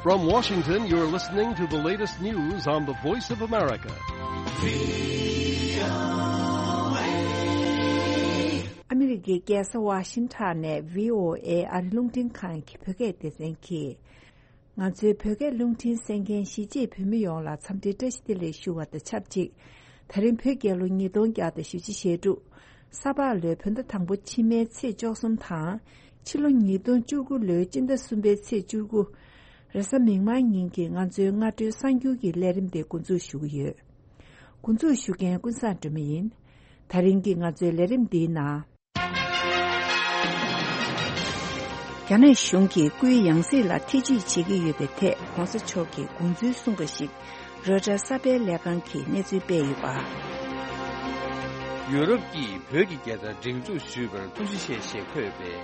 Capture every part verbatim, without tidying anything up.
From Washington, you're listening to the latest news on the Voice of America. ཨ་མི་རི་ཀའི་རྒྱལ་ས་ཝ་ཤིང་ཊོན་ནས་བྷི་ཨོ་ཨེ་ཨ་རི་རླུང་འཕྲིན་ཁང་གི་བོད་སྐད་སྡེ་ཚན་གྱིས། ང་ཚོའི་བོད་སྐད་རླུང་འཕྲིན་གསན་མཁན་གཞིས་བྱེས་བོད་མི་ཡོངས་ལ་འཚམས་འདྲིའི་བཀྲ་ཤིས་བདེ་ལེགས་ཞུ་བ་དང་ཆབས་ཅིག་ད་རིང་བོད་རྒྱལ་ལོ་ཉིས་སྟོང་བརྒྱ་དང་བཞི་བཅུ་ཞེ་དྲུག་ས་ཕག་ལོའི་བོད་ཟླ་དང་པོ་ཕྱི་མའི་ཚེས་བཅུ་གསུམ་དང་། ཕྱི་ལོ་ཉིས་སྟོང་བཅུ་དགུ་ལོའི་སྤྱི་ཟླ་གསུམ་པའི་ཚེས་བཅུ་དགུ། རེས་གཟའ་མིག་དམར་ཉིན་གྱི་ང་ཚོའི་སྔ་དྲོའི་གསར་འགྱུར་གྱི་ལས་རིམ་དེ་འགོ་འཛུགས་ཞུ་གི་ཡོད། འགོ་འཛུགས་ཞུ་མཁན་ཀུན་བཟང་སྒྲོལ་མ་ཡིན། ད་རིང་གི་ང་ཚོའི་ལས་རིམ་འདིའི་ནང་། རྒྱ་ནག་གཞུང་གིས་སྐུའི་ཡང་སྲིད་ལ་ཐེ་ཇུས་བྱེད་ཀྱི་ཡོད་པའི་ཐད་༸གོང་ས་མཆོག་གིས་དགོངས་ཚུལ་གསུངས་པ་ཞིག་རོའི་ཊར་གསར་སྤེལ་ལས་ཁང་གིས་གནས་ཚུལ་སྤེལ་ཡོད་པ། ཡུ་རོབ་ཀྱིས་བོད་ཀྱི་རྒྱལ་དར་སྒྲེང་འཛུགས་ཞུས་པར་ཐུགས་རྗེ་ཆེ་ཞེས་འཁོད་པའི་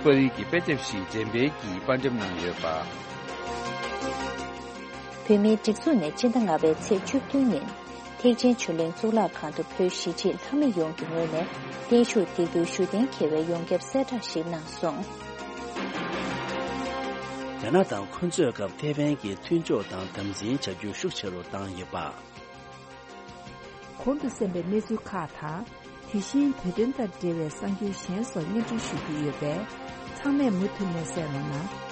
པར་རིས་ཀྱི་དཔེ་དེབ་ཞིག་འགྲེམས་སྤེལ་གྱིས་པར་འགྲེམས་གནང་ཡོད་པ། བོད་མིའི་སྒྲིག་འཛུགས་ནས་སྤྱི་ཟླ་ལྔ་པའི་ཚེས་བཅུ་བདུན་ཉིན། ཐེག་ཆེན་ཆོས་གླིང་གཙུག་ལག་ཁང་དུ་བོད་གཞིས་བྱེས་ལྷ་མི་ཡོངས་ཀྱི་ངོས་ནས་བརྟན་བཞུགས་འདེགས་འབུལ་ཞུ་གཏན་འཁེལ་བའི་ཡོངས་ཁྱབ་གསལ་བསྒྲགས་ཤིག་གནང་སོང་། རྒྱ་ནག་དང་འཁོན་རྩོད་སྐབས་ཐའེ་ཝན་གྱི་མཐུན་ཕྱོགས་དང་དམ་འཛིན་བྱ་རྒྱུ་ཤུགས་ཆེ་རུ་བཏང་ཡོད་པ། གོང་དུ་གསན་པའི་གནས་ཚུལ་ཁག་དང་། དེ་བཞིན་བོད་དོན་དང་འབྲེལ་བའི་གསར་འགྱུར་གཞན་སོགས་སྙན་སྒྲོན་ཞུ་རྒྱུ་ཡོད་པས། ཚང་མས་མུ་མཐུད་ནས་གསན་རོགས་གནང་།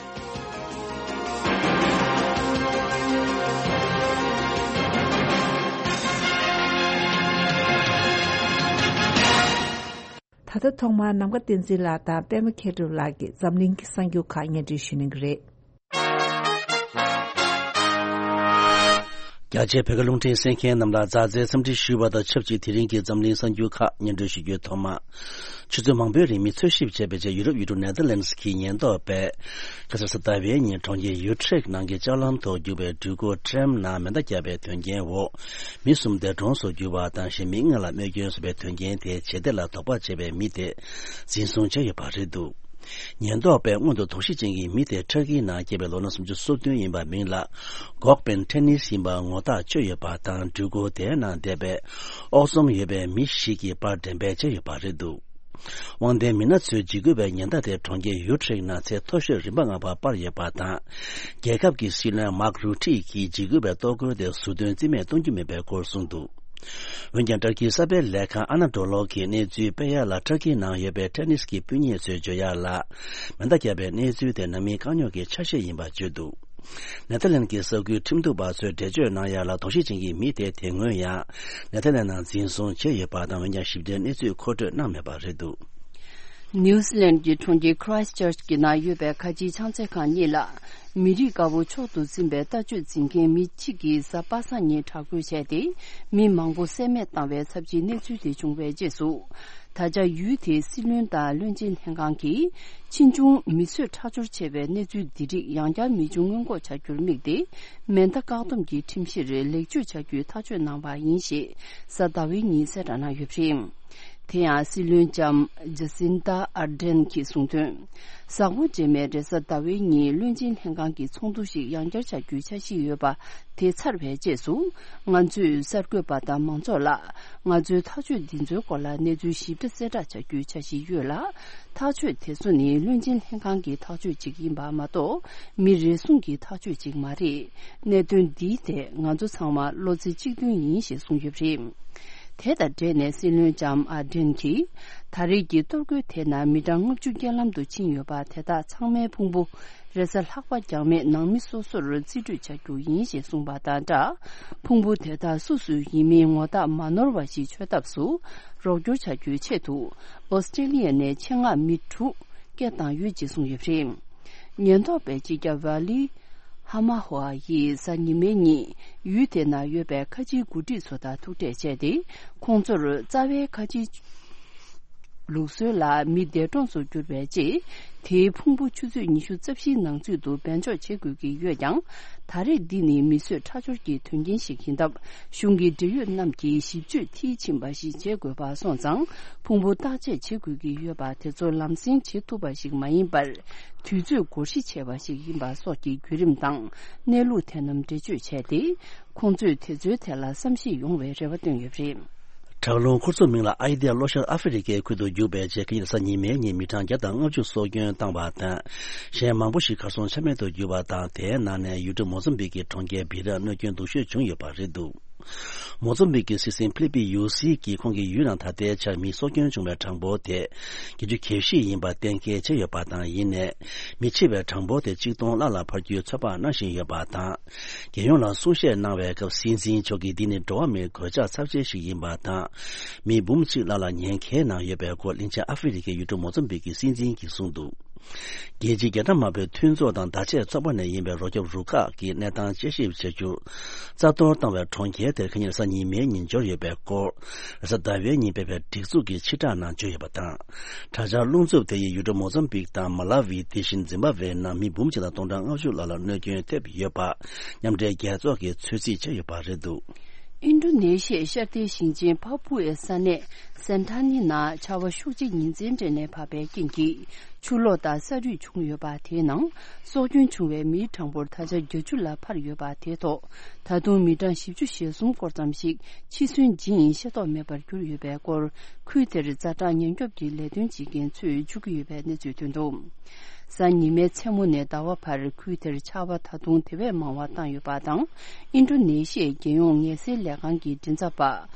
ད་ལྟ་ཐོག་མར་ནམ་མཁའ་བསྟན་འཛིན་ལགས་དང་པད་མ་མཁས་གྲུབ་ལགས་ཀྱིས་འཛམ་གླིང་གི་གསར་འགྱུར་ཁག་སྙན་སྒྲོན་ཞུ་གནང་གི་རེད། རྒྱ་ཆེའི་བོད་སྐད་རླུང་འཕྲིན་གསན་མཁན་རྣམས་ལ་མཛའ་བརྩེའི་འཚམས་འདྲི་ཞུ་བ་དང་ཆབས་ཅིག་དེ་རིང་གི་འཛམ་གླིང་གསར་འགྱུར་ཁག་སྙན་སྒྲོན་ཞུ་རྒྱུའི་ཐོག་མ། ཆུ་ཚོད་མང་པོའི་རིང་མི་འཚོལ་ཞིབ་བྱས་པའི་རྗེས་ཡུ་རོབ་ཡུལ་གྲུ་ནེ་ཐར་ལན་སི་གི་ཉེན་རྟོག་པས་ཁ་སང་གཟའ་ཟླ་བའི་ཉིན་གྲོང་ཁྱེར་ཡུ་ཁྲེག་ནང་གི་ལྕགས་ལམ་ཐོག་རྒྱུག་པའི་འགྲུལ་འཁོར་ཊྲེམ་ནང་མེ་མདའ་བརྒྱབ་པའི་དོན་རྐྱེན་འོག་མི་གསུམ་འདས་གྲོངས་སུ་གྱུར་བ་དང་གཞན་མི་ལྔ་ལ་རྨས་སྐྱོན་བཟོས་པའི་དོན་རྐྱེན་དེའི་བྱེད་གཏེ་ལ་དོགས་པ་བྱས་པའི་མི་དེ་འཛིན་བཟུང་བྱས་ཡོད་པ་རེད་འདུག་ཉེན་རྟོག་པས་སྔོན་དུ་དོགས་གཞི་ཅན་གྱི་མི་དེ་ཊར་ཀིའི་ནང་སྐྱེས་པའི་ལོ་ན་སུམ་ཅུ་སོ་བདུན་ཡིན་པ་མིང་ལ་གོག་པན་ཊེ་ནིས་ཡིན་པ་ངོ་ཐག་ཆོད་ཡོད་པ་དང་འགྲུལ་འཁོར་དེའི་ནང་བསྡད་པའི་ཨོག་ཚོམ་ཡོད་པའི་མི་ཞིག་གིས་པར་འགྲེམས་སྤེལ་བྱས་ཡོད་པ་རེད་འདུག་དབང་ལྡན་མི་སྣ་ཚོས་འཇིགས་སྐུལ་བའི་ཉེན་བརྡ་དེ་གྲོང་ཁྱེར་ཡུ་ཁྲེག་ནང་ཚེ་མཐོ་ཤོས་རིམ་པ་ལྔ་པ་སྤར་ཡོད་པ་དང་། རྒྱལ་ཁབ་ཀྱི་སྲིད་བློན་མཱག་རུ་ཊི་གིས་འཇིགས་སྐུལ་བའི་གཏོར་རྒོལ་དེ་ཟུར་འདོན་རྩིས་མེད་གཏོང་རྒྱུ་མིན་པའི་སྐོར་གསུངས་འདུག་འོན་ཀྱང་ཏུར་ཀིའི་གསར་སྤེལ་ལས་ཁང་ཨ་ན་ཌོ་ལོ་གིས་གནས་ཚུལ་སྤེལ་ཡག་ལ་ཏུར་ཀིའི་ནང་ཡོད་པའི་ཊེ་ནིས་ཀྱི་སྤུན་ཉེ་ཚོས་བརྗོད་ཡག་ལ། མེ་མདའ་བརྒྱབ་པའི་གནས་ཚུལ་དེ་ནང་མིའི་དཀའ་རྙོག་གི་ཆ་ཤས་ཡིན་པ་བརྗོད་འདུག་ནེ་ཐར་ལན་གྱི་གསར་འགྱུར་ཁྲིམས་གཏུག་པ་ཚོས་འགྲེལ་བརྗོད་གནང་ཡག་ལ་དོགས་གཞི་ཅན་གྱི་མི་དེ་དེ་སྔོན་ཡང་ནེ་ཐར་ལན་ནང་འཛིན་བཟུང་བྱས་ཡོད་པ་དང་། འོན་ཀྱང་ཞིབ་ཕྲའི་གནས་ཚུལ་མཁོ་སྤྲོད་གནང་མེད་པ་རེད་འདུག་ནིའུ་ཛི་ལན་གྱི་གྲོང་ཁྱེར་ཁི་རའེ་སི་ཊར་ཆི་གི་ནང་ཡོད་པའི་ཁ་ཆེའི་ཕྱག་འཚལ་ཁང་གཉིས་ལ། མི་རིགས་དཀར་པོ་མཆོག་ཏུ་འཛིན་པའི་ལྟ་སྤྱོད་འཛིན་མཁན་མི་གཅིག་གིས་གཟའ་པ་སངས་ཉིན་དྲག་རྒོལ་བྱས་ཏེ། མི་མང་པོ་བསད་རྨས་བཏང་བའི་ཚབས་ཆེའི་གནས་ཚུལ་དེ་བྱུང་བའི་རྗེས་སུ། ད་ཆ་ཡུལ་དེའི་སྲིད་བློན་དང་བློན་ཆེན་ལྷན་ཁང་གིས། ཕྱིས་འབྱུང་མི་གསོད་ཁྲག་སྦྱོར་བྱས་པའི་གནས་ཚུལ་འདི་རིགས་ཡང་བསྐྱར་མི་འབྱུང་སྔོན་འགོག་བྱ་རྒྱུར་དམིགས་ཏེ། མེ་མདའ་བཀག་སྡོམ་གྱི་ཁྲིམས་གཞིར་ལེགས་བཅོས་བྱ་རྒྱུའི་ཐག་གཅོད་གནང་བ་ཡིན་ཞེས་གཟའ་ཟླ་བའི་ཉིན་གསལ་བསྒྲགས་གནང་ཡོད་པ་རེད། དེ་ཡང་སྲིད་བློན་ལྕམ་ཇ་སིན་ཏཱ་ཨར་ཌེན་གྱིས་གསུངས་དོན། གཟའ་འཁོར་རྗེས་མའི་རེས་གཟའ་ཟླ་བའི་ཉིན་བློན་ཆེན་ལྷན་ཁང་གི་ཚོགས་འདུ་ཞིག་ཡང་བསྐྱར་བྱ་རྒྱུའི་འཆར་གཞི་ཡོད་པ་དེ་ཚར་བའི་རྗེས་སུ། ང་ཚོས་གསར་འགོད་པ་དང་མང་ཚོགས་ལ་ང་ཚོའི་ཐག་གཅོད་འདི་ཚོའི་སྐོར་ལ་གནས་ཚུལ་ཞིབ་ཕྲ་གསལ་བསྒྲགས་བྱ་རྒྱུའི་འཆར་གཞི་ཡོད་ལ། ཐག་གཅོད་དེ་ཚོ་ནི་བློན་ཆེན་ལྷན་ཁང་གི་ཐག་གཅོད་ཅིག་ཡིན་པ་མ་གཏོགས། མི་རེ་ཟུང་གི་ཐག་གཅོད་ཅིག་མ་རེད། གནད་དོན་འདིའི་ཐད་ང་ཚོ་ཚང་མ་བློ་རྩེ་གཅིག་མཐུན་ཡིན་ཞེས་གསུངས་ཡོད་པ་རེད། དེ་དང་འབྲེལ་ནས་སྲིད་བློན་ལྕམ་ཨར་ཌེན་གྱིས། ད་རེས་ཀྱི་གཏོར་རྒོལ་དེ་ནང་མི་གྲངས་ལྔ་བཅུ་རྐྱེན་ལམ་དུ་ཕྱིན་ཡོད་པ་དེ་དག་ཚང་མའི་ཕུང་པོ། རེས་གཟའ་ལྷག་པ་འགྱངས་མེད་ནང་མི་སོ་སོར་རྩིས་སྤྲོད་བྱ་རྒྱུ་ཡིན་ཞེས་གསུངས་པ་དང་སྦྲགས། ཕུང་པོ་དེ་དག་སུ་སུ་ཡིན་མིན་ངོ་རྟགས་མ་ནོར་བ་ཞིག་འཆོལ་ཐབས་སུ་རོགས་སྐྱོར་བྱ་རྒྱུའི་ཆེད་དུ། ཨོ་སི་ཀྲེ་ལི་ཡ་ནས་ཆེད་མངགས་མི་དྲུག་སྐད་བཏང་ཡོད་ཅེས་གསུངས་ཡོད་པ་རེད། ཉེན་རྟོག་པས་སྤྱི་ཁྱབ་ཝ་ལི་ཧ་མ་ཧོ་ཨ་ཡིས་གཟའ་ཉི་མའི་ཉིན་ཡུལ་དེ་ན་ཡོད་པའི་ཁ་ཆེའི་འགོ་ཁྲིད་ཚོ་དང་ཐུག་འཕྲད་བྱས་ཏེ། ཁོང་ཚོར་རྩ་བའི་ཁ་ཆེའི་ལུགས་སྲོལ་ལ་མི་འདས་གྲོངས་སུ་གྱུར་པའི་རྗེས། དེའི་ཕུང་པོ་ཆུ་ཚོད་ཉི་ཤུ་རྩ་བཞིའི་ནང་ཚུད་དུ་འབེན་འཇོག་བྱེད་དགོས་ཀྱི་ཡོད་ཀྱང་། ད་རེས་འདི་ནི་མི་གསོད་ཁྲག་སྦྱོར་གྱི་དོན་རྐྱེན་ཞིག་ཡིན་སྟབས། གཞུང་གི་འབྲེལ་ཡོད་རྣམས་ཀྱིས་ཞིབ་དཔྱོད་མཐིལ་ཕྱིན་པ་ཞིག་བྱེད་དགོས་པ་སོང་ཙང་། ཕུང་པོ་བརྟག་དཔྱད་བྱེད་དགོས་ཀྱི་ཡོད་པ་དེ་ཚོ་ལམ་སེང་བྱེད་ཐུབ་པ་ཞིག་མ་ཡིན་པར། དུས་ཚོད་འགོར་གཞི་ཆེ་བ་ཞིག་ཡིན་པ་སོགས་ཀྱི་བརྒྱུད་རིམ་དང་གནས་ལུགས་དེ་རྣམས་འགྲེལ་བརྗོད་བྱས་ཏེ། ཁོང་ཚོས་དེ་ཚོའི་ཐད་ལ་བསམ་ཤེས་ཡོང་བའི་རེ་བ་བཏོན་ཡོད་པ་རེད། ལྗགས་ལུང་ཁུ་ཚུར་མིང་ལ་ཨའི་དེ་ལྷོ་ཤར་ཨ་ཧྥེ་རི་ཁའི་ཁུལ་དུ་བརྒྱུགས་པའི་རྗེས་ཁ་ཉིན་གཟའ་ཉི་མའི་ཉིན་མི་གྲངས་བརྒྱ་དང་ལྔ་བཅུ་སྲོག་སྐྱོན་བཏང་བ་དང་། གཞན་མང་པོ་ཞིག་གར་སོང་ཆ་མེད་དུ་གྱུར་བ་དང་། དེའི་ནང་ནས་ཡུལ་གྲུ་མོ་ཙམ་བིག་གི་གྲོང་ཁྱེར་བི་ར་གནོད་སྐྱོན་སྡུག་ཤོས་བྱུང་ཡོད་པ་རེད་འདུག་མོ་ཙམ་བིག་གི་སྲིད་འཛིན་ཕི་ལི་པི་ཡུ་སི་གིས་ཁོང་གི་ཡུལ་ནང་ད་ལྟའི་ཆར་མི་སྲོག་སྐྱོན་བྱུང་བའི་གྲངས་འབོར་དེ་བརྒྱད་ཅུ་གྱ་བཞི་ཡིན་པ་གཏན་འཁེལ་བྱས་ཡོད་པ་དང་། ཡིན་ནའི་མི་འཆི་བའི་གྲངས་འབོར་དེ་གཅིག་སྟོང་ལྷག་ལ་འཕར་རྒྱུའི་ཚོད་དཔག་གནང་བཞིན་ཡོད་པ་དང་། རྒྱལ་ཡོངས་ལ་གསུང་བཤད་གནང་བའི་སྐབས་སྲིད་འཛིན་མཆོག་གིས་འདི་ནི་འགྲོ་བ་མིའི་གོད་ཆག་ཚབས་ཆེན་ཞིག་ཡིན་པ་དང་། མི་འབུམ་གཅིག་ལྷག་ལ་ཉེན་ཁའི་ནང་ཡོད་པའི་སྐོར་གླིང་ཆེན་ཨ་ཧྥེ་རི་ཁའི་ཡུལ་གྲུ་མོ་ཙམ་བིག་གི་སྲིད་འཛིན་གྱིས་གསུངས་འདུག་རྒྱལ་སྤྱིའི་རྒྱལ་ཁབ་མང་པོའི་མཐུན་ཚོགས་དང་བརྡ་ཆད་ཚོགས་པ་ནས་ཡིན་པའི་རོགས་སྐྱོབ་རུ་ཁག་གིས་གནས་སྟངས་དཔྱད་ཞིབ་བྱ་རྒྱུར། རྩ་གཏོར་བཏང་བའི་གྲོང་ཁྱེར་དེར་ཁ་ཉིན་གཟའ་ཉི་མའི་ཉིན་འབྱོར་ཡོད་པའི་སྐོར། རེས་གཟའ་ཟླ་བའི་ཉིན་སྤེལ་བའི་སྒྲིག་འཛུགས་ཀྱི་ཕྱིར་བསྒྲགས་ནང་བརྗོད་ཡོད་པ་དང་། དྲག་ཆར་རླུང་འཚུབ་དེ་ཡིས་ཡུལ་གྲུ་མོ་ཙམ་བིག་དང་མ་ལ་ཝི། དེ་བཞིན་ཛིམ་བྷ་ཝེ་ནང་མི་འབུམ་གཅིག་དང་སྟོང་ཕྲག་ལྔ་བཅུ་ལྷག་ལ་གནོད་སྐྱོན་ཐེབས་ཡོད་པ། མཉམ་འབྲེལ་རྒྱལ་ཚོགས་ཀྱིས་ཚོད་རྩིས་བྱས་ཡོད་པ་རེད་འདུག་ཨིན་ཌོ་ནེ་ཤི་ཡའི་ཤར་མཐའི་ཞིང་ཆེན་ཕ་པུ་ཨེ་ས་གནས་སན་ཐ་ནི་ནང་ཆར་པ་ཤུགས་ཆེ་ཉིན་མཚན་སྤྲད་ནས་བབས་པའི་རྐྱེན་གྱིས་ཆུ་ལོག་དང་ས་རུད་བྱུང་ཡོད་པ། དེའི་ནང་སྲོག་སྐྱོན་བྱུང་བའི་མིའི་གྲངས་འབོར་ད་ཆ་བརྒྱད་ཅུ་ལ་འཕར་ཡོད་པ། དེའི་ཐོག་ད་དུང་མི་གྲངས་བཞི་བཅུ་ཞེ་གསུམ་སྐོར་ཙམ་ཞིག་འཆི་གསོན་ཇི་ཡིན་ཤེས་རྟོགས་མེད་པར་གྱུར་ཡོད་པའི་སྐོར། ཁུལ་དེར་ཛ་དྲག་ཉེན་སྐྱོབ་ཀྱི་ལས་དོན་བྱེད་མཁན་ཚོས་བརྗོད་ཀྱི་ཡོད་པའི་གནས་ཚུལ་ཐོན་འདུག་གཟའ་ཉི་མའི་མཚན་མོ་ནས་ཟླ་བ་བར་ཁུལ་དེར་ཆར་པ་ད་དུང་དེ་བས་མང་བ་བཏང་ཡོད་པ་དང་། ཨིན་ཌོ་ནེ་ཤི་ཡའི་རྒྱལ་ཡོངས་ངལ་སེལ་ལས་ཁང་གི་མགྲིན་ཚབ་པ་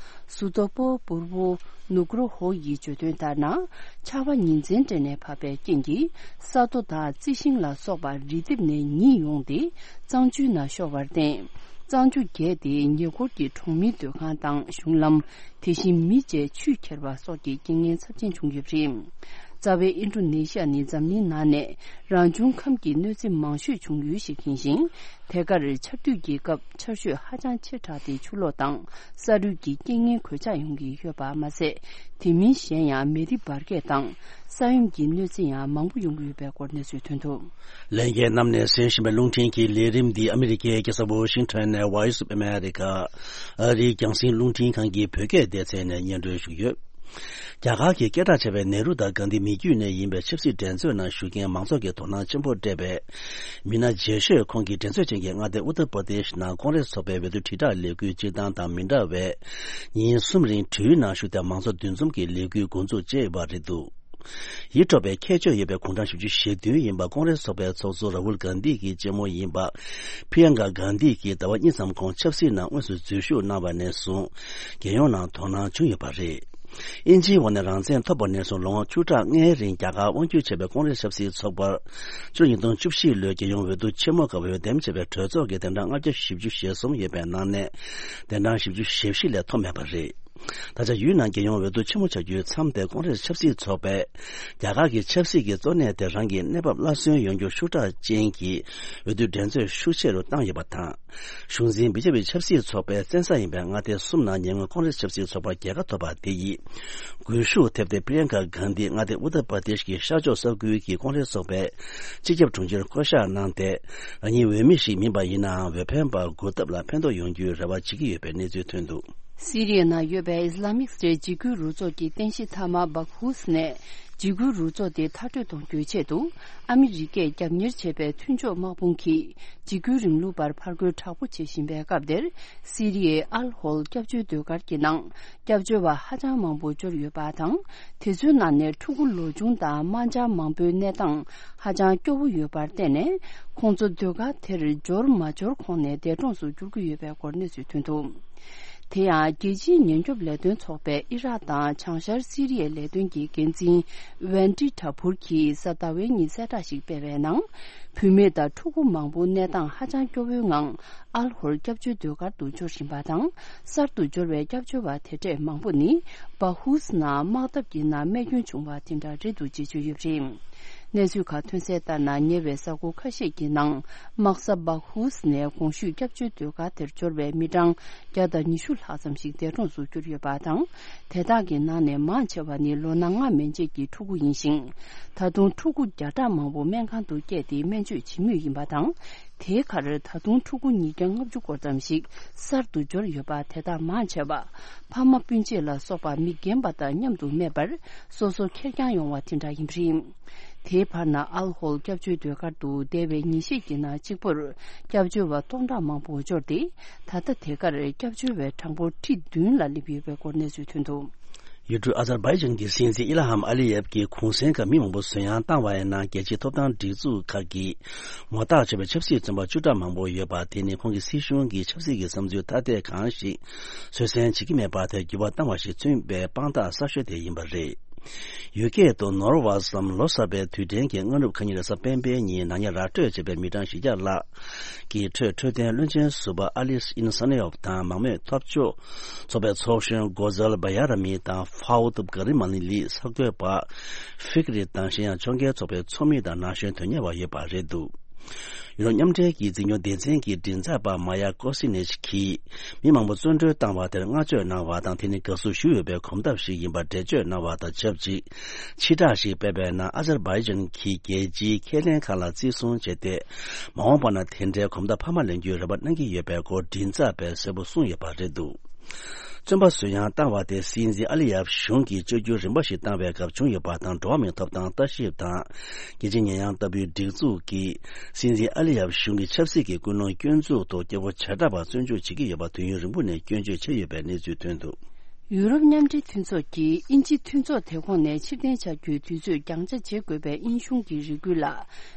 སུ་ཏོ་པོ་པུར་བོ་ནུ་ཀྲོ་ཧོ་ཡིས་བརྗོད་དོན་ལྟར་ན། ཆར་པ་ཉིན་མཚན་སྤྲད་ནས་བབས་པའི་རྐྱེན་གྱིས་ས་རྡོ་དང་རྩི་ཤིང་ལ་སོགས་པ་རི་ལྡེབས་ནས་ཉིལ་ཡོང་སྟེ་གཙང་ཆུའི་ནང་ཤོར་བར་བརྟེན། གཙང་ཆུ་རྒྱས་ཏེ་ཉེ་འཁོར་གྱི་གྲོང་མིའི་སྡོད་ཁང་དང་གཞུང་ལམ། དེ་བཞིན་མི་བཅས་ཆུས་ཁྱེར་བ་སོགས་ཀྱི་རྐྱེན་ངན་ཚབས་ཆེན་བྱུང་ཡོད་པ་རེད། རྩ་བའི་ཨིན་ཌོ་ནེ་ཤི་ཡ་ནི་འཛམ་གླིང་ནང་ནས་རང་བྱུང་ཁམས་ཀྱི་གནོད་འཚེ་མང་ཤོས་བྱུང་ཡུལ་ཞིག་ཡིན་ཞིང་། དེ་གར་ཆར་དུས་ཀྱི་སྐབས་ཆར་ཞོད་ཧ་ཅང་ཆེ་དྲགས་ཏེ་ཆུ་ལོག་དང་ས་རུད་ཀྱི་རྐྱེན་ངན་གོད་ཆག་ཡོང་གི་ཡོད་པ་མ་ཟད། དེ་མིན་གཞན་ཡང་མེ་རི་འབར་གས་དང་ས་ཡོམ་གྱི་གནོད་འཚེ་ཡང་མང་པོ་ཡོང་གི་ཡོད་པའི་སྐོར་གནས་ཚུལ་ཐོན་འདུག་ལྷན་རྒྱས་རྣམས་ནས་གསན་བཞིན་པའི་རླུང་འཕྲིན་གྱི་ལས་རིམ་འདི་ཨ་མི་རི་ཀའི་རྒྱལ་ས་ཝོ་ཤིང་ཊོན་ནས་Voice of America ཨ་རིའི་རྒྱང་སྲིང་རླུང་འཕྲིན་ཁང་གི་བོད་སྐད་སྡེ་ཚན་ནས་སྙན་སྒྲོན་ཞུ་གི་ཡོད། རྒྱ་གར་གྱི་སྐད་གྲགས་ཆེ་བའི་ནེ་རུ་དང་གྷན་དྷི་མི་རྒྱུད་ནས་ཡིན་པའི་ཆབ་སྲིད་འགྲན་རྩོད་ནང་ཞུགས་མཁན་མང་ཚོགས་ཀྱིས་དོ་སྣང་ཆེན་པོ་སྤྲད་པའི་མི་སྣ་རྗེས་ཤོས་ཁོང་གིས་འགྲན་རྩོད་ཅན་གྱི་མངའ་སྡེ་ཨུ་ཏར་པར་དེཤ་ནང་ཀོང་རེས་ཚོགས་པའི་འོས་བསྡུ་དྲིལ་བསྒྲགས་ལས་འགུལ་སྤྱིར་བཏང་དང་མི་འདྲ་བའི་ཉིན་གསུམ་རིང་བྲེལ་ཡོད་ནང་ཞུགས་ཏེ་མང་ཚོགས་འདུ་འཛོམས་ཀྱི་ལས་འགུལ་འགོ་འཛུགས་བྱས་ཡོད་པ་རེད་འདུག་ཡིད་འཕྲོག་པའི་ཁྱད་ཆོས་ཡོད་པའི་དགུང་གྲངས་བཞི་བཅུ་ཞེ་བདུན་ཡིན་པ་ཀོང་རེས་ཚོགས་པའི་ཚོགས་གཙོ་ར་ཧུལ་གྷན་དྷི་གི་གཅེན་མོ་ཡིན་པ་པི་ཡང་ཀ་གྷན་དྷི་གིས་ཟླ་བ་གཉིས་ཙམ་གོང་ཆབ་སྲིད་ནང་དངོས་སུ་འཛུལ་ཞུགས་གནང་བ་ནས་བཟུང་རྒྱལ་ཡོངས་ནང་དོ་སྣང་བྱུང་ཡོད་པ་རེད། དབྱིན་ཇིའི་འོག་ནས་རང་བཙན་ཐོབ་པ་ནས་བཟུང་ལོ་ངོ་བཅུ་ཕྲག་ལྔའི་རིང་རྒྱ་གར་དབང་སྒྱུར་བྱས་པའི་ཀོང་རེས་ཆབ་སྲིད་ཚོགས་པར་ཕྱི་ལོ་ཉིས་སྟོང་བཅུ་བཞི་ལོའི་རྒྱལ་ཡོངས་འོས་བསྡུ་ཆེན་མོ་སྐབས་འོས་འདེམས་བྱས་པའི་གྲོས་ཚོགས་ཀྱི་གདན་གྲངས་ལྔ་བརྒྱ་བཞི་བཅུ་ཞེ་གསུམ་ཡོད་པའི་ནང་ནས་གདན་གྲངས་བཞི་བཅུ་ཞེ་བཞི་ལས་ཐོབ་མེད་པ་རེད། ད་ཆ་ཡུལ་ནང་རྒྱལ་ཡོངས་འོས་བསྡུ་ཆེན་མོ་བྱ་རྒྱུའི་མཚམས་དེར་ཀོང་རེས་ཆབ་སྲིད་ཚོགས་པས་རྒྱ་གར་གྱི་ཆབ་སྲིད་ཀྱི་གཙོ་གནད་དེ་རང་གི་གནས་བབ་སླར་གསོན་ཡོང་རྒྱུར་ཤུགས་དྲག་ཅན་གྱི་འོས་བསྡུ་འགྲན་རྩོད་ཤུགས་ཆེ་རུ་བཏང་ཡོད་པ་དང་། གཞུང་འཛིན་བི་ཇེ་པི་ཆབ་སྲིད་ཚོགས་པའི་བཙན་ས་ཡིན་པའི་མངའ་སྡེ་གསུམ་ནང་ཉེ་སྔོན་ཀོང་རེས་ཆབ་སྲིད་ཚོགས་པར་རྒྱལ་ཁ་ཐོབ་པ་དེ་ཡིས་སྒུལ་ཤུགས་ཐེབས་ཏེ་པི་རིན་ཀ་གྷན་དྷི་མངའ་སྡེ་ཨུ་ཏར་པར་དེཤ་གི་ཤར་ཕྱོགས་ས་ཁུལ་གྱི་ཀོང་རེས་ཚོགས་པའི་སྤྱི་ཁྱབ་དྲུང་ཆེར་བསྐོ་གཞག་གནང་སྟེ། རང་ཉིད་འོས་མི་ཞིག་མིན་པ་ཡིན་ནའང་འོས་འཕེན་པར་སྒུག་ཐབས་ལ་ཕན་ཐོགས་ཡོང་རྒྱུའི་རེ་བ་བྱེད་ཀྱི་ཡོད་པའི་གནས་ཚུལ་ཐོན་འདུག་སི་རི་ཡའི་ནང་ཡོད་པའི་ཨིས་ལ་མིག་སི་ཊེཊ་འཇིགས་སྐུལ་རུ་ཚོགས་ཀྱི་རྟེན་གཞི་མཐའ་མ་སྦག་ཧུ་སི་ནས་འཇིགས་སྐུལ་རུ་ཚོགས་དེ་མཐར་སྐྲོད་གཏོང་རྒྱུའི་ཆེད་དུ་ཨ་མི་རི་ཀས་རྒྱབ་གཉེར་བྱས་པའི་མཐུན་ཕྱོགས་དམག་དཔུང་གིས་འཇིགས་སྐུལ་རིང་ལུགས་པར་ཕར་རྒོལ་དྲག་པོ་བྱེད་བཞིན་པའི་སྐབས་དེར། སི་རི་ཡའི་ཨལ་ཧོལ་སྐྱབས་བཅོལ་ཟློས་གར་གྱི་ནང་སྐྱབས་བཅོལ་བ་ཧ་ཅང་མང་པོ་འབྱོར་ཡོད་པ་དང་། དེ་ཚོའི་ནང་ནས་ཕྲུ་གུ་ལོ་ཆུང་དང་དམར་འབྱར་མང་པོའི་གནས་སྟངས་ཧ་ཅང་སྐྱོ་བོ་ཡོད་པར་བརྟེན་ནས། ཁོང་ཚོ་ཟློས་གར་དེར་འབྱོར་མ་འབྱོར་ཁོངས་ནས་འདས་གྲོངས་སུ་འགྱུར་གྱི་ཡོད་པའི་སྐོར་གནས་ཚུལ་ཐོན་འདུག་དེ་ཡང་རྒྱལ་སྤྱིའི་ཉེན་སྐྱོབ་ལས་དོན་ཚོགས་པའི་ཨི་རག་དང་བྱང་ཤར་སི་རི་ཡའི་ལས་དོན་གྱི་འགན་འཛིན་ཝན་ཏི་ཏྲ་ཕུར་གྱིས་གཟའ་ཟླ་བའི་ཉིན་གསལ་བསྒྲགས་ཤིག་སྤེལ་བའི་ནང་། བུད་མེད་དང་ཕྲུ་གུ་མང་པོ་གནས་སྟངས་ཧ་ཅང་སྐྱོ་བོའི་ངང་ཨལ་ཧོར་སྐྱབས་བཅོལ་ཟློས་གར་དུ་འབྱོར་བཞིན་པ་དང་། གསར་དུ་འབྱོར་བའི་སྐྱབས་བཅོལ་བ་དེ་འདྲས་མང་པོ་ནི་སྦ་ཧུས་ནང་དམག་འཐབ་ཀྱི་ནང་རྨས་སྐྱོན་བྱུང་བ་དེ་འདྲ་རེད་འདུག་ཅེས་བརྗོད་ཡོད་པ་རེད། གནས་ཚུལ་ཁག་ཐོན་གསལ་ལྟར་ན། ཉེ་བའི་གཟའ་འཁོར་ཁ་ཤས་ཀྱི་ནང་དམག་ས་སྦ་ཧུས་ནས་གོང་ཞུས་སྐྱབས་བཅོལ་ཟློས་གར་དེར་འབྱོར་བའི་མི་གྲངས་བརྒྱ་དང་ཉི་ཤུ་ལྷག་ཙམ་ཞིག་འདས་གྲོངས་སུ་གྱུར་ཡོད་པ་དང་། དེ་དག་གི་ནང་ནས་མང་ཆེ་བ་ནི་ལོ་ན་ལྔ་མན་ཆད་ཀྱི་ཕྲུ་གུ་ཡིན་ཞིང་། ད་དུང་ཕྲུ་གུ་བརྒྱ་ཕྲག་མང་པོ་སྨན་ཁང་དུ་བསྐྱལ་ཏེ་སྨན་བཅོས་བྱེད་མུས་ཡིན་པ་དང་། དེའི་ཁར་ད་དུང་ཕྲུ་གུ་ཉིས་བརྒྱ་ལྔ་བཅུ་སྐོར་ཙམ་ཞིག་གསར་དུ་འབྱོར་ཡོད་པ། དེ་དག་མང་ཆེ་བ་ཕ་མ་སྤུན་མཆེད་ལ་སོགས་པ་མི་རྒན་པ་དང་མཉམ་དུ་མེད་པར། སོ་སོ་ཁེར་རྐྱང་ཡོང་བ་དེ་འདྲ་ཡིན་པ་རེད། དེའི་བར་ན་ཨལ་ཧོལ་སྐྱབས་བཅོལ་སྡོད་སྒར་དུ་འདས་པའི་ཉིན་ཤས་ཀྱི་ནང་གཅིག་པུར་སྐྱབས་བཅོལ་བ་སྟོང་ཕྲག་མང་པོ་འབྱོར་ཏེ། ད་ལྟ་དེ་གར་སྐྱབས་བཅོལ་བའི་གྲངས་འབོར་ཁྲི་བདུན་ལ་སླེབས་ཡོད་པའི་སྐོར་གནས་ཚུལ་ཐོན་འདུག། ཡུལ་གྲུ་ཨ་ཛར་བྷའི་ཇན་གྱི་སྲིད་འཛིན་ཨི་ལ་ཧམ་ཨ་ལི་ཡེབ་ཀྱི་གུང་སེང་སྐབས་མི་མང་པོ་གསོད་ཡངས་བཏང་བ་ཡིན་ན། རྒྱལ་སྤྱིའི་ཐོབ་ཐང་སྒྲིག་འཛུགས་ཁག་གིས་ངོ་རྟགས་ཆོད་པའི་ཆབ་སྲིད་བཙོན་པ་བཅུ་ཕྲག་མང་པོ་ཡོད་པ་དེ་ནི་ཁོང་གི་སྲིད་གཞུང་གི་ཆབ་སྲིད་ཀྱི་བསམ་ཚུལ་ཐ་དད་གང་ཞིག་སུས་གསན་བྱེད་ཀྱི་མེད་པ་དེར་འགྱུར་བ་བཏང་བ་ཞིག་མཚོན་པའི་དཔང་རྟགས་གསར་ཤོས་དེ་ཡིན་པ་རེད། ཡུལ་སྐད་དུ་ནོར་བ་སམ་ལོ་གསར་པའི་དུས་དྲན་གྱི་སྔ་ནུབ་ཁ་ཉིན་རེས་གཟའ་སྤེན་པའི་ཉིན་ནག་ཉེས་ར་སྤྲོད་བྱས་པའི་མི་གྲངས་བཞི་བརྒྱ་ལྷག་གི་ཁྲོད་འཕྲོད་བསྟེན་བློན་ཆེན་ཟུར་པ་ཨ་ལིས་ཨིན་ས་ནེ་ཡོབ་དང་མང་མོས་འཐབ་ཕྱོགས་ཚོགས་པའི་ཚོགས་གཞོན་གོ་ཛལ་བ་ཡ་ར་མི་དང་ཧྥའུ་ཏུབ་ག་རི་མ་ལི་ལི་གསར་འགོད་པ་ཧྥིག་རི་དང་གཞན་ཡང་ཕྱོགས་འགལ་ཚོགས་པའི་ཚོགས་མི་དང་ན་གཞོན་དོན་གཉེར་བ་ཡོད་པ་རེད་འདུག། ཡུ་རོབ་མཉམ་འབྲེལ་གྱི་འཛིན་སྐྱོང་སྡེ་ཚན་གྱི་མགྲིན་ཚབ་པ་མ་ཡ་ཀོ་སི་ནེཆ་གིས་མི་མང་པོ་བཙོན་གྲོལ་བཏང་བ་དེར་བསྔགས་བརྗོད་གནང་བ་དང་། དེ་ནི་དགའ་བསུ་ཞུ་འོས་པའི་གོམ་སྟབས་ཤིག་ཡིན་པར་འགྲེལ་བརྗོད་གནང་བ་དང་ཆབས་ཅིག། ཕྱི་བསྒྲགས་ཤིག་སྤེལ་བའི་ནང་ཨ་ཛར་བྷའི་ཇན་གྱིས་རྒྱལ་སྤྱིའི་ཁས་ལེན་ཁག་ལ་བརྩི་སྲུང་བྱས་ཏེ། མ་འོངས་པ་ན་དེ་འདྲའི་གོམ་སྟབས་འཕར་མ་ལེན་རྒྱུའི་རེ་བ་གནང་གི་ཡོད་པའི་སྐོར་མགྲིན་ཚབ་པས་གསལ་པོ་གསུངས་ཡོད་པ་རེད་འདུག། བཙོན་པ་གསོད་ཡངས་བཏང་བ་དེ་སྲིད་འཛིན་ཨ་ལི་ཡབ་གཞུང་གིས་བཅོས་བསྒྱུར་རིམ་པ་ཞིག་བཏང་བའི་སྐབས་བྱུང་ཡོད་པ་དང་། འགྲོ་བ་མིའི་ཐོབ་ཐང་ལྟ་ཞིབ་དང་རྒྱལ་སྤྱིའི་ཉེས་ཡངས་ལྟ་བུའི་སྒྲིག་འཛུགས་ཀྱིས་སྲིད་འཛིན་ཨ་ལི་ཡབ་གཞུང་གི་ཆབ་སྲིད་ཀྱི་ཀུན་སློང་སྐྱོན་འཛུགས་ཐོག་སྐྱེ་བོ་བྱེ་བྲག་པ་བཙོན་འཇུག་བྱེད་ཀྱི་ཡོད་པ་དུས་ཡུན་རིང་པོ་ནས་སྐྱོན་བརྗོད་བྱས་ཡོད་པའི་གནས་ཚུལ་ཐོན་འདུག། ཡུ་རོབ་མཉམ་འབྲེལ་མཐུན་ཚོགས་ཀྱིས་དབྱིན་ཇི་མཐུན་ཚོགས་དེ་ཁོངས་ནས་ཕྱིར་འཐེན་བྱ་རྒྱུའི་དུས་ཚོད་འགྱངས་ཆ་བྱེད་དགོས་པའི་དབྱིན་གཞུང་གི་རེ་སྐུལ་ལ་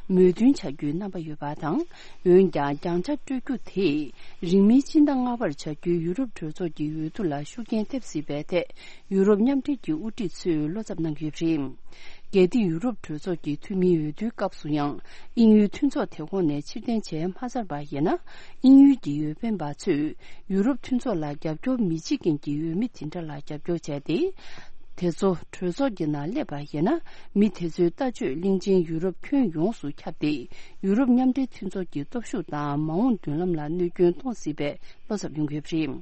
མོས་མཐུན་བྱ་རྒྱུའི་རྣམ་པ་ཡོད་པ་དང་། འོན་ཀྱང་། འགྱངས་ཆ་སྤྲོད་རྒྱུ་དེས་རིང་མིན་སྤྱི་ཟླ་ལྔ་པར་བྱ་རྒྱུའི་ཡུ་རོབ་གྲོས་ཚོགས་ཀྱི་འོས་བསྡུ་ལ་ཤུགས་རྐྱེན་ཐེབས་སྲིད་པའི་ཐད། ཡུ་རོབ་མཉམ་འབྲེལ་གྱི་དབུ་ཁྲིད་ཚོས་བློ་འཚབ་གནང་གི་ཡོད་པ་རེད། གལ་ཏེ་ཡུ་རོབ་གྲོས་ཚོགས་ཀྱི་འཐུས་མིའི་འོས་བསྡུའི་སྐབས་སུ་ཡང་དབྱིན་ཡུལ་མཐུན་ཚོགས་དེ་ཁོངས་ནས་ཕྱིར་འཐེན་བྱས་མ་ཚར་བ་ཡིན་ན། དབྱིན་ཡུལ་གྱི་འོས་འཕེན་པ་ཚོས་ཡུ་རོབ་མཐུན་ཚོགས་ལ་རྒྱབ་སྐྱོར་མི་བྱེད་མཁན་གྱི་འོས་མི་དེ་འདྲ་ལ་རྒྱབ་སྐྱོར་བྱས་ཏེ། དེ་ཚོ་གྲོས་ཚོགས་ཀྱི་ནང་སླེབས་པ་ཡིན་ན། མི་དེ་ཚོའི་ལྟ་སྤྱོད་གླིང་ཆེན་ཡུ་རོབ་ཁྱོན་ཡོངས་སུ་ཁྱབ་སྟེ། ཡུ་རོབ་མཉམ་འབྲེལ་མཐུན་ཚོགས་ཀྱི་སྟོབས་ཤུགས་དང་མ་འོངས་མདུན་ལམ་ལ་གནོད་སྐྱོན་གཏོང་སྲིད་པའི་བློ་འཚབ་ཡོང་གི་ཡོད་པ་རེད།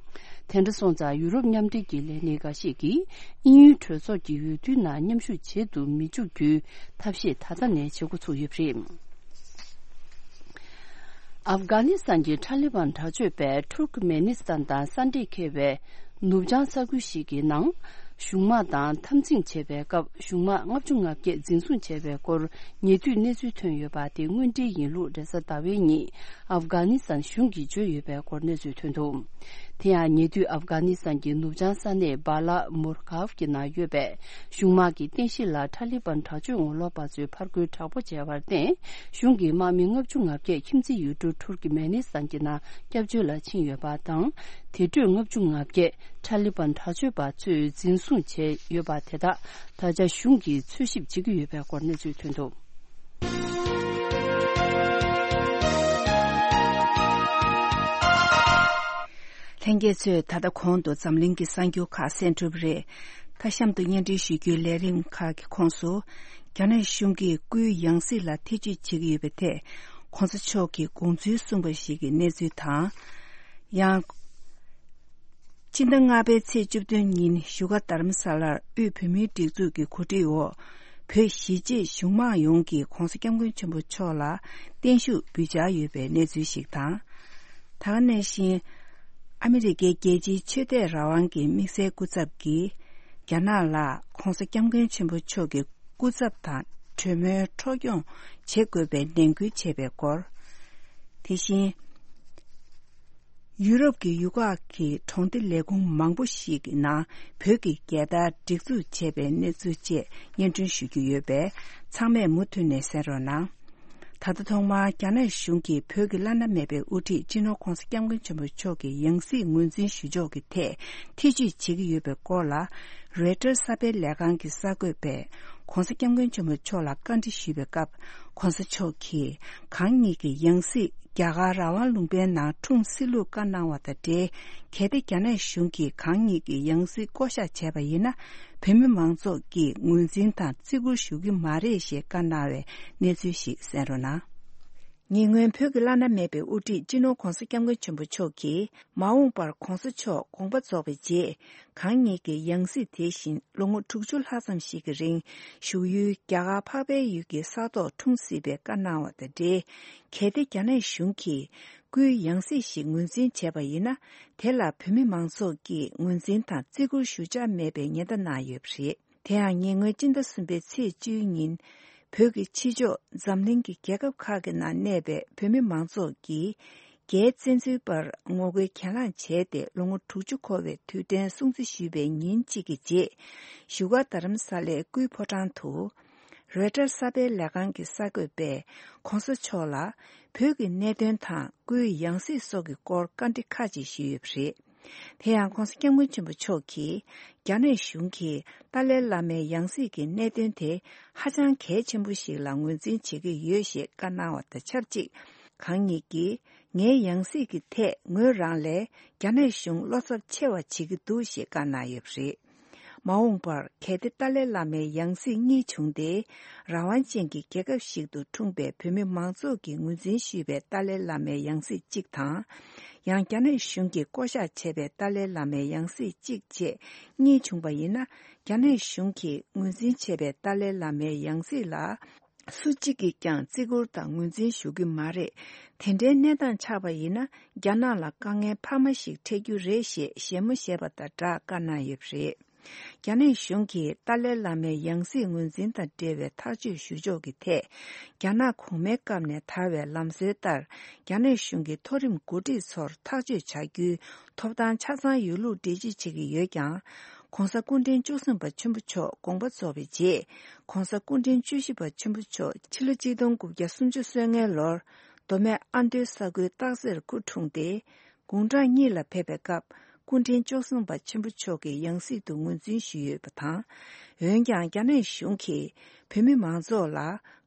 དེ་འདྲ་སོང་ཙང་། ཡུ་རོབ་མཉམ་འབྲེལ་གྱི་ལས་སྣེ་འགའ་ཤས་ཀྱིས་དབྱིན་ཡུལ་གྲོས་ཚོགས་ཀྱི་འོས་བསྡུའི་ནང་མཉམ་ཞུགས་བྱེད་དུ་མི་འཇུག་རྒྱུའི་ཐབས་ཤེས་ད་ལྟ་ནས་བྱེད་འགོ་ཚུགས་ཡོད་པ་རེད། ཨབ་གྷ་ནི་སི་ཐན་གྱི་ཐ་ལི་བན་དྲག་སྤྱོད་པས་ཐུར་ཀ་མེ་ནི་སི་ཐན་དང་ས་འདྲེས་འཁེལ་བའི་ནུབ་བྱང་ས་ཁུལ་ཞིག་གི་ནང་གཞུང་དམག་དང་འཐབ་འཛིང་བྱེད་པའི་སྐབས། གཞུང་དམག་ལྔ་བཅུ་ང་བརྒྱད་འཛིན་བཟུང་བྱས་པའི་སྐོར་ཉེ་དུས་གནས་ཚུལ་ཐོན་ཡོད་པ་དེ་དངོས་འབྲེལ་ཡིན་ལུགས་རེས་གཟའ་ཟླ་བའི་ཉིན་ཨབ་གྷ་ནི་སི་ཐན་གཞུང་གིས་བརྗོད་ཡོད་པའི་སྐོར་གནས་ཚུལ་ཐོན་འདུག། དེ་ཡང་ཉེ་དུས་ཨབ་གྷ་ནི་སི་ཐན་གྱི་ནུབ་བྱང་ས་གནས་སྦ་ལ་མུར་ཁཱབ་ཀྱི་ནང་ཡོད་པའི་གཞུང་དམག་གི་རྟེན་གཞི་ལ་ཐ་ལི་བན་དྲག་སྤྱོད་ངོ་ལོག་པ་ཚོས་ཕར་རྒོལ་དྲག་པོ་བྱས་པར་བརྟེན། གཞུང་གི་དམག་མི་ལྔ་བཅུ་ང་བརྒྱད་ཁྱིམ་མཚེས་ཡུལ་གྲུ་ཐུར་ཀི་མེ་ནི་སི་ཐན་གྱི་ནང་སྐྱབས་བཅོལ་ལ་ཕྱིན་ཡོད་པ་དང་། དེ་གྲོས་ལྔ་བཅུ་ང་བརྒྱད་ཐ་ལི་བན་དྲག་སྤྱོད་པ་ཚོས་འཛིན་བཟུང་བྱས་ཡོད་པ་དེ་དག་ད་ཆ་གཞུང་གིས་འཚོལ་ཞིབ་བྱེད་ཀྱི་ཡོད་པའི་སྐོར་གནས་ཚུལ་ཐོན་འདུག། ལྷན་རྒྱས་ཚོས་ད་ལྟ་གོང་དུ་འཛམ་གླིང་གི་གསར་འགྱུར་ཁག་གསན་གྲུབ་རེད། ད་གཤམ་དུ་སྙན་སྒྲོན་ཞུ་རྒྱུའི་ལས་རིམ་ཁག་གི་ཁོངས་སུ། རྒྱ་ནག་གཞུང་གིས་སྐུའི་ཡང་སྲིད་ལ་ཐེ་བྱུས་བྱེད་ཀྱི་ཡོད་པའི་ཐད། གོང་ས་མཆོག་གིས་དགོངས་ཚུལ་གསུངས་པ་ཞིག་གི་གནས་ཚུལ་དང་། ཡང་། སྤྱི་ཟླ་ལྔ་པའི་ཚེས་བཅུ་བདུན་ཉིན་བཞུགས་སྒར་རྡ་རམ་ས་ལར་དབུས་བོད་མིའི་སྒྲིག་འཛུགས་ཀྱི་གོ་སྒྲིག་འོག་བོད་གཞིས་བྱེས་གཞུང་མང་ཡོངས་ཀྱིས་༧གོང་ས་༧སྐྱབས་མགོན་ཆེན་པོ་མཆོག་ལ་བརྟན་བཞུགས་འབུལ་འཆར་ཡོད་པའི་གནས་ཚུལ་ཞིག་དང་། ད་ག་ནང་བཞིན། ཨ་མི་རི་ཀའི་རྒྱལ་སྤྱིའི་ཆོས་དད་རང་དབང་གི་དམིགས་བསལ་སྐུ་ཚབ་ཀྱིས། རྒྱ་ནག་ལ་༧གོང་ས་༧སྐྱབས་མགོན་ཆེན་པོ་མཆོག་གི་སྐུ་ཚབ་དང་གྲོས་མོལ་འཕྲོ་སྐྱོང་བྱེད་དགོས་པའི་ནན་སྐུལ་བྱས་པའི་སྐོར། དེ་བཞིན། ཡུ་རོབ་ཀྱི་ཡུལ་ཁག་གི་གྲོང་སྡེ་ལས་ཁུངས་མང་པོ་ཞིག་གི་ནང་བོད་ཀྱི་རྒྱལ་དར་སྒྲིག་འཛུགས་བྱས་པའི་གནས་ཚུལ་བཅས་སྙན་སྒྲོན་ཞུ་རྒྱུ་ཡོད་པས། ཚང་མས་མུ་མཐུད་ནས་གསན་རོགས་གནང་། ད་ལྟ་ཐོག་མར་རྒྱ་ནག་གཞུང་གིས་བོད་ཀྱི་བླ་ན་མེད་པའི་དབུ་ཁྲིད་སྤྱི་ནོར་༧གོང་ས་༧སྐྱབས་མགོན་ཆེན་པོ་མཆོག་གི་ཡང་སྲིད་ངོས་འཛིན་ཞུ་ཕྱོགས་ཀྱི་ཐད་ཐེ་བྱུས་བྱེད་ཀྱི་ཡོད་པའི་སྐོར་ལ། རོའི་ཊར་གསར་སྤེལ་ལས་ཁང་གི་གསར་འགོད་པས་༧གོང་ས་༧སྐྱབས་མགོན་ཆེན་པོ་མཆོག་ལ་བཀའ་འདྲི་ཞུས་པའི་སྐབས། ༧གོང་ས་མཆོག་གིས་གང་ཉིད་ཀྱི་ཡང་སྲིད་རྒྱ་གར་རང་དབང་ལུང་པའི་ནང་འཁྲུངས་སྲིད་ལུགས་བཀའ་གནང་བ་དང་འབྲེལ། གལ་ཏེ་རྒྱ་ནག་གཞུང་གིས་གང་ཉིད་ཀྱི་ཡང་སྲིད་བསྐོ་གཞག་བྱས་པ་ཡིན་ན། བོད་མི་མང་ཚོགས་ཀྱིས་ངོས་འཛིན་དང་བརྩི་བཀུར་ཞུ་གི་མ་རེད་ཞེས་བཀའ་གནང་བའི་གནས་ཚུལ་ཞིག་གསན་རོགས་གནང་། ཉེ་སྔོན་བོད་ཀྱི་བླ་ན་མེད་པའི་དབུ་ཁྲིད་སྤྱི་ནོར་༧གོང་ས་༧སྐྱབས་མགོན་ཆེན་པོ་མཆོག་གིས། མ་འོངས་པར་༧གོང་ས་མཆོག་དགོངས་པ་རྫོགས་པའི་རྗེས། གང་ཉིད་ཀྱི་ཡང་སྲིད་དེ་བཞིན་ལོ་ངོ་དྲུག་ཅུ་ལྷག་ཙམ་ཞིག་གི་རིང་བཞུགས་ཡུལ་རྒྱ་གར་འཕགས་པའི་ཡུལ་གྱི་ས་ཐོག་འཁྲུངས་སྲིད་པའི་བཀའ་གནང་བ་དང་འབྲེལ། གལ་ཏེ་རྒྱ་ནག་གཞུང་གིས་སྐུའི་ཡང་སྲིད་ཞིག་ངོས་འཛིན་བྱས་པ་ཡིན་ན། དེ་ལ་བོད་མི་མང་ཚོགས་ཀྱིས་ངོས་འཛིན་དང་བརྩི་བཀུར་ཞུ་འཆར་མེད་པའི་ཉེན་བརྡ་གནང་ཡོད་པ་རེད། དེ་ཡང་ཉེ་སྔོན་སྤྱི་ཟླ་གསུམ་པའི་ཚེས་བཅུའི་ཉིན། བོད་ཀྱི་ཕྱི་ཕྱོགས་འཛམ་གླིང་གི་རྒྱལ་ཁབ་ཁག་གི་ནང་གནས་པའི་བོད་མི་མང་ཚོགས་ཀྱིས་རྒྱའི་བཙན་འཛུལ་པར་ངོ་རྒོལ་གྱེན་ལངས་བྱས་ཏེ་ལོ་ངོ་དྲུག་ཅུ་འཁོར་བའི་དུས་དྲན་སྲུང་བརྩི་ཞུས་པའི་ཉིན་གཅིག་གི་རྗེས། བཞུགས་སྒར་རྡ་རམ་ས་ལའི་སྐུའི་ཕོ་བྲང་དུ། རོའི་ཊར་གསར་སྤེལ་ལས་ཁང་གི་གསར་འགོད་པས་གོང་ས་མཆོག་ལ་བོད་ཀྱི་གནད་དོན་དང་སྐུའི་ཡང་སྲིད་སོགས་ཀྱི་སྐོར་བཀའ་འདྲི་ཁག་ཅིག་ཞུས་ཡོད་པ་རེད། དེ་ཡང་གོང་ས་སྐྱབས་མགོན་ཆེན་པོ་མཆོག་གིས་རྒྱ་ནག་གཞུང་གིས་ཏཱ་ལའི་བླ་མའི་ཡང་སྲིད་ཀྱི་གནད་དོན་དེ་ཧ་ཅང་གལ་ཆེན་པོ་ཞིག་ལ་ངོས་འཛིན་བྱེད་ཀྱི་ཡོད་ཞེས་བཀའ་གནང་བ་དང་ཆབས་ཅིག་གང་ཉིད་ཀྱིས་ངའི་ཡང་སྲིད་ཀྱི་ཐད་ངོས་རང་ལས་རྒྱ་ནག་གཞུང་བློ་འཚབ་ཆེ་བ་བྱེད་ཀྱི་འདུག་ཞེས་བཀའ་གནང་ཡོད་པ་རེད། མ་འོངས་པར་གལ་ཏེ་ཏཱ་ལའི་བླ་མའི་ཡང་སྲིད་གཉིས་བྱུང་སྟེ། རང་དབང་ཅན་གྱི་རྒྱལ་ཁབ་ཞིག་ཏུ་འཁྲུངས་པའི་བོད་མི་མང་ཚོགས་ཀྱིས་ངོས་འཛིན་ཞུས་པའི་ཏཱ་ལའི་བླ་མའི་ཡང་སྲིད་གཅིག་དང་། ཡང་རྒྱ་ནག་གཞུང་གིས་བསྐོ་གཞག་བྱས་པའི་ཏཱ་ལའི་བླ་མའི་ཡང་སྲིད་གཅིག་བཅས་གཉིས་བྱུང་པ་ཡིན་ན། རྒྱ་ནག་གཞུང་གིས་ངོས་འཛིན་བྱས་པའི་ཏཱ་ལའི་བླ་མའི་ཡང་སྲིད་ལ། སུ་གཅིག་གིས་ཀྱང་བརྩི་བཀུར་དང་ངོས་འཛིན་ཞུ་གི་མ་རེད། དེ་འདྲའི་གནས་སྟངས་ཆགས་པ་ཡིན་ན། རྒྱ་ནག་ལ་དཀའ་ངལ་འཕར་མ་ཞིག་འཕྲད་རྒྱུ་རེད་ཞེས་བཞད་མོ་བཞད་པ་དང་སྦྲགས་བཀའ་གནང་ཡོད་པ་རེད། རྒྱ་ནག་གཞུང་གིས་ཏཱ་ལའི་བླ་མའི་ཡང་སྲིད་ངོས་འཛིན་དང་འབྲེལ་བའི་ཐག་གཅོད་ཞུ་ཕྱོགས་ཀྱི་ཐད། རྒྱ་ནག་གོང་མའི་སྐབས་ནས་དར་བའི་ལམ་སྲོལ་ལྟར། རྒྱ་ནག་གཞུང་གི་མཐོ་རིམ་འགོ་ཁྲིད་ཚོར་ཐག་གཅོད་བྱ་རྒྱུའི་ཐོབ་ཐང་ཆ་ཚང་ཡོད་ལུགས་འགྲེལ་བརྗོད་བྱེད་ཀྱི་ཡོད་ཀྱང་། གོང་ས་སྐུ་ཕྲེང་བཅུ་གསུམ་པ་ཆེན་པོ་མཆོག་དགོངས་པ་རྫོགས་པའི་རྗེས། གོང་ས་སྐུ་ཕྲེང་བཅུ་བཞི་པ་ཆེན་པོ་མཆོག་ཕྱི་ལོ་གཅིག་སྟོང་དགུ་བརྒྱ་སུམ་ཅུ་སོ་ལྔའི་ལོར། མདོ་སྨད་ཨ་མདོའི་ས་ཁུལ་སྟག་རྩེར་སྐུ་འཁྲུངས་ཏེ། དགུང་གྲངས་གཉིས་ལ་ཕེབས་པའི་སྐབས། སྐུ་ཕྲེང་བཅུ་གསུམ་པ་ཆེན་པོ་མཆོག་གི་ཡང་སྲིད་དུ་ངོས་འཛིན་ཞུས་ཡོད་པ་དང་། འོན་ཀྱང་། རྒྱ་ནག་གཞུང་གིས་བོད་མི་མང་ཚོགས་ལ།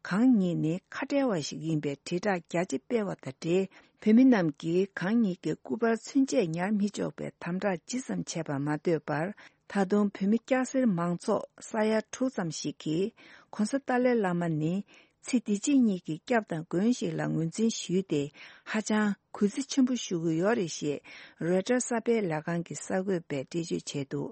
གང་ཉིད་ནི་ཁ་བྲལ་བ་ཞིག་ཡིན་པའི་དྲིལ་བསྒྲགས་རྒྱ་ཆེ་སྤེལ་བ་དང་འབྲེལ། བོད་མི་རྣམས་ཀྱིས་གང་ཉིད་ཀྱི་སྐུ་པར་ཚུན་ཆད་ཉར་མི་ཆོག་པའི་དམ་དྲག་ཇི་ཙམ་བྱས་པ་མ་ཟད་པར། ད་དུང་བོད་མི་སྐྱ་སེར་མང་ཚོགས་ས་ཡ་དྲུག་ཙམ་ཞིག་གིས། གོང་ས་ཏཱ་ལའི་བླ་མ་ནི། ཚེ་འདི་ཕྱི་གཉིས་ཀྱི་སྐྱབས་དང་མགོན་ཞིག་ལ་ངོས་འཛིན་ཞུས་ཏེ། ཧ་ཅང་གུས་བརྩི་ཆེན་པོ་ཞུ་གི་ཡོད་རེད་ཞེས། རོའི་ཊར་གསར་སྤེལ་ལས་ཁང་གི་གསར་འགོད་པས་འགྲེལ་བརྗོད་བྱས་འདུག་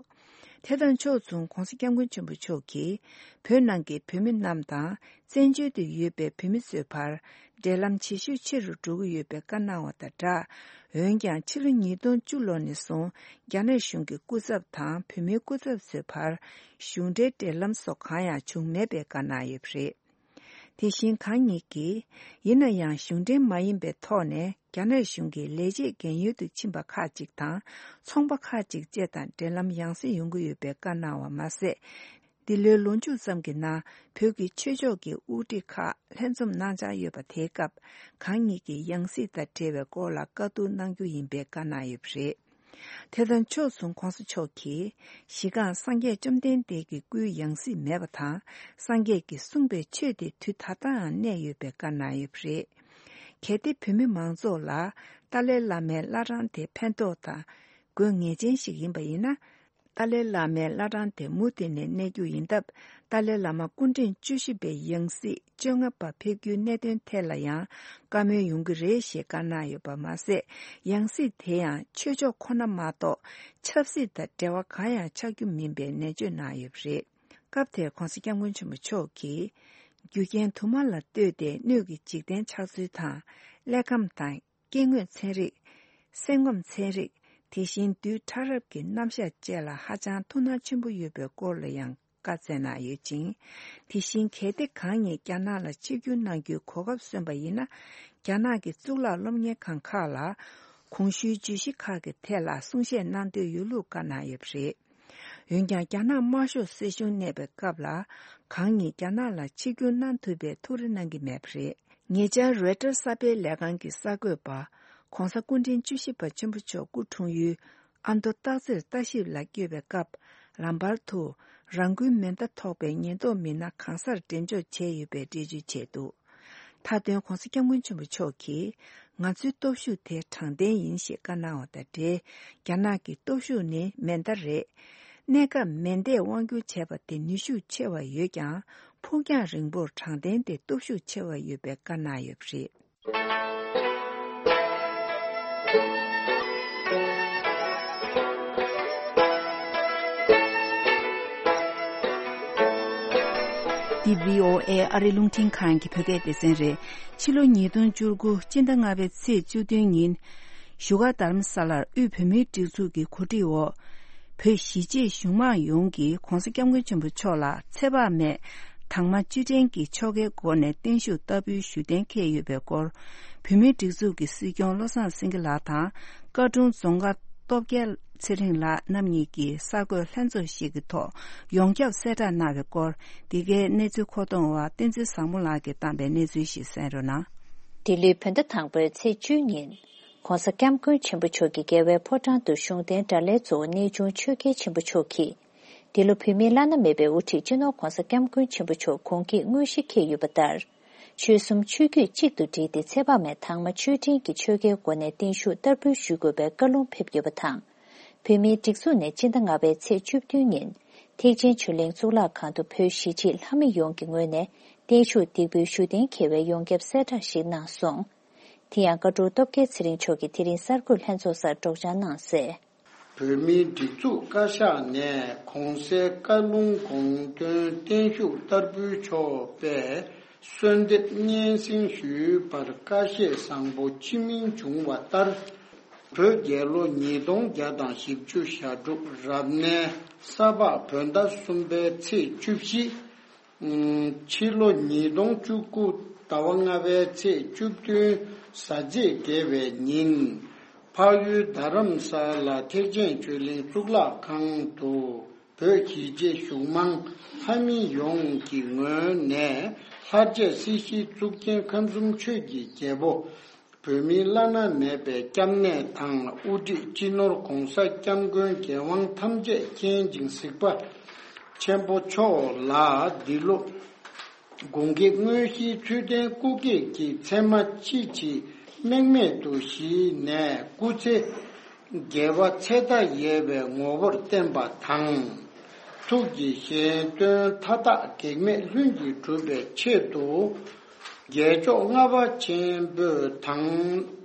དེ་དང་ཕྱོགས་མཚུངས། གོང་ས་སྐྱབས་མགོན་ཆེན་པོ་མཆོག་གིས། བོད་ནང་གི་བོད་མི་རྣམས་དང་། བཙན་བྱོལ་དུ་ཡོད་པའི་བོད་མི་ཚོའི་བར། འབྲེལ་ལམ་ཇེ་ཤུགས་ཆེ་རུ་འགྲོ་གི་ཡོད་པའི་བཀའ་གནང་བ་དང་སྦྲགས། འོན་ཀྱང་། ཕྱི་ལོ་ཉིས་སྟོང་བཅུ་ལོ་ནས་བཟུང་། རྒྱ་ནག་གཞུང་གི་སྐུ་ཚབ་དང་། བོད་མིའི་སྐུ་ཚབ་ཚོའི་བར། གཞུང་འབྲེལ་འབྲེལ་ལམ་སོགས་གང་ཡང་བྱུང་མེད་པའི་བཀའ་གནང་ཡོད་པ་རེད། དེ་བཞིན་གང་ཉིད་ཀྱིས། ཡིན་ན་ཡང་། གཞུང་འབྲེལ་མ་ཡིན་པའི་ཐོག་ནས། རྒྱ་ནག་གཞུང་གི་ལས་བྱེད་རྒན་ཡོལ་དུ་ཕྱིན་པ་ཁག་ཅིག་དང་། ཚོང་པ་ཁག་ཅིག་བཅས་དང་འབྲེལ་ལམ་ཡང་སེ་ཡོང་གི་ཡོད་པའི་བཀའ་གནང་བ་མ་ཟད། འདི་ལོའི་ལོ་མཇུག་ཙམ་གྱི་ནང་། བོད་ཀྱི་ཆོས་ཕྱོགས་ཀྱི་དབུ་ཁྲིད་ཁག་ལྷན་འཛོམས་གནང་འཆར་ཡོད་པ། དེའི་སྐབས། གང་ཉིད་ཀྱི་ཡང་སྲིད་དང་འབྲེལ་བའི་སྐོར་ལ་བཀའ་བསྡུར་གནང་རྒྱུ་ཡིན་པའི་བཀའ་གནང་ཡོད་པ་རེད། དེ་དང་ཕྱོགས་མཚུངས། གོང་ས་མཆོག་གིས། གཞི་རྐང་སངས་རྒྱས་བཅོམ་ལྡན་འདས་ཀྱི་སྐུའི་ཡང་སྲིད་མེད་པ་དང་། སངས་རྒྱས་ཀྱིས་གསུངས་པའི་ཆོས་དེ་དུས་ད་ལྟའང་གནས་ཡོད་པའི་བཀའ་གནང་ཡོད་པ་རེད། གལ་ཏེ་བོད་མི་མང་ཚོགས་ལ། ཏཱ་ལའི་བླ་མའི་བླ་བྲང་དེ་ཕན་ཐོགས་དང་། དགོས་ངེས་ཅན་ཞིག་ཡིན་པ་ཡིན་ན། ཏཱ་ལའི་བླ་མའི་བླ་བྲང་དེ་མུ་མཐུད་ནས་གནས་རྒྱུ་ཡིན་སྟབས། ཏཱ་ལའི་བླ་མ་སྐུ་ཕྲེང་བཅུ་བཞི་པའི་ཡང་སྲིད་བཅོ་ལྔ་པ་ཕེབས་རྒྱུའི་གནད་དོན་ཐད་ལ་ཡང་བཀའ་མོལ་ཡོང་གི་རེད་ཞེས་བཀའ་གནང་ཡོད་པ་མ་ཟད། ཡང་སྲིད་དེ་ཡང་ཆོས་ཕྱོགས་ཁོ་ན་མ་གཏོགས་ཆབ་སྲིད་དང་འབྲེལ་བ་གང་ཡང་ཆགས་རྒྱུ་མིན་པའི་ནན་བརྗོད་གནང་ཡོད་པ་རེད། སྐབས་དེར་གོང་ས་སྐྱབས་མགོན་ཆེན་པོ་མཆོག་གིས། རྒྱུ་རྐྱེན་དུ་མ་ལ་ལྟོས་ཏེ་སྣོད་ཀྱི་འཇིག་རྟེན་ཆགས་ཚུལ་དང་། ཀླད་ཁམས་དང་། སྐྱེ་དངོས་ཚན་རིག་སེམས་ཁམས་ཚན་རིག་དེ་བཞིན་རྡུལ་ཕྲ་རབ་ཀྱི་རྣམ་གཞག་བཅས་ལ་ཧ་ཅང་ཐུགས་སྣང་ཆེན་པོ་ཡོད་པའི་སྐོར་ལ་ཡང་བཀའ་སྩལ་གནང་ཡོད་ཅིང་། དེ་བཞིན་གལ་ཏེ་གང་ཉིད་རྒྱ་ནག་ལ་ཆིབས་བསྒྱུར་གནང་རྒྱུའི་གོ་སྐབས་སོན་པ་ཡིན་ན། རྒྱ་ནག་གི་གཙུག་ལག་སློབ་གཉེར་ཁང་ཁག་ལ་གོང་ཞུས་བརྗོད་གཞི་ཁག་གི་ཐད་ལ་གསུང་བཤད་གནང་འདོད་ཡོད་ལུགས་བཀའ་གནང་ཡོད་པ་རེད། འོན་ཀྱང་། རྒྱ་ནག་དམར་ཤོག་སྲིད་གཞུང་གནས་པའི་སྐབས་ལ། གང་ཉིད་རྒྱ་ནག་ལ་ཆིབས་བསྒྱུར་གནང་ཐུབ་པའི་ཐུགས་རེ་གནང་གི་མེད་པ་རེད། ཉེ་ཆར་རོའི་ཊར་གསར་སྤེལ་ལས་ཁང་གི་གསར་འགོད་པ། གོང་ས་སྐུ་ཕྲེང་བཅུ་བཞི་པ་ཆེན་པོ་མཆོག་སྐུ་འཁྲུངས་ཡུལ་ཨ་མདོ་སྟག་རྩེར་ལྟ་ཞིབ་ལ་བསྐྱོད་པའི་སྐབས། ལམ་བར་དུ་རང་འགུལ་མེ་མདའ་ཐོགས་པའི་ཉེན་རྟོག་མི་སྣ་གང་སར་འགྲེམས་འཇོག་བྱས་ཡོད་པའི་འགྲེལ་བརྗོད་བྱས་འདུག་མཐའ་དོན། གོང་ས་སྐྱབས་མགོན་ཆེན་པོ་མཆོག་གིས། ང་ཚོའི་སྟོབས་ཤུགས་དེ་དྲང་བདེན་ཡིན་ཞེས་བཀའ་གནང་བ་དང་འབྲེལ། རྒྱ་ནག་གི་སྟོབས་ཤུགས་ནི་མེ་མདའ་རེད། གནས་སྐབས་མེ་མདས་དབང་སྒྱུར་བྱས་པ་དེ་ནུས་ཤུགས་ཆེ་བ་ཡོད་ཀྱང་། ཕུགས་རྒྱང་རིང་པོར་དྲང་བདེན་དེ་སྟོབས་ཤུགས་ཆེ་བ་ཡོད་པའི་བཀའ་གནང་ཡོད་པ་རེད། འདི་བྷི་ཨོ་ཨེ་ཨ་རི་རླུང་འཕྲིན་ཁང་གི་བོད་སྐད་སྡེ་ཚན་རེད། ཕྱི་ལོ་ཉིས་སྟོང་བཅུ་དགུ་སྤྱི་ཟླ་ལྔ་པའི་ཚེས་བཅུ་བདུན་ཉིན། བཞུགས་སྒར་རྡ་རམ་ས་ལར་དབུས་བོད་མིའི་སྒྲིག་འཛུགས་ཀྱི་གོ་སྒྲིག་འོག་བོད་གཞིས་བྱེས་གཞུང་མང་ཡོངས་ཀྱིས་༧གོང་ས་༧སྐྱབས་མགོན་ཆེན་པོ་མཆོག་ལ་ཚེ་དཔག་མེད་ད་ དང་མ་བཅུད་ལྡན་གྱི་ཆོ་གའི་སྒོ་ནས་བརྟན་བཞུགས་བསྟར་འབུལ་ཞུ་གཏན་འཁེལ་ཡོད་པའི་སྐོར། བོད་མིའི་སྒྲིག་འཛུགས་ཀྱི་སྲིད་སྐྱོང་བློ་བཟང་སེང་གེ་ལགས་དང་། བཀའ་དྲུང་རྫོང་དགའ་སྟོབས་རྒྱལ་ཚེ་རིང་ལགས་རྣམ་གཉིས་ཀྱིས་གསར་འགོད་ལྷན་ཚོགས་ཤིག་གི་ཐོག་ཡོངས་ཁྱབ་གསལ་བསྒྲགས་གནང་བའི་སྐོར། འདི་གའི་གནས་ཚུལ་མཁོ་གཏོང་བ་བསྟན་འཛིན་བཟང་མོ་ལགས་ཀྱིས་བཏང་པའི་གནས་ཚུལ་ཞིག་གསན་རོགས་གནང་། འདི་ལོའི་བོད་ཟླ་དང་པོའི་ཚེས་བཅུ་ཉིན། ྋགོང་ས་ྋསྐྱབས་མགོན་ཆེན་པོ་མཆོག་གིས་རྒྱལ་བའི་ཕོ་བྲང་དུ་བཞུགས་གདན་གྲ་ལྷའི་གཙོ་བོ་གནས་ཆུང་ཆོས་རྒྱལ་ཆེན་པོ་མཆོག་གིས། འདི་ལོ་བོད་མིའི་བླ་ན་མེད་པའི་དབུ་ཁྲིད་སྤྱི་ནོར་༧གོང་ས་༧སྐྱབས་མགོན་ཆེན་པོ་མཆོག་དགུང་སྐེག་དངོས་གཞི་འཁེལ་ཡོད་པ་ལྟར། ཆོལ་གསུམ་ཆོས་བརྒྱུད་གཅིག་ཏུ་བསྒྲིལ་ཏེ་ཚེ་དཔག་མེད་དང་མ་བཅུད་ལྡན་གྱི་ཆོ་གའི་སྒོ་ནས་བརྟན་བཞུགས་བསྟར་འབུལ་ཞུ་དགོས་པའི་བཀའ་ལུང་ཕེབས་ཡོད་པ་དང་། བོད་མིའི་སྒྲིག་འཛུགས་ནས་སྤྱི་ཟླ་ལྔ་པའི་ཚེས་བཅུ་བདུན་ཉིན། ཐེག་ཆེན་ཆོས་གླིང་གཙུག་ལག་ཁང་དུ་བོད་གཞིས་བྱེས་ལྷ་མི་ཡོངས་ཀྱི་ངོས་ནས་བརྟན་བཞུགས་འདེགས་འབུལ་ཞུ་གཏན་འཁེལ་བའི་ཡོངས་ཁྱབ་གསལ་བསྒྲགས་ཤིག་གནང་སོང་། དེ་ཡང་བཀའ་དྲུང་སྟོབས་རྒྱལ་ཚེ་རིང་མཆོག་གིས་དེ་རིང་གསར་འགོད་ལྷན་ཚོགས་སར་སྒྲོག་སྦྱང་གནང་གསལ། བོད་མིའི་སྒྲིག་འཛུགས་བཀའ་ཤག་ནས་གོང་གསལ་བཀའ་ལུང་དགོངས་དོན་བརྟན་བཞུགས་བསྟར་འབུལ་ཆོག་པའི་གསོལ་འདེབས་སྙན་སེང་ཞུས་པར་བཀའ་བཞེས་བཟང་པོ་སྤྱི་མིང་བྱུང་བ་ལྟར། བོད་རྒྱལ་ལོ་ཉིས་སྟོང་བརྒྱ་དང་བཞི་བཅུ་ཞག་དྲུག་རབ་གནས་ས་ཕག་བོད་ཟླ་གསུམ་པའི་ཚེས་བཅུ་བཞི། ཕྱི་ལོ་ཉིས་སྟོང་བཅུ་དགུ་ཟླ་བ་ལྔ་པའི་ཚེས་བཅུ་བདུན་གཟའ་མཇུག་བརྒྱད་པའི་ཉིན། འཕགས་ཡུལ་རྡ་རམ་ས་ལ་ཐེག་ཆེན་ཆོས་གླིང་གཙུག་ལག་ཁང་དུ་བོད་གཞིས་བྱེས་གཞུང་མང་ལྷ་མི་ཡོངས་ཀྱི་ངོས་ནས་ལྷར་བཅས་སྲིད་ཞིའི་གཙུག་རྒྱན་ཁམས་གསུམ་ཆོས་ཀྱི་རྒྱལ་པོ། བོད་མིའི་བླ་ན་མེད་པའི་སྐྱབས་གནས་དང་དབུ་ཁྲིད་སྤྱི་ནོར་ྋགོང་ས་ྋསྐྱབས་མགོན་རྒྱལ་དབང་ཐམས་ཅད་མཁྱེན་ཅིང་གཟིགས་པ་ཆེན་པོ་མཆོག་ལ་འདི་ལོ་དགུང་སྐེག་དངོས་གཞིའི་ཚུལ་ལྡན་སྐུ་སྐེག་གི་མཚན་མ་ཅི་ཇི་རྨེག་མེད་དུ་གཞི་ནས་སྐུ་ཚེ་རྒྱལ་བ་ཚེ་མཐའ་ཡས་པའི་ངོ་བོར་བརྟན་པ་དང་། ཐུགས་ཀྱི་བཞེད་དོན་མཐའ་དག་གེགས་མེད་ལྷུན་གྱིས་གྲུབ་པའི་ཆེད་དུ། རྒྱལ་མཆོག་ལྔ་པ་ཆེན་པོས་དང་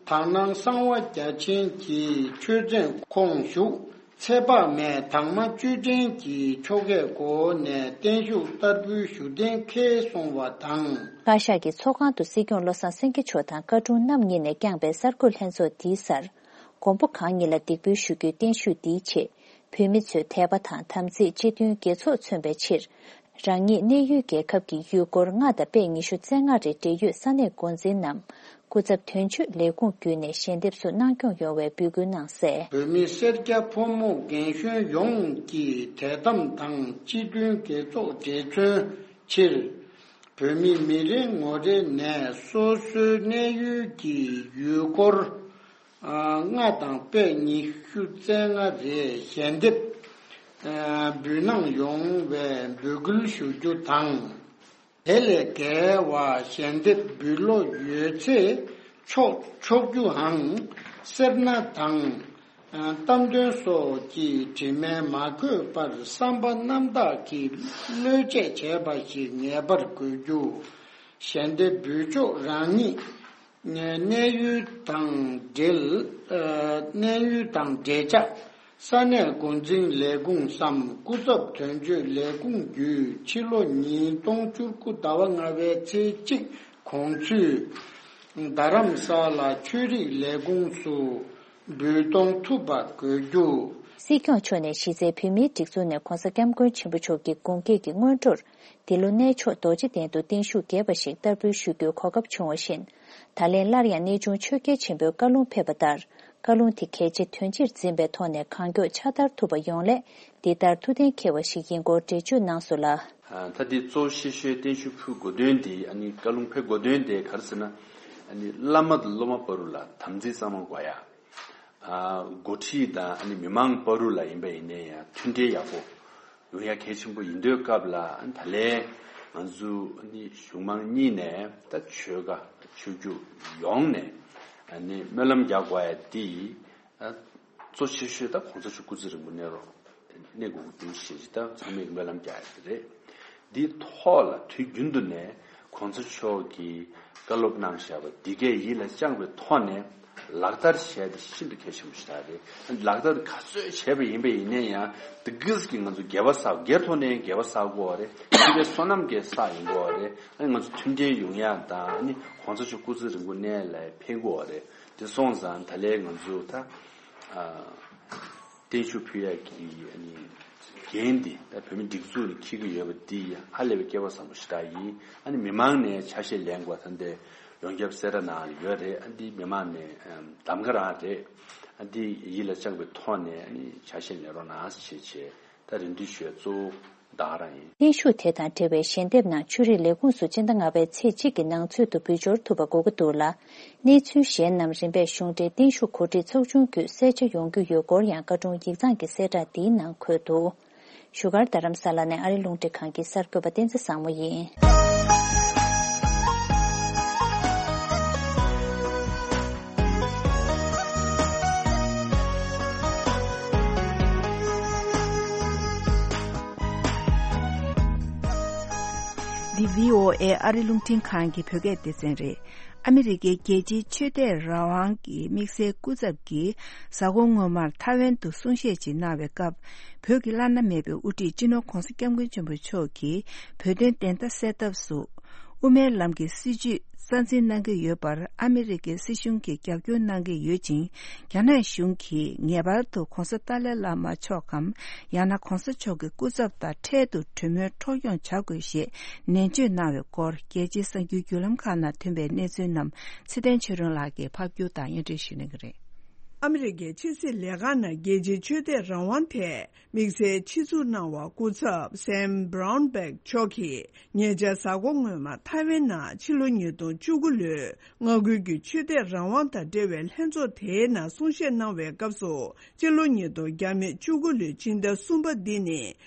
དག་སྣང་གསང་བ་རྒྱ་ཆེན་གྱི་ཆོས་མཚན་ཁོངས་ཞུགས་ཚེ་དཔག་མེད་དང་མ་བཅུད་ལྡན་གྱི་ཆོ་གའི་སྒོ་ནས་བརྟན་བཞུགས་བསྟར་འབུལ་ཞུ་གཏན་འཁེལ་སོང་བ་དང་། བཀའ་ཤག་གི་ཚོགས་ཁང་དུ་སྲིད་སྐྱོང་བློ་བཟང་སེང་གེ་མཆོག་དང་བཀའ་དྲུང་རྣམ་གཉིས་ནས་བསྐྱངས་པའི་གསར་འགོད་ལྷན་ཚོགས་འདིའི་སར། མགོན་པོ་གང་ཉིད་ལ་འདེགས་འབུལ་ཞུ་རྒྱུའི་བརྟན་བཞུགས་འདིའི་ཆེད། བོད་མི་ཚོས་དད་པ་དང་དམ་ཚིག་སྤྱི་མཐུན་དགེ་ཚོགས་མཚོན་པའི་ཕྱིར། རང་ཉིད་གནས་ཡུལ་རྒྱལ་ཁབ་ཀྱི་ཡུལ་སྐོར་ལྔ་དང་པད་ཉི་ཤུ་རྩ་ལྔ་རེ་འབྲེལ་ཡོད་ས་གནས་འགོ་འཛིན་ནམ་སྐུ་ཚབ་དོན་གཅོད་ལས་ཁུངས་བརྒྱུད་ནས་ཞལ་འདེབས་སུ་གནང་སྐྱོང་ཡོང་བའི་འབོད་སྐུལ་གནང་གསལ། བོད་མིའི་སེར་སྐྱ་ཕོ་མོ་རྒན་གཞོན་ཡོངས་ཀྱིས་དད་དམ་དང་སྤྱི་མཐུན་དགེ་ཚོགས་འབྲེལ་མཚོན་ཕྱིར། བོད་མི་མི་རེ་ངོ་རེ་ནས་སོ་སོའི་གནས་ཡུལ་གྱི་ཡུལ་སྐོར། ལྔ་དང་པད་ཉི་ཤུ་རྩ་ལྔ་རེ་ཞལ་འདེབས་འབུལ་གནང་ཡོང་བའི་འབོད་སྐུལ་ཞུ་རྒྱུ་དང་། དེ་ལས་བརྒལ་བ་ཞལ་འདེབས་འབུལ་བློ་ཡོད་ཚེ་ཆོག་ཆོག་རྒྱུའང་སེར་སྣ་དང་གཏམ་དོན་སོགས་ཀྱི་དྲི་མས་མ་གོས་པར་བསམ་པ་རྣམ་དག་གིས་བློས་བཅད་བྱས་པ་ཞིག་ངེས་པར་དགོས་རྒྱུ། ཞལ་འདེབས་འབུལ་ཕྱོགས་རང་ཉིད། གནས་ཡུལ་དང་འབྲེལ། གནས་ཡུལ་དང་འབྲེལ་ཆགས། ས་གནས་འགོ་འཛིན་ལས་ཁུངས་སམ་སྐུ་ཚབ་དོན་གཅོད་ལས་ཁུངས་བརྒྱུད་ཕྱི་ལོ་ཉིས་སྟོང་བཅུ་དགུ་ཟླ་བ་ལྔ་པའི་ཚེས་གཅིག་དགོང་ཚུན། རྡ་རམ་ས་ལ་ཆོས་རིག་ལས་ཁུངས་སུ་འབུལ་གཏོང་ཐུབ་པ་དགོས་རྒྱུ། སྲིད་སྐྱོང་མཆོག་ནས་གཞི་རྩའི་བོད་མིའི་སྒྲིག་འཛུགས་ནས་ྋགོང་ས་ྋསྐྱབས་མགོན་ཆེན་པོ་མཆོག་གི་དགུང་སྐེག་གི་སྔོན་འགྲོར། འདི་ལོ་གནས་མཆོག་རྡོ་རྗེ་གདན་དུ་བརྟན་བཞུགས་རྒྱས་པ་ཞིག་བསྟར་འབུལ་ཞུ་རྒྱུའི་གོ་སྐབས་བྱུང་བ་བཞིན། ད་ལན་སླར་ཡང་གནས་ཆུང་ཆོས་རྒྱལ་ཆེན་པོས་བཀའ་ལུང་ཕེབས་པ་ལྟར། བཀའ་ལུང་དེ་གལ་ཆེ་དོན་ཆེར་འཛིན་པའི་ཐོག་ནས་གང་མགྱོགས་ཕྱག་བསྟར་ཐུབ་པ་ཡོང་སླད། འདི་ལྟར་ཐུགས་གཏན་འཁེལ་བ་ཞིག་ཡིན་སྐོར་འགྲེལ་བརྗོད་གནང་སོང་ལ། ད་འདི་གཙོ་ཆེ་ཤོས་བརྟན་བཞུགས་ཕུལ་དགོས་དོན་དེ་ཨ་ནི་བཀའ་ལུང་ཕེབས་དགོས་དོན་དེ་ག་རེ་ཟེར་ན། ཨ་ནི་བླ་མ་དང་སློབ་མ་བར་དུ་ལ་དམ་ཚིག་གཙང་མ་དགོས་ཡ། འགོ་ཁྲིད་དང་ཨ་ནི་མི་མང་བར་དུ་ལ་ཡིན་པ་ཡིན་ནའི་ཡང་མཐུན་འབྲེལ་ཡག་པོ་ཡོང་ཡ་གལ་ཆེན་པོ་ཡིན་དུས་སྐབས་ལ་ད་ལན་ང་ཚོ་ཨ་ནི་གཞུང་མང་གཉིས་ནས་ད་ཆོལ་ཁ་ཆོས་བརྒྱུད་ཡོངས་ནས་ཨ་ནི་སྨོན་ལམ་རྒྱག་དགོས་ཡ་འདི་གཙོ་ཆེ་ཤོས་ད་གོང་ས་མཆོག་སྐུ་ཚེ་རིང་པོ་གནས་རོགས་གནས་དགོས་ཀྱི་འདུག་ཞེས་ད་ཚང་མས་སྨོན་ལམ་རྒྱག་ཡ་དེ་རེད། འདིའི་ཐོག་ལ་དུས་རྒྱུན་དུ་ནས་གོང་ས་མཆོག་གིས་བཀའ་སློབ་གནང་བཞག་པ་འདི་གས་ཡིད་ལ་བཅངས་པའི་ཐོག་ནས་ལག་བསྟར་བྱས་ཏེ་ཤིན་ཏུ་གལ་ཆེན་པོ་ཞིག་རེད། ལག་བསྟར་ག་ཚོད་བྱས་པ་ཡིན་པ་ཡིན་ནའི་ཡང་དེ་གིས་ཀྱི་ང་ཚོ་དགེ་བ་བསགས། སྒེར་ཐོག་ནས་དགེ་བ་བསགས་དགོས་པ་རེད། སྤྱི་པའི་བསོད་ནམས་ཀྱི་བསགས་ཡིན་དགོས་པ་རེད། ཨ་ནི་ང་ཚོ་མཐུན་འབྲེལ་ཡོང་ཡ་དང་ཨ་ནི་གོང་ས་མཆོག་སྐུ་ཚེ་རིང་པོ་གནས་ལ་ཕན་དགོས་པ་རེད། དེ་སོང་ཙང་ད་ལན་ང་ཚོ་ད་ཨ་བརྟན་བཞུགས་ཕུལ་ཡ་གི་ཨ་ནི། འགན་འདི་ད་བོད་མི་སྒྲིག་འཛུགས་ནས་འཁྱེར་གྱི་ཡོད་པ་འདི་ཧ་ལས་པའི་སྐལ་བ་བཟང་པོ་ཞེ་དྲག་ཡིན། ཨ་ནི་མི་མང་ནས་ཆ་ཤས་ལེན་དགོས་ད་འདི་ཡོངས་ཁྱབ་གསལ་བསྒྲགས་ནང་ཡོད་རེད། ཨ་འདི་མི་མང་ནས་གདམ་ག་རང་རེད། ཨ་འདི་ཡིད་ལ་བཅངས་པའི་ཐོག་ནས་ཨ་ནི་ཆ་ཤས་ལེན་རོགས་གནང་ཞེས་བྱས། ད་རེ་འདུན་ཞུ་ཡ་གཙོ་བོ་ད་ག་རང་ཡིན། གཏན་བཞུགས་དེ་དང་འབྲེལ་བའི་ཞལ་འདེབས་ནང་ཆོས་རིག་ལས་ཁུངས་སུ་སྤྱི་ཟླ་ལྔ་པའི་ཚེས་གཅིག་གི་ནང་ཚུད་དུ་འབུལ་འབྱོར་ཐུབ་པ་དགོས་ཀྱི་འདུག་ལ། གནས་ཚུལ་གཞན་རྣམས་རིམ་པས་གཞུང་འབྲེལ་བརྟན་བཞུགས་གོ་སྒྲིག་ཚོགས་ཆུང་བརྒྱུད་གསལ་ཆ་ཡོང་རྒྱུ་ཡོད་སྐོར་ཡང་བཀའ་དྲུང་ཡིག་ཚང་གི་གསལ་བསྒྲགས་འདིའི་ནང་འཁོད་འདུག་བཞུགས་སྒར་རྡ་རམ་ས་ལ་ནས་ཨ་རི་རླུང་འཕྲིན་ཁང་གི་གསར་འགོད་པ་བསྟན་འཛིན་བཟང་མོ་ཡིན། འདི་བྷི་ཨོ་ཨེ་ཨ་རི་རླུང་འཕྲིན་ཁང་གི་བོད་སྐད་སྡེ་ཚན་རེད། ཨ་མི་རི་ཀའི་རྒྱལ་སྤྱིའི་ཆོས་དད་རང་དབང་གི་དམིགས་བསལ་སྐུ་ཚབ་ཀྱིས་གཟའ་འཁོར་སྔོན་མར་ཐའེ་ཝན་དུ་གསུང་བཤད་ཅིག་གནང་བའི་སྐབས། བོད་ཀྱི་བླ་ན་མེད་པའི་དབུ་ཁྲིད་སྤྱི་ནོར་༧གོང་ས་༧སྐྱབས་མགོན་ཆེན་པོ་མཆོག་གིས་བོད་དོན་བདེན་མཐའ་གསལ་ཐབས་སུ། དབུ་མའི་ལམ་གྱི་སྲིད་བྱུས་རྩ་འཛིན་གནང་གི་ཡོད་པར་ཨ་མི་རི་ཀའི་སྲིད་གཞུང་གིས་རྒྱབ་སྐྱོར་གནང་གི་ཡོད་ཅིང་། རྒྱ་ནག་གཞུང་གིས་ངེས་པར་དུ་༧གོང་ས་ཏཱ་ལའི་བླ་མ་མཆོག་གམ། ཡང་ན་༧གོང་ས་མཆོག་གི་སྐུ་ཚབ་དང་འཕྲལ་དུ་གྲོས་མོལ་འཕྲོ་སྐྱོང་བྱ་དགོས་ཞེས་ནན་བརྗོད་གནང་བའི་སྐོར། རྒྱལ་སྤྱིའི་གསར་འགྱུར་བརྒྱུད་ལམ་ཁག་ནང་ཐོན་པའི་གནས་ཚུལ་རྣམས་ཚེ་བརྟན་ཆོས་སྒྲོན་ལགས་ཀྱིས་ཕབ་སྒྱུར་དང་སྙན་སྒྲོན་ཞུ་གནང་གི་རེད། ཨ་མི་རི་ཀའི་ཕྱི་སྲིད་ལས་ཁང་ནང་རྒྱལ་སྤྱིའི་ཆོས་དད་རང་དབང་ཐད་དམིགས་བསལ་ཆེད་འཛུགས་གནང་བ་སྐུ་ཚབ་སེམ་བྷ་རའུན་བྷེག་མཆོག་གིས་ཉེ་ཆར་གཟའ་འཁོར་སྔོན་མ་ཐའེ་ཝན་ནང་ཕྱི་ལོ་ཉིས་སྟོང་བཅུ་དགུ་ལོའི་མངའ་ཁུལ་གྱི་ཆོས་དད་རང་དབང་དང་འབྲེལ་བའི་ལྷན་ཚོགས་དེའི་ནང་གསུང་བཤད་གནང་བའི་སྐབས་སུ། སྤྱི་ལོ་ཉིས་སྟོང་བཅུ་དགུ་ལོའི་སྤྱི་ཟླ་གསུམ་པ་འདི་ནི་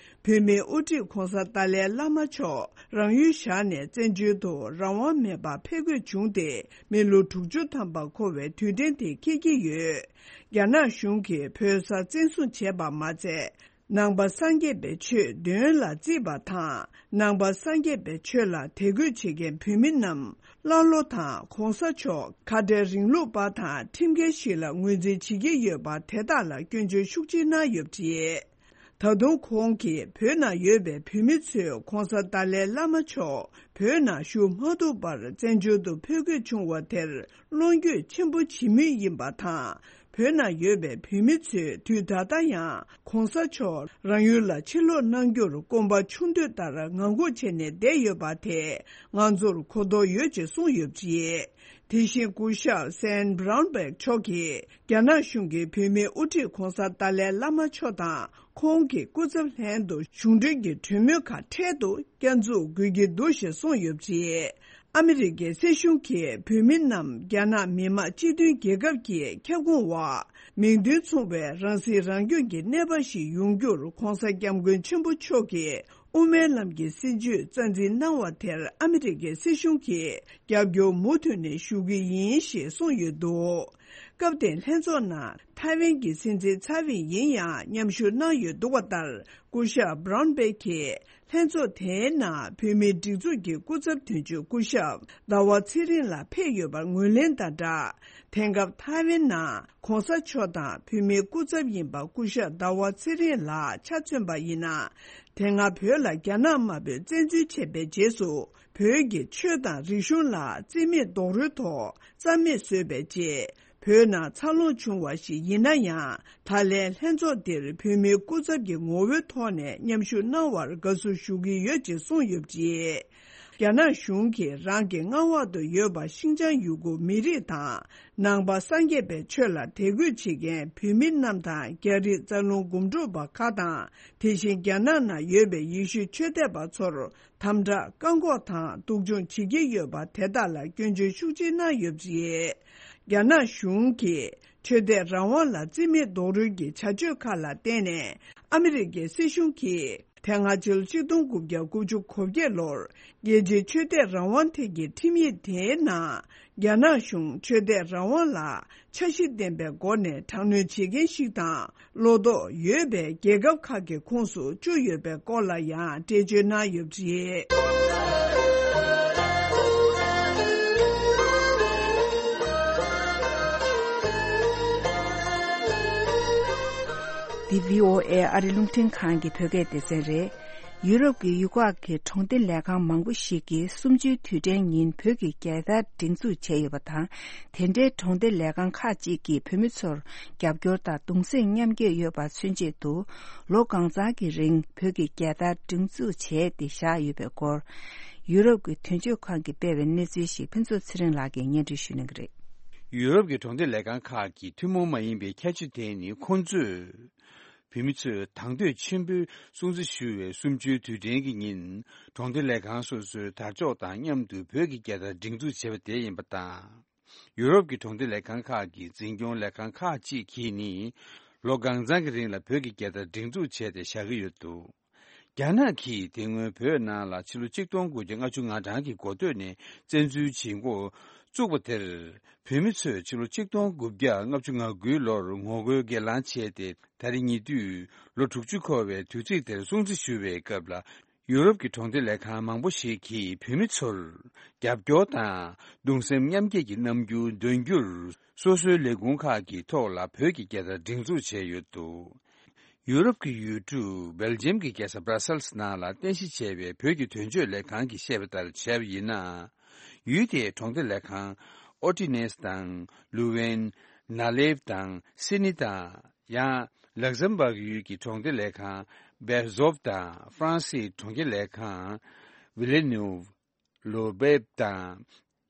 བོད་མིའི་དབུ་ཁྲིད་༧གོང་ས་ཏཱ་ལའི་བླ་མ་མཆོག་རང་ཡུལ་བཞག་ནས་བཙན་བྱོལ་དུ་རང་དབང་མེད་པར་ཕེབས་དགོས་བྱུང་སྟེ་མི་ལོ་དྲུག་ཅུ་ཐམ་པ་འཁོར་བའི་དུས་དྲན་དེ་འཁེལ་གྱི་ཡོད། རྒྱ་ནག་གཞུང་གིས་བོད་ས་བཙན་བཟུང་བྱས་པ་མ་ཚད། ནང་པ་སངས་རྒྱས་པའི་ཆོས་འདོན་ལ་བརྩིས་པ་དང་། ནང་པ་སངས་རྒྱས་པའི་ཆོས་ལ་དད་གུས་བྱེད་མཁན་བོད་མི་རྣམས་ཀླ་ཀློ་དང་གོང་ས་མཆོག་ཁ་བྲལ་རིང་ལུགས་པ་དང་ཁྲིམས་འགལ་ཞིག་ལ་ངོས་འཛིན་བྱེད་ཀྱི་ཡོད་པ་དེ་དག་ལ་སྐྱོན་བརྗོད་ཤུགས་ཆེ་གནང་ཡོད་པ་རེད། ད་དུང་ཁོང་གིས་བོད་ནང་ཡོད་པའི་བོད་མི་ཚོས་གོང་ས་ཏཱ་ལའི་བླ་མ་མཆོག་བོད་ནང་བཞུགས་མ་ཐུབ་པར་བཙན་བྱོལ་དུ་ཕེབས་དགོས་བྱུང་བ་དེར་བློ་འགྱོད་ཆེན་པོ་བྱེད་མུས་ཡིན་པ་དང་། བོད་ནང་ཡོད་པའི་བོད་མི་ཚོས་དུས་ད་ལྟ་ཡང་གོང་ས་མཆོག་རང་ཡུལ་ལ་ཕྱིར་ལོག་གནང་རྒྱུར་སྐོམ་པ་ཆུང་དུས་ལྟར་ངང་སྒུག་བྱས་ནས་བསྡད་ཡོད་པ་དེས་ང་ཚོར་གོ་རྟོགས་ཡོད་ཅེས་གསུངས་ཡོད་པ་རེད། དེ་བཞིན་སྐུ་ཞབས་སེན་བྷ་རའུན་བྷེག་མཆོག་གིས་རྒྱ་ནག་གཞུང་གིས་བོད་མིའི་དབུ་ཁྲིད་གོང་ས་ཏཱ་ལའི་བླ་མ་མཆོག་དང་ཁོང་གི་སྐུ་ཚབ་ལྷན་དུ་གཞུང་འབྲེལ་གྱི་གྲོས་མོལ་ཁག་འཕྲལ་དུ་བསྐྱར་འཛུགས་དགོས་ཀྱི་འདུག་ཞེས་གསུངས་ཡོད་པ་རེད། ཨ་མི་རི་ཀའི་སྲིད་གཞུང་གིས་བོད་མི་རྣམས་རྒྱ་ནག་མི་དམངས་སྤྱི་མཐུན་རྒྱལ་ཁབ་ཀྱི་ཁྱབ་ཁོངས་འོག་མིང་དོན་མཚུངས་པའི་རང་སྲིད་རང་སྐྱོང་གི་གནས་བབ་ཞིག་ཡོང་རྒྱུར་གོང་ས་སྐྱབས་མགོན་ཆེན་པོ་མཆོག་གིས་དབུ་མའི་ལམ་གྱི་སྲིད་བྱུས་རྩ་འཛིན་གནང་བ་དེར་ཨ་མི་རི་ཀའི་སྲིད་གཞུང་གིས་རྒྱབ་སྐྱོར་མུ་མཐུད་ནས་ཞུ་གི་ཡིན་ཞེས་གསུངས་ཡོད་འདུག་སྐབས་དེའི་ལྷན་ཚོགས་ནང་ཐའེ་ཝན་གྱི་སྲིད་འཛིན་ཚའེ་ཝེན་ཡིན་ཡང་མཉམ་ཞུགས་གནང་ཡོད་འདུག་པ་ལྟར། སྐུ་ཞབས་བྷ་རའུན་བྷེག་གིས་ལྷན་ཚོགས་དེའི་ནང་བོད་མིའི་སྒྲིག་འཛུགས་ཀྱི་སྐུ་ཚབ་དོན་གཅོད་སྐུ་ཞབས་ཟླ་བ་ཚེ་རིང་ལགས་ཕེབས་ཡོད་པར་ངོས་ལེན་དང་སྦྲགས། དེང་སྐབས་ཐའེ་ཝན་ནང་གོང་ས་མཆོག་དང་བོད་མིའི་སྐུ་ཚབ་ཡིན་པ་སྐུ་ཞབས་ཟླ་བ་ཚེ་རིང་ལགས་ཆ་མཚོན་པ་ཡིན་ན། དེ་སྔ་བོད་ལ་རྒྱ་ནག་དམར་པོས་བཙན་འཛུལ་བྱས་པའི་རྗེས་སུ་བོད་ཀྱི་ཆོས་དང་རིག་གཞུང་ལ་རྩིས་མེད་རྡོག་རོལ་ཐོག་རྩ་མེད་བཟོས་པའི་རྗེས། བོད་ནང་འཚར་ལོངས་བྱུང་བ་ཞིག་ཡིན་ན་ཡང་། ད་ལན་ལྷན་ཚོགས་འདིར་བོད་མིའི་སྐུ་ཚབ་ཀྱི་ངོ་བོའི་ཐོག་ནས་མཉམ་ཞུགས་གནང་བར་དགའ་བསུ་ཞུ་གི་ཡོད་ཅེས་གསུངས་ཡོད་པ་རེད། རྒྱ་ནག་གཞུང་གིས་རང་གི་མངའ་འོག་ཏུ་ཡོད་པ་ཤིན་ཅང་ཡུ་གུར་མི་རིགས་དང་། ནང་པ་སངས་རྒྱས་པའི་ཆོས་ལ་དད་གུས་བྱེད་མཁན་བོད་མི་རྣམས་དང་། རྒྱ་རིགས་རྩ་རླུང་སྒོམ་སྒྲུབ་པ་ཁག་དང་། དེ་བཞིན་རྒྱ་ནག་ནང་ཡོད་པའི་ཡེ་ཤུའི་ཆོས་དད་པ་ཚོར། དམ་དྲག་བཀག་འགོག་དང་སྡུག་སྦྱོང་བྱེད་ཀྱི་ཡོད་པ་དེ་དག་ལ་སྐྱོན་བརྗོད་ཤུགས་ཆེ་གནང་ཡོད་པ་རེད། རྒྱ་ནག་གཞུང་གིས་ཆོས་དད་རང་དབང་ལ་རྩིས་མེད་རྡོག་རོལ་གྱི་བྱ་སྤྱོད་ཁག་ལ་བརྟེན་ནས། ཨ་མི་རི་ཀའི་སྲིད་གཞུང་གིས་དེ་སྔ་ཕྱི་ལོ་ཆིག་སྟོང་དགུ་བརྒྱ་དགུ་བཅུ་གོ་བརྒྱད་ལོར་རྒྱལ་སྤྱིའི་ཆོས་དད་རང་དབང་ཐད་ཀྱི་ཁྲིམས་ཡིག་དེའི་ནང་། རྒྱ་ནག་གཞུང་ཆོས་དད་རང་དབང་ལ་འཆར་གཞི་ལྡན་པའི་སྒོ་ནས་དྲག་གནོན་བྱེད་མཁན་ཞིག་དང་། བློ་དོགས་ཡོད་པའི་རྒྱལ་ཁབ་ཁག་གི་ཁོངས་སུ་བཅུག་ཡོད་པའི་སྐོར་ལ་ཡང་འགྲེལ་བརྗོད་གནང་ཡོད་པ་རེད། འདི་བྷི་ཨོ་ཨེ་ཨ་རི་རླུང་འཕྲིན་ཁང་གི་བོད་སྐད་སྡེ་ཚན་རེད། ཡུ་རོབ་ཀྱི་ཡུལ་ཁག་གི་གྲོང་སྡེ་ལས་ཁང་མང་པོ་ཞིག་གིས་གསུམ་བཅུའི་དུས་དྲན་ཉིན་བོད་ཀྱི་རྒྱལ་དར་སྒྲེང་འཛུགས་བྱས་ཡོད་པ་དང་། དེ་འདྲའི་གྲོང་སྡེ་ལས་ཁང་ཁག་ཅིག་གིས་བོད་མི་ཚོར་རྒྱབ་སྐྱོར་དང་གདུང་སེམས་མཉམ་སྐྱེད་ཡོད་པ་མཚོན་ཆེད་དུ། ལོ་གང་ཚང་གི་རིང་བོད་ཀྱི་རྒྱལ་དར་སྒྲེང་འཛུགས་བྱས་ཏེ་བཞག་ཡོད་པའི་སྐོར། ཡུ་རོབ་ཀྱི་དོན་གཅོད་ཁང་གིས་སྤེལ་བའི་གནས་ཚུལ་ཞིག་ཕུན་ཚོགས་ཚེ་རིང་ལགས་ཀྱིས་སྙན་སྒྲོན་ཞུ་གནང་གི་རེད། ཡུ་རོབ་ཀྱི་གྲོང་སྡེ་ལས་ཁང་ཁག་གི་ཐུན་མོང་མ་ཡིན་པའི་ཁྱད་ཆོས་དེ་ནི། ཁོང་ཚོས་བོད་མི་ཚོས་དང་དོད་ཆེན་པོས་སྲུང་བརྩི་ཞུ་བའི་གསུམ་བཅུའི་དུས་དྲན་གྱི་ཉིན། གྲོང་སྡེ་ལས་ཁང་སོ་སོའི་དར་ལྕོག་དང་མཉམ་དུ་བོད་ཀྱི་རྒྱལ་དར་སྒྲེང་འཛུགས་བྱས་པ་དེ་ཡིན་པ་དང་། ཡུ་རོབ་ཀྱི་གྲོང་སྡེ་ལས་ཁང་ཁག་གི་འཛིན་སྐྱོང་ལས་ཁང་ཁག་ཅིག་གིས་ནི། ལོ་གང་ཚང་གི་རིང་ལ་བོད་ཀྱི་རྒྱལ་དར་སྒྲེང་འཛུགས་བྱས་ཏེ་བཞག་གི་ཡོད་འདུག། རྒྱ་ནག་གིས་དེ་སྔོན་བོད་ནང་ལ་ཕྱི་ལོ་ཆིག་སྟོང་དགུ་བརྒྱ་ལྔ་བཅུ་ང་གྲངས་ཀྱི་འགོ་སྟོད་ནས་བཙན་འཛུལ་བྱེད་འགོ་བཙུགས་པ་དེར། བོད་མི་ཚོས་ཕྱི་ལོ་ཆིག་སྟོང་དགུ་བརྒྱ་ལྔ་བཅུ་ང་དགུའི་ལོར་ངོ་རྒོལ་སྒེར་ལངས་བྱས་ཏེ། ད་རེས་ཉེ་དུས་ལོ་དྲུག་ཅུ་འཁོར་བའི་དུས་ཚིགས་དེར་སྲུང་བརྩི་ཞུ་བའི་སྐབས་ལ། ཡུ་རོབ་ཀྱི་གྲོང་སྡེ་ལས་ཁང་མང་པོ་ཞིག་གིས་བོད་མི་ཚོར་རྒྱབ་སྐྱོར་དང་གདུང་སེམས་མཉམ་སྐྱེད་ཀྱི་རྣམ་འགྱུར་འདོན་རྒྱུར། སོ་སོའི་ལས་ཁུངས་ཁག་གི་ཐོག་ལ་བོད་ཀྱི་རྒྱལ་དར་སྒྲེང་འཛུགས་བྱས་ཡོད་འདུག། ཡུ་རོབ་ཀྱི་ཡུལ་གྲུ་སྦེལ་ཇམ་གྱི་རྒྱལ་ས་སྦྲ་སེལ་སི་ནང་ལ་རྟེན་གཞི་བྱས་པའི་བོད་ཀྱི་དོན་གཅོད་ལས་ཁང་གིས་བཤད་པ་ལྟར་བྱས་པ་ཡིན་ན། ཡུལ་དེའི་གྲོང་སྡེ་ལས་ཁང་ཨོ་ཏི་ནེས་དང་། ལུ་ཝེན། ན་ལེབ་དང་། སི་ནི་དང་། ཡང་ལག་ཟམ་བག་ཡུལ་གྱི་གྲོང་སྡེ་ལས་ཁང་བེར་ཟོབ་དང་། ཧྥ་རན་སིའི་གྲོང་ཁྱེར་ལས་ཁང་ཝི་ལེ་ནུབ། ལོ་བེབ་དང་།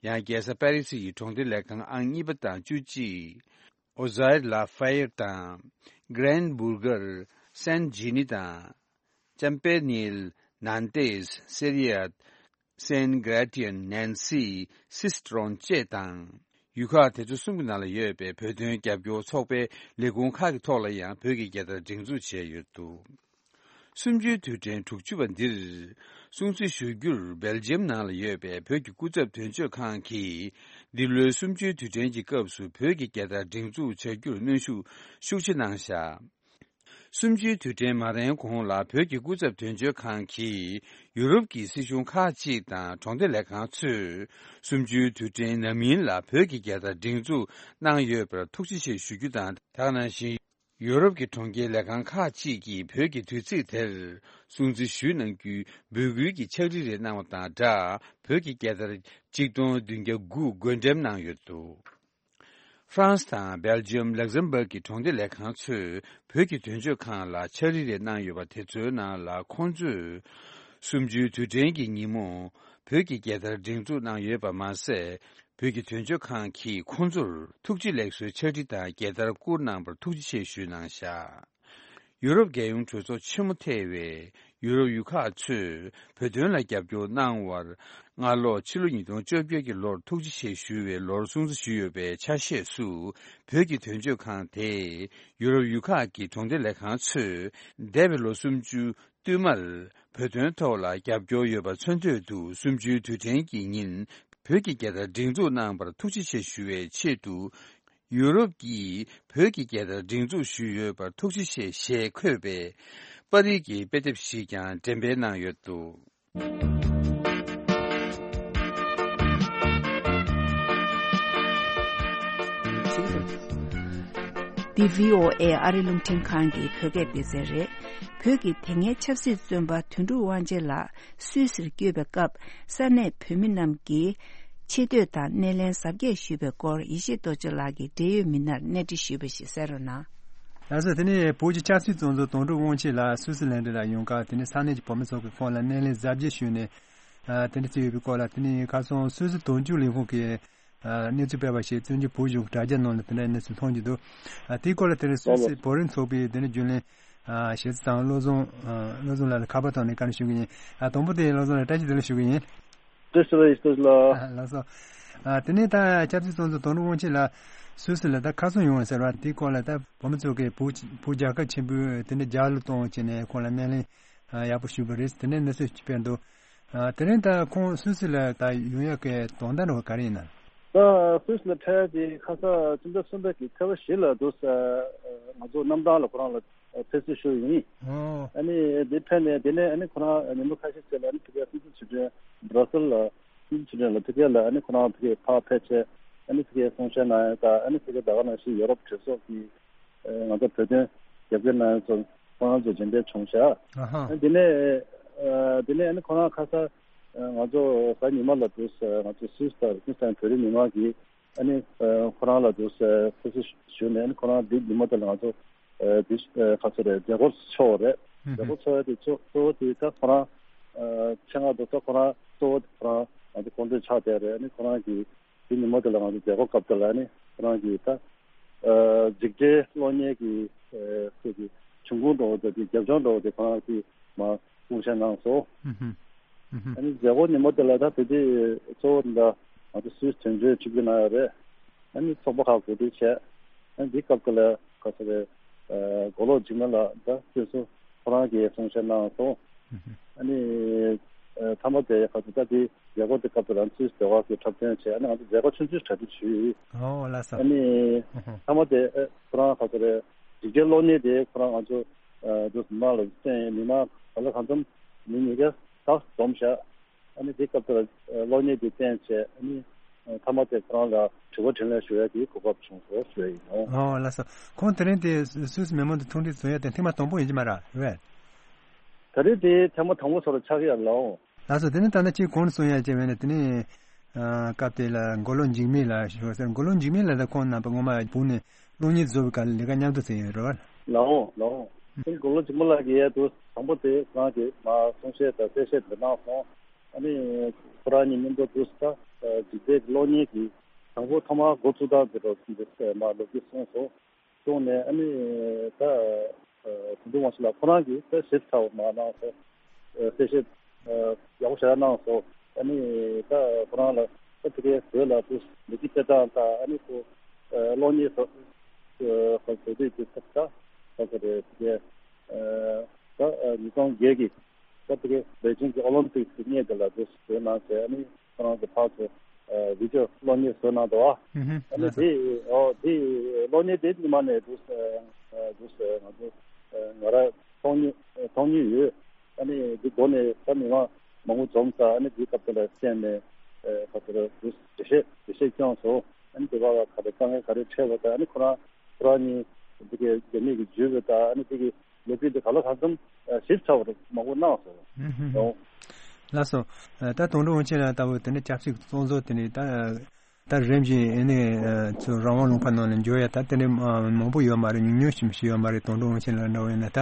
ཡང་རྒྱལ་ས་པེ་རི་སི་ཡི་གྲོང་སྡེ་ལས་ཁང་ཨང་གཉིས་པ་དང་བཅུ་གཅིག། ཨོ་ཟེར་ལ་ཧྥེར་དང་། གྷི་རན་བྷུར་གར། སན་ཇི་ནི་དང་། ཅམ་པེ་ནིལ། ནན་ཏེས། སེ་རི་ཡད། སན་གྷ་ར་ཏི་ཡན། ནན་སི། སི་སི་ཏྲོན་བཅས་དང་། ཡུལ་ཁག་དེ་ཚོ་གསུམ་གྱི་ནང་ལ་ཡོད་པའི་བོད་དོན་རྒྱབ་སྐྱོར་ཚོགས་པའི་ལས་ཁུངས་ཁག་གི་ཐོག་ལ་ཡང་བོད་ཀྱི་རྒྱལ་དར་སྒྲེང་འཛུགས་བྱས་ཡོད་འདུག། གསུམ་བཅུའི་དུས་དྲན་དྲུག་ཅུ་པ་འདིར་སྲུང་བརྩི་ཞུ་རྒྱུར་སྦེལ་ཇམ་ནང་ལ་ཡོད་པའི་བོད་ཀྱི་སྐུ་ཚབ་དོན་གཅོད་ཁང་གིས། འདི་ལོའི་གསུམ་བཅུའི་དུས་དྲན་གྱི་སྐབས་སུ་བོད་ཀྱི་རྒྱལ་དར་སྒྲེང་འཛུགས་བྱ་རྒྱུར་གནོན་ཤུགས་ཤུགས་ཆེ་གནང་བཞག། གསུམ་བཅུའི་དུས་དྲན་མ་རན་གོང་ལ། བོད་ཀྱི་སྐུ་ཚབ་དོན་གཅོད་ཁང་གིས་ཡུ་རོབ་ཀྱི་སྲིད་གཞུང་ཁག་ཅིག་དང་གྲོང་སྡེ་ལས་ཁང་ཚོས་གསུམ་བཅུའི་དུས་དྲན་ནམ་ཡིན་ལ་བོད་ཀྱི་རྒྱལ་དར་སྒྲེང་འཛུགས་གནང་ཡོད་པར་ཐུགས་རྗེ་ཆེ་ཞུ་རྒྱུ་དང་། དེ་ག་ནང་བཞིན། ཡུ་རོབ་ཀྱི་གྲོང་ཁྱེར་ལས་ཁང་ཁག་ཅིག་གིས་བོད་ཀྱི་དུས་ཚིགས་དེར་སྲུང་བརྩི་ཞུས་གནང་རྒྱུའི་འབོད་སྐུལ་གྱི་ཕྱག་བྲིས་རེ་གནང་བ་དང་སྦྲགས། བོད་ཀྱི་རྒྱལ་དར་ཆིག་སྟོང་བདུན་བརྒྱ་དགུ་བགོ་འགྲེམས་གནང་ཡོད་འདུག། ཧྥ་རན་སི་དང་སྦེལ་ཇམ། ལག་ཟམ་བྷག་གི་གྲོང་སྡེ་ལས་ཁང་ཚོས་བོད་ཀྱི་དོན་གཅོད་ཁང་ལ་ཕྱག་བྲིས་རེ་གནང་ཡོད་པ་དེ་ཚོའི་ནང་ལ། ཁོང་ཚོས་གསུམ་བཅུའི་དུས་དྲན་གྱི་ཉིན་མོ་བོད་ཀྱི་རྒྱལ་དར་སྒྲེང་འཛུགས་གནང་ཡོད་པ་མ་ཟད། བོད་ཀྱི་དོན་གཅོད་ཁང་གིས་ཁོང་ཚོར་ཐུགས་རྗེ་ལེགས་གསོའི་ཕྱག་བྲིས་དང་རྒྱལ་དར་བསྐུར་གནང་བར་ཐུགས་རྗེ་ཆེ་ཞུས་གནང་བཞག། ཡུ་རོབ་རྒྱལ་ཡོངས་གྲོས་ཚོགས་ཆེན་མོ་ཐེ་བའི་ཡུ་རོབ་ཡུལ་ཁག་ཚོས་བོད་དོན་ལ་རྒྱབ་སྐྱོར་གནང་བར། སྔ་ལོ་ཕྱི་ལོ་ཉིས་སྟོང་བཅོ་བརྒྱད་ཀྱི་ལོར་ཐུགས་རྗེ་ཆེ་ཞུ་བའི་ལོར་སྲུང་བརྩི་ཞུས་ཡོད་པའི་ཆ་ཤས་སུ། བོད་ཀྱི་དོན་གཅོད་ཁང་དེས་ཡུ་རོབ་ཡུལ་ཁག་གི་གྲོང་སྡེ་ལས་ཁང་ཚོས་འདས་པའི་ལོ་སུམ་ཅུ་བསྟུད་མར་བོད་དོན་ཐོག་ལ་རྒྱབ་སྐྱོར་ཡོད་པ་མཚོན་དོད་དུ། གསུམ་བཅུའི་དུས་དྲན་གྱི་ཉིན་བོད་ཀྱི་རྒྱལ་དར་སྒྲེང་འཛུགས་གནང་བར་ཐུགས་རྗེ་ཆེ་ཞུ་བའི་ཆེད་དུ། ཡུ་རོབ་ཀྱིས་བོད་ཀྱི་རྒྱལ་དར་སྒྲེང་འཛུགས་ཞུས་ཡོད་པར་ཐུགས་རྗེ་ཆེ་ཞེས་འཁོད་པའི་པར་རིས་ཀྱི་དཔེ་དེབ་ཞིག་ཀྱང་འགྲེམས་སྤེལ་གནང་ཡོད་འདུག། འདི་བྷི་ཨོ་ཨེ་ཨ་རི་རླུང་འཕྲིན་ཁང་གི་བོད་སྐད་སྡེ་ཚན་རེད། བོད་ཀྱི་དེ་སྔའི་ཆབ་སྲིད་བཙོན་པ་དོན་གྲུབ་དབང་ཆེན་ལགས་སུད་སིར་བསྐྱོད་པའི་སྐབས། ས་གནས་བོད་མི་རྣམས་ཀྱིས་ཆེ་བསྟོད་དང་སྣེ་ལེན་གཟབ་རྒྱས་ཞུས་པའི་སྐོར། ཡེ་ཤེས་རྡོ་རྗེ་ལགས་ཀྱིས་འབྲེལ་ཡོད་མི་སྣར་གནས་འདྲི་ཞུས་པ་ཞིག་གསན་རོགས་གནང་། ལགས་སོ། དེ་ནས་བོད་ཀྱི་ཆབ་སྲིད་བཙོན་ཟུར་དོན་གྲུབ་དབང་ཆེན་ལགས་སུད་སི་ལན་ཌན་ལ་ཡོང་སྐབས། དེ་ནས་ས་གནས་ཀྱི་བོད་མི་ཚོ་གི་ཁོང་ལ་སྣེ་ལེན་གཟབ་རྒྱས་ཞུས་ནས། ཨ། དེ་འདྲ་བྱས་ཡོད་པའི་སྐོར་ལ། དེ་ནས་ཁ་སང་སུད་སི་དོན་གཅོད་ལས་ཁུངས་ཀྱིས་ཨ། གནས་ཚུལ་སྤེལ་བ་ཞིག་བཙན་བྱོལ་བོད་གཞུང་གི་དྲ་རྒྱ་ནང་ལ་དེ་འདྲའི་གནས་ཚུལ་མཐོང་རྒྱུ་འདུག། ཨ། དེའི་སྐོར་ལ་དེ་རིང་སུད་སི་བོད་རིགས་ཚོགས་པའི་དེ་འདྲའི་རྒྱུན་ལས། ཨ། ཞེ་ཚ་དང་བློ་བཟང་། ཨ། བློ་བཟང་ལགས་ལ་ཁ་པར་བཏང་ནས་བཀའ་འདྲི་ཞུ་གི་ཡིན། ཨ། དང་པོ་དེ་བློ་བཟང་ལགས་བཀྲ་ཤིས་བདེ་ལེགས་ཞུ་གི་ཡིན། བཀྲ་ཤིས་བདེ་ལེགས་ལགས། ཨ། ལགས་སོ། ཨ། དེ་ནས་ད་ཆབ་སྲིད་བཙོན་ཟུར་དོན་གྲུབ་དབང་ཆེན་ལགས་སུད་སི་ལ་ད་ཁ་སང་ཡོང་བ་ཟེར་བ་དེའི་སྐོར་ལ། ད་བོད་མི་ཚོ་གིས་བོད་བོད་རྒྱལ་ཁབ་ཆེན་པོའི་དེ་འདྲ་རྒྱལ་གླུ་གཏོང་བྱས་ནས་ཁོང་ལ་སྣེ་ལེན། ཨ། ཡག་པོ་ཞུས་པ་རེད། དེ་ནས་གནས་ཚུལ་སྤེལ་འདུག། ཨ། དེ་རིང་ད་ཁོང་སུད་སི་ལ་ད་ཡོང་ཡག་གི་དོན་དག་འདྲ་བ་ག་རེ་ཡིན་ན། ད་སུད་སི་ལ་ཕེབས་ཡག་དེ་ཁ་སང་སྤྱི་ཟླ་གསུམ་པའི་གི་ཚེས་པ་བཞི་ལ་འདུག་ས། ང་ཚོ་གནམ་ཐང་ལ་ཁོ་རང་ལ་ཕེབས་བསུ་ཞུ་ཡིན། ཨོ། ཨ་ནི་དེ་ཕེབས་ནས་དེ་ནས་ཨ་ནི་ཁོ་རང་ཉིན་མོ་ཁ་ཤས་ཤིག་ལ་ཨ་ནི་ཕ་གིར་སྲིད་འཛིན་ཚུལ་ཁྲིམས་བྷ་ར་སེལ་ལ་སྲིད་འཛིན་ཚུལ་ཁྲིམས་ལ་ཕ་གིར་ལ་ཨ་ནི་ཁོ་རང་ཕ་གིར་ཕར་ཕེབས་བྱས། ཨ་ནི་ཕ་གིར་གསུང་བཤད་གནང་ཡག་དང་། ཨ་ནི་ཕ་གིར་ད་ག་ནང་བཞིན་ཡོ་རོབ་གྲོས་ཚོགས་ཀྱི་ང་ཚོ་བོད་དོན་རྒྱབ་སྐྱོར་གནང་ཡག་ཚོ་ཁོ་རང་ཚོ་མཇལ་འཕྲད་བྱུང་ཤག། ཨ་ཧ། ཨ་ནི་དེ་ནས་ ཨ་དེ་ནས་ཨ་ནི་ཁོ་རང་ཁ་ས་ཨ་ང་ཚོ་གཟའ་ཉི་མ་ལ་འདུག་ཨ་ང་ཚོ་སུད་སི་དང་ལིག་ཊེན་སི་ཊེན་བོད་རིགས་མི་མང་གིས་ཨ་ནི་ཨ་ཁོ་རང་ལ་འདུག་ཨ་ཕེབས་བསུ་ཞུས་ནས། ཨ་ནི་ཁོ་རང་འདི་ཉི་མ་དེ་ལ་ང་ཚོ་ཨ་འདི་ཨ་ག་ཚོད་རེད། མཛད་སྒོ་ཚོགས་པ་རེད། ཨུ་མཛད་སྒོ་ཚོགས་ཡ་དེ་གཙོ་གཙོ་བོ་དེ་ད་ཁོ་རང་ཨ་ཆེད་མངགས་འདུག་ད་ཁོ་རང་གཙོ་བོ་དེ་ཁོ་རང་ང་ཚོ་སྐུ་མགྲོན་ཆགས་བསྡད་རེད། ཨ་ནི་ཁོ་རང་གིས་དེ་ཉིན་མོ་དེ་ལ་ང་ཚོ་མཛད་སྒོ་སྐབས་དེ་ལ་ནི་ཁོ་རང་གིས་ད་ཨ་འཇིགས་བྲལ་གློག་བརྙན་གྱི་ཨ་ཁོས་ཀྱི་འབྱུང་ཁུངས་འདྲ་བོ་དང་དེ་རྒྱབ་ལྗོངས་འདྲ་བོ་དེ་ཁོ་རང་གིས་མར་གསུང་བཤད་གནང་སོང་། ཨུ་ཧུམ། ཨུ་ཧུམ། ཨ་ནི་མཛད་སྒོ་ཉིན་མོ་དེ་ལ་ད་དེ་དུས་གཙོ་བོ་འདི་ང་ཚོ་སུད་སི་དོན་གཅོད་ཆིབས་བསྒྱུར་གནང་ཡོད་རེད། ཨ་ནི་ཚོགས་པ་ཁག་གོ་སྒྲིག་བྱས། ཨ་ནི་འདི་སྐབས་དེ་ལ་ག་ཚོད་རེད། ཨ་མགོ་ལོག་འཇིགས་མེད་ལགས་ད་སོ་སོ་ཁོ་རང་གིས་གསུང་བཤད་གནང་སོང་། ཨ་ནི་ཨ་མཐའ་མ་དེ་ཁ་ཐུག་ད་དེ་མཛད་སྒོ་དེ་སྐབས་དེ་རང་ཚུལ་ཟློས་གར་གྱི་འཁྲབ་སྟོན་བྱས། ཨ་ནི་ང་ཚོ་མཛད་སྒོ་ཆུང་ཆུང་གྲ་སྒྲིག་ཞུས། ཨོ་ལགས་སོ། ཨ་ནི་ཨ་ཧ། མཐའ་མ་དེ་ཨ་ཁོ་རང་ཁ་ཐུག་རེད། འཇིགས་བྲལ་གློག་བརྙན་དེ་ཁོ་རང་ང་ཚོ་ཨ་འདུག་མི་མང་ལ་བསྟན། མི་མང་ག་ལ་གང་འཚམ་མི་ཉིས་བརྒྱ་ལྷག་འཛོམས་བཞག་ཨ་ནི་དེ་སྐབས་དེར་ཨ་གློག་བརྙན་དེ་བསྟན་བྱས། ཨ་ནི་ཨ་མཐའ་མ་དེ་ཁོ་རང་ལ་དྲི་བ་དྲིས་ལན་ཞུ་ཡ་གི་གོ་སྐབས་བྱུང་སོང་ཞུ་ཡ་ཡིན་ནོ། ཨོ་ལགས་སོ། ཁོང་དེ་རིང་དེ་སུད་སི་མི་མང་དང་ཐུག་འཕྲད་བཟོ་ཡ་དེ་ཐེངས་མ་དང་པོ་ཡིན་གྱི་མ་རེད་བས། ད་རེས་དེ་ཐེངས་མ་དང་པོ་ཚོ་ལ་ཆགས་ཀྱི་ཡོད་ལགས། ལགས་སོ། དེ་ནི་ད་ལྟ་ཅིག་གོང་ནས་གསུང་ཡ་ཅིག་བས་ན་དེ་ནི་ཨ་སྐབས་དེ་ལ་མགོ་ལོག་འཇིགས་མེད་ལགས་ཞུ་བ་ཟེར། མགོ་ལོག་འཇིགས་མེད་ལགས་དང་ཁོང་རྣམ་པ་སྔོན་མ་བུ་ནས་གློག་བརྙན་བཟོ་བའི་སྐབས་ལ་ལས་ཀ་མཉམ་དུ་བྱས་ཡོད་རེད་བ། ལགས་འོང་། ལགས་འོང་། དེ་མགོ་ལོག་འཇིགས་མེད་ལགས་ཀྱིས་ཡ་དུ་དང་པོ་དེ་ཁོ་རང་གིས་མར་གསུང་བཤད་དང་གསལ་བཤད་དེ་གནང་སོང་། ཨ་ནི་ཁོ་རང་གཉིས་མཉམ་དུ་དུས་སུ་ད་འཇིགས་བྲལ་གྱི་གློག་བརྙན་གྱི་དང་པོ་ཐོག་མར་འགོ་བཙུགས་སྟངས་དེ་རོ་འདི་མར་ལོ་རྒྱུས་གསུངས་སོང་། གསུངས་ནས་ཨ་ནི་ད་དོན་གྲུབ་དབང་ཕྱུག་ལགས་ཁོ་རང་གིས་ད་ཞིབ་ཚགས་མར་གནང་སོང་། གསལ་བཤད་ཡག་པོ་ཞེ་དྲག་གནང་སོང་། ཨ་ནི་ད་ཁོ་རང་ལ་ད་དེ་གའི་བོད་ལ་དུ་ལོ་རྒྱུས་དཔེ་སྟངས་དང་། ཨ་ནི་ཁོ་གློག་བརྙན་བཟོ་བཟོ་དུས་ཀྱི་ད་ད་ད་ག་རེ་དེ་གའི་ད་ཉིས་སྟོང་བརྒྱད་ཀྱི་སྐབས་དེ་གའི་པེ་ཅིང་གི་ཨོ་ལིམ་པིག་གི་སྔོན་དེ་ལ་དུ་བཟོས་གནང་བྱས། ཨ་ནི་ཁོ་རང་གི་ཕར་ཚུར་ཨ་བི་ཌི་ཡོ་གློག་བརྙན་བཟོས་གནང་འདུག་ཨ་ཨུ་ཧུམ། ཨ་ནི་ལགས་སོ། དེ་ཨོ་དེ་གློག་བརྙན་དེ་ཉི་མ་ནས་དུ་ཨ་དུ་ཨ་ང་ཚོ་ཨ་ང་རང་མཐོང་མྱོང་མཐོང་མྱོང་ཡོད། ཨ་ནི་དེ་མདོ་ནས་ད་མི་མང་མང་པོ་འཛོམས་ས། ཨ་ནི་དེའི་སྐབས་དེ་ལ་བསྟན་ནས་ཨ་ཁ་ཚུར་དུ་འགྲེལ་བཤད་འགྲེལ་བཤད་བསྐྱངས་སོང་། ཨ་ནི་དེ་བར་ལ་ག་རེ་དཀའ་ངལ་ག་རེ་འཕྲད་པ་དང་། ཨ་ནི་ཁོ་རང་ཁོ་རང་གཉིས་དེ་གའི་རྒྱ་མི་གི་བརྒྱུད་པ་དང་། ཨ་ནི་དེ་གི་ལོ་རྒྱུས་དེ་ག་ལ་གང་འཚམ་ཞིབ་ཚགས་པར་མང་པོ་གནང་སོང་། ཨུ་ཧུམ། ཨོ། ལགས་སོ། ད་དོན་གྲུབ་དབང་ཆེན་ལགས་ལྟ་བུ་དེ་ནི་ཆབ་སྲིད་བཙོན་ཟུར་དེ་ནི་ད་ད་རིམ་བཞིན་ཨ་ནི་ཚུར་རང་དབང་ལུང་པ་ནང་ལ་འབྱོར་ཡ་ད་དེ་འདྲའི་མང་པོ་ཡོད་མ་རེད། ཉུང་ཉུང་ཞིག་ཞིག་ཡོད་མ་རེད། དོན་གྲུབ་དབང་ཆེན་ལགས་འདྲ་བོ་ཡིན་ན་ད་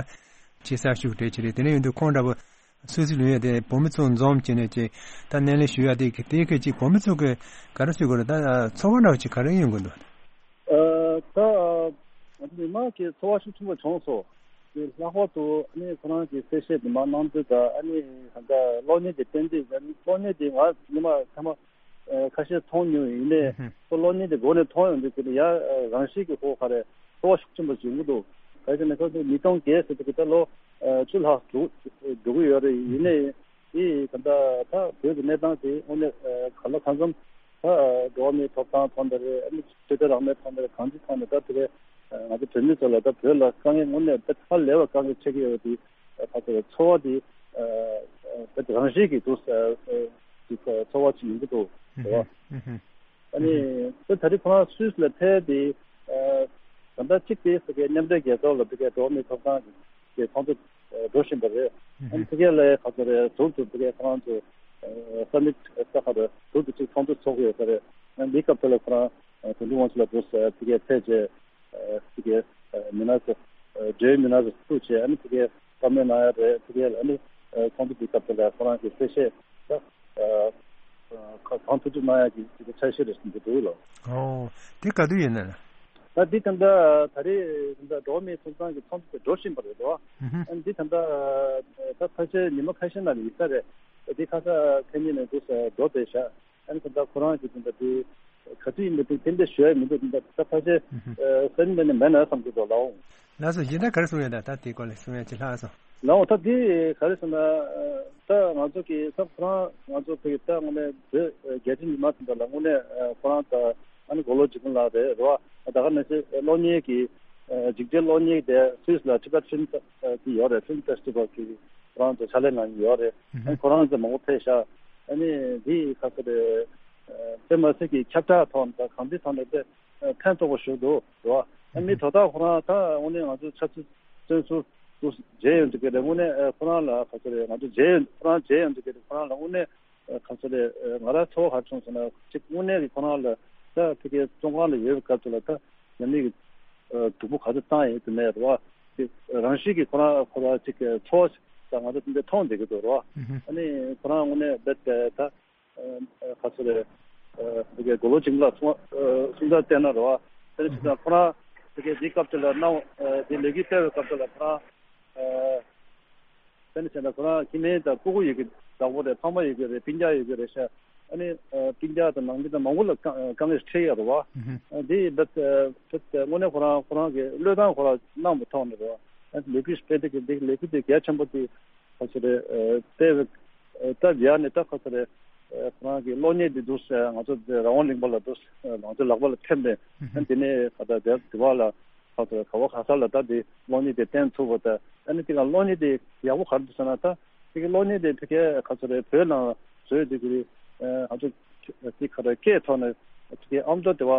ཆེ་ས་ཤུགས་སྤྲད་ཀྱི་རེད། དེ་འདྲ་ཡིན་དུས་ཁོང་འདྲ་བོ་སུད་སི་ལུས་ཡ་དེ་བོད་མི་ཚོ་འཛོམས་བྱས་ནས་ཅིག་ད་སྣེ་ལེན་ཞུ་ཡ་དེ་དེའི་ཁ་ཅིག་བོད་མི་ཚོ་གི་ག་རེ་ཟེར་དགོས་རེད། ད་ཚོར་བ་འདྲ་བོ་ཅིག་ག་རེ་ཡོང་གི་འདུག་ཨ་ད་ང་ཚོ་མི་མང་གི་ཚོར་བ་ཤུགས་ཆེན་པོ་བྱུང་སོང་། དེ་ལྷག་པར་དུ་ཨ་ནི་ཁོ་རང་གི་གསལ་བཤད་དེ་མར་གནང་དུས་ད། ཨ་ནི་ད་ལྟ་གློག་བརྙན་དེ་བསྟན་དུས། ཨ་ནི་གློག་བརྙན་དེ་ང་ཉི་མ་ཐ་མ་ཨ་ཁ་ཤས་མཐོང་མྱོང་། ཡིན་ནའི་ཨུ་ཧུམ། ཁོ་གློག་བརྙན་དེ་མགོ་ནས་མཐོང་ཡོང་དུས་དེ་ནི་ཡ་ཨ་རང་བཞིན་གྱིས་ཁོ་ག་རེ་ཚོར་བ་ཤུགས་ཆེན་པོ་ཞིག་ཡོང་གི་འདུག་ག་རེ་ཟེར་ན་ཁོ་ཚོ་ཉིས་སྟོང་བརྒྱད་ཟེར་དུས་ད་ལོ་ཨ་བཅུ་ལྷག་འགྲོ་འགྲོ་གི་ཡོད་རེད། ཡིན་ནའི་དེ་ད་ལྟ་ད་བོད་ཀྱི་གནས་སྟངས་དེ་དངོས་གནས་ཨ་ག་ལ་གང་འཚམ་ད་ཨ་འགྲོ་བ་མིའི་ཐོབ་ཐང་ཐོག་ནས་རེད། ཨ་ནི་ཆོས་དད་རང་མོས་ཐོག་ནས་རེད། གང་ཅིའི་ཐོག་ནས་ད་དེ་གའི་ཨ་ང་ཚོ་བོད་མི་ཚོ་ལ་ད་བོད་ལ་དཀའ་ངལ་དངོས་གནས་ད་ཧ་ལས་པ་དཀའ་ངལ་འཕྲད་ཀྱི་ཡོད་པ་དེ་ཨ་ཁ་ཚོ་ཚོར་བ་དེ་ཨ་ཨ་ད་རང་བཞིན་གྱིས་འདུག་ཨ་ཨ་ཅིག་ཚོར་བ་ཅིག་ཡོང་གི་འདུག་རེད་བ། ཨ་ནི་ད་ད་རེས་ཁོ་རང་སུད་སི་ལ་ཕེབས་ཏེ་ཨ་ད་ལྟ་གཅིག་དེ་ཕ་གིའི་མཉམ་འབྲེལ་རྒྱལ་ཚོགས་ལ་ཕ་གིའི་འགྲོ་བ་མིའི་ཐོབ་ཐང་གི་ཚོགས་འདུ་འགྲོ་བཞིན་པ་རེད། ཨ་ནི་ཕ་གི་ལ་ཁ་ཚོ་རེད། ཟུར་དུ་ཕ་གི་ཁོ་རང་ཚོ་ས་མིཊ་ས་ཁ་རེད། ཟུར་དུ་གཅིག་ཚོགས་འདུ་ཚོགས་ཀྱི་ཡོད་ས་རེད། ཨ་ནི་འདིའི་སྐབས་དེ་ལ་ཁོ་རང་དོན་གྲུབ་དབང་ཕྱུག་ལགས་འདུག་ཕ་གིར་ཕེབས་རྗེས་ཕ་གི་མི་སྣ་ཚོ་འབྲེལ་ཡོད་མི་སྣ་ཚོ་ཐུག་བྱས། ཨ་ནི་ཕ་གིར་བཀའ་མོལ་གནང་ཡ་རེད། ཕ་གི་ལ་ཨ་ནི་ཚོགས་འདུ་འདིའི་སྐབས་དེ་ལ་ཁོ་རང་གི་གསལ་བཤད་ད་གང་ཐུབ་ཐུབ་གནང་ཡ་གི་ཕྱག་བཞེས་རེ་ཞུ་གི་འདུག་ལགས། ཨོ། དེ་ག་དུས་ཡིན་ན། ད་འདི་ད་ལྟ་ད་རེས་ད་ལྟ་འགྲོ་བ་མིའི་ཐོབ་ཐང་གི་ཚོགས་འདུ་དེ་འགྲོ་བཞིན་པ་རེད་དོ། ཨ་ནི་འདི་ད་ལྟ་ད་ཕལ་ཆེར་ཉི་མ་ཁ་ཤས་ནང་ལ་ཡིན་ས་རེད། འདི་ཁ་ས་ཁ་ཉིན་ནས་འདུག་ས་འགྲོ་བསྡད་ཤག་ཨ་ནི་ད་ལྟ་ཁོ་རང་གི་ད་ལྟ་དེ་ག་དུས་ཡིན་པ་དེ་ཏན་ཏན་ཞུ་ཡ་མི་འདུག་ད་ལྟ་ཕལ་ཆེར་སེམས་ནང་ནས་མེད་ན་བསམ་གྱི་འདུག་ལགས་འོང་། ལགས་སོ། གཞན་དག་ག་རེ་གསུང་ཡ། ད་ད་དེའི་སྐོར་ལ་གསུང་ཡ་ཅིག་ལྷག་སོང་། ལགས་འོང་། ད་དེ་ག་རེ་ཟེར་ན་ད་ང་ཚོ་གི་ད་ཁོ་རང་ང་ཚོ་ཕ་གི་ད་དངོས་གནས་བོད་རྒྱལ་སྤྱི་ཉི་མ་ཟེར་བ་ལ་དངོས་གནས་ཁོ་རང་ད་ཨ་ནི་མགོ་ལོག་འཇིགས་མེད་ལགས་རེད་རེད་བ། ད་ག་ནང་བཞིན་གློག་བརྙན་གྱི་འཇིགས་བྲལ་གློག་བརྙན་དེ་སུད་སི་ལ་Tibet Film Fe- གི་ཡོད་རེད། Film Festival གི་ཁོ་རང་ཚོ་ཕྱག་ལས་གནང་གི་ཡོད་རེད། ཨ་ནི་ཁོ་རང་ཚོ་མང་པོ་ཕེབས་ཤག་ཨ་ནི་འདི་ག་ཚོད་རེད། དེ་མ་ཟད་ཀྱི་ཁྱབ་བསྒྲགས་ཐོག་ནས་ད་གང་ཅིའི་ཐོག་ནས་དེ་ཕན་ཐོགས་པ་ཞིག་འདུག་རེད་བ། ཨ་ནི་དོ་བདག་ཁོ་རང་ད་དངོས་གནས་ང་ཚོ་ཆབ་སྲིད་བཙོན་ཟུར་ དུ་མཇལ་ཡོང་དུས་ཀྱི་རེད། དངོས་གནས་ཨ་ཁོ་རང་ལ་ག་ཚོད་རེད། ང་ཚོ་མཇལ་ཡོང་ཁོ་རང་མཇལ་ཡོང་དུས་ཀྱི་རེད། ཁོ་རང་ལ་དངོས་གནས་ཨ་ག་ཚོད་རེད། ཨ་ང་རང་ཚོར་བ་ག་རེ་བྱུང་ཟེར་ན་གཅིག་དངོས་གནས་ཀྱི་ཁོ་རང་ལ་ད་ཕ་གིའི་བཙོན་ཁང་ལ་ཡོད་པའི་སྐབས་དེ་ལ་ད་ཉམས་ལེན་གྱི་ཨ་སྡུག་པོ་ག་ཚོད་བཏང་ཡོད་དུ་མེད་རེད་བ། དེ་རང་བཞིན་གྱིས་ཁོ་རང་ཁོ་རང་གཅིག་གི་ཚོར་བ་ཞིག་ད་ང་ཚོ་དེ་འདྲ་མཐོང་བསྡད་ཀྱི་འདུག་རེད་བ། ཨ་ནི་ཁོ་རང་དངོས་གནས་རྦད་དེ་ད། ཨ་ཁ་སོ་རེ། ཨ་དེ་གའི་མགོ་ལོག་འཇིགས་མེད་ལགས་གསུང་ཨ་གསུང་བརྡ་བསྟན་ན་རེད་བ། དེ་ནི་ཅི་ཙང་ཁོ་རང་དེ་གའི་འདིའི་སྐབས་དེ་ལ་གནང་ཨ་དེ་ལས་འགུལ་སྤེལ་བའི་སྐབས་དེ་ལ་ཁོ་རང་ཨ་དེ་ནི་བྱས་ན་ཁོ་རང་ཁྱིམ་མི་དང་སྤུ་གུ་ཡོད་ཀྱི་བདག་པོ་རེད། ཕ་མ་ཡོད་ཀྱི་རེད། སྤུན་ཀྱག་ཡོད་ཀྱི་རེད་ཤག་ཨ་ནི་ཨ་སྤུན་ཀྱག་དང་ནང་མི་དང་མང་པོ་ལ་དཀའ་དཀའ་ངལ་འཕྲད་ཡོད་རེད་བ། ཨ་དེ་ཡིན་པ་ཨ་དངོས་གནས་ཁོ་རང་ཁོ་རང་གི་བློས་བཏང་ཁོ་རང་གནང་བའི་ཐོག་ནས་རེད་བ། ཨ་ལས་འགུལ་སྤེལ་དེ་གི་འདི་ལས་འགུལ་དེ་གལ་ཆེན་པོ་དེ། ཁ་ཚོ་རེད། ཨ་ལྟེ་བའི་ཨ་ད་ཡ་ནས་ད་ཁ་ཚོ་རེད། ཨ་ཁོ་རང་གི་གློག་བརྙན་འདི་འདུག་ཟེར། ང་ཚོ་རང་དབང་གླིང་པ་ལ་འདུག་ཟེར། ང་ཚོ་ལག་པ་ལ་ཐེབས་ནས་ཨ་འདི་ནས་ཁ་ད་དེ་དེ་བ་ལ་ཁ་ཚོ་རེད། ག་བ་ག་ས་ལ་ད་འདི་གློག་བརྙན་དེ་བསྟན་ཐུབ་པ་ད། ཨ་ནི་དེ་ག་གློག་བརྙན་དེ་ཡག་པོ་ག་རེ་འདུག་ཟེར་ན་ད་དེ་གི་གློག་བརྙན་དེ་ཕ་གིའི་ཁ་ཚོ་རེད། བོད་ནང་བཟོས་དེ་གི་ཨ་ང་ཚོ་དེ་ཁ་རེད་སྐད་ཐོག་ནས་དེ་གི་ཨ་མདོ་དེ་བ་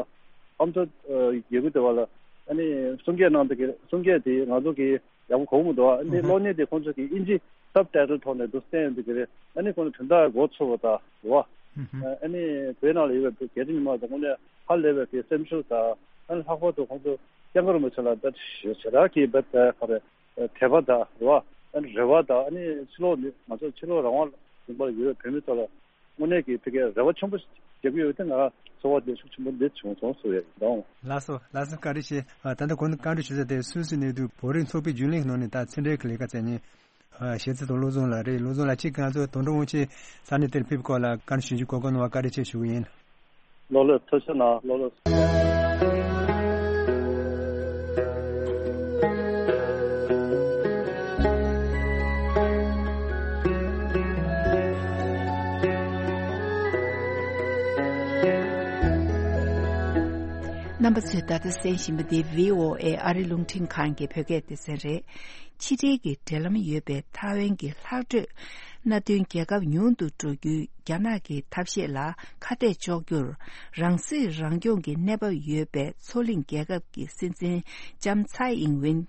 ཨ་མདོ་ཨ་རྒྱལ་ཁབ་དེ་བ་ལ་ཨ་ནི་གསུང་སྐད་གནང་དེ་གི་གསུང་སྐད་དེ་ང་ཚོ་གི་ཡག་པོ་གོ་གི་མི་འདུག་ཨ་ནི་ཨུ་ཧུ། གློག་བརྙན་དེ་ཁོང་ཚོ་གི་ཨིན་ཇི་སབ་ཊའི་ཊལ་ཐོག་ནས་འདུག་བསྟན་ཡོང་དུས་ཀྱི་རེད། ཨ་ནི་ཁོང་ཚོ་དོན་དག་གོ་ཚོར་བ་དང་རེད་བ། ཨུ་ཧུ། ཨ་ནི་བོད་ནང་ལ་ཡོད་པའི་རྒྱ་ཆེ་མི་མང་དང་དངོས་གནས་ཧ་ལས་པའི་གི་སེམས་ཤུགས་དང་། ཨ་ནི་ལྷག་པར་དུ་ཁོང་ཚོ་སྐྱབས་མགོན་རིན་པོ་ཆེ་ལ་ད་ཞེ་དྲག་གི་བེད་ད་ག་རེ་དད་པ་དང་རེད་བ། ཨ་ནི་རེ་བ་དང་། ཨ་ནི་ཕྱི་ལོགས་ནི་ང་ཚོ་ཕྱི་ལོགས་རང་དབང་ལུང་པར་ཡོད་པའི་བོད་མི་ཚོ་ལ་དངོས་གནས་ཀྱི་ཕ་གིའི་རེ་བ་ཆེན་པོ་རྒྱག་གི་ཡོད་དེ། ང་ཚོར་བ་དེ་ཤུགས་ཆེན་པོ་འདི་བྱུང་སོང་ཟེར་ཡ་ཡིན། ལགས་སོ། ལགས་སོ། བཀའ་དྲིན་ཆེ། ཨ་ད་ལྟ་གོང་དུ་བཀའ་འདྲི་ཞུ་ས་དེ་སུད་སི་གནས་སྡོད་བོད་རིགས་ཚོགས་པའི་རྒྱུན་ལས་ནང་ནས་ད་ཕྱི་འབྲེལ་གྱི་ལས་ཀ་བྱེད་མཁན་ཨ་ཞེ་ཚེ་དང་བློ་བཟང་ལགས་རེད། བློ་བཟང་ལགས་ཁྱེད་ང་ཚོ་དོན་གྲུབ་དབང་ཆེན་ས་གནས་དེར་ཕེབས་སྐོར་ལ་བཀའ་འདྲི་ཞུ་རྒྱུའི་གོ་སྐབས་གནང་བར་བཀའ་དྲིན་ཆེ་ཞུ་གི་ཡིན། ལོ་ལོ་ཐུགས་རྗེ་གནང་། ལོ་ལོ། རྣམ་པ་ཚོས་ད་ལྟ་གསན་བཞིན་པ་འདི་བྷི་ཨོ་ཨེ་ཨ་རི་རླུང་འཕྲིན་ཁང་གི་བོད་སྐད་སྡེ་ཚན་རེད། ཕྱི་འབྲེལ་གྱི་འབྲེལ་ལམ་ཡོད་པའི་ཐའེ་ཝན་གྱི་ལྷག་འཕྲོས་མནའ་མཐུན་རྒྱལ་ཁབ་ཉུང་དུ་འགྲོ་རྒྱུའི་རྒྱ་ནག་གི་ཐབས་ཤེས་ལ་ཁ་གཏད་གཅོག་རྒྱུར་རང་སྲིད་རང་སྐྱོང་གི་གནས་བབ་ཡོད་པའི་མཚོ་གླིང་རྒྱལ་ཁབ་ཀྱི་སྲིད་འཛིན་ལྕམ་ཚའེ་ཨིང་ཝེན་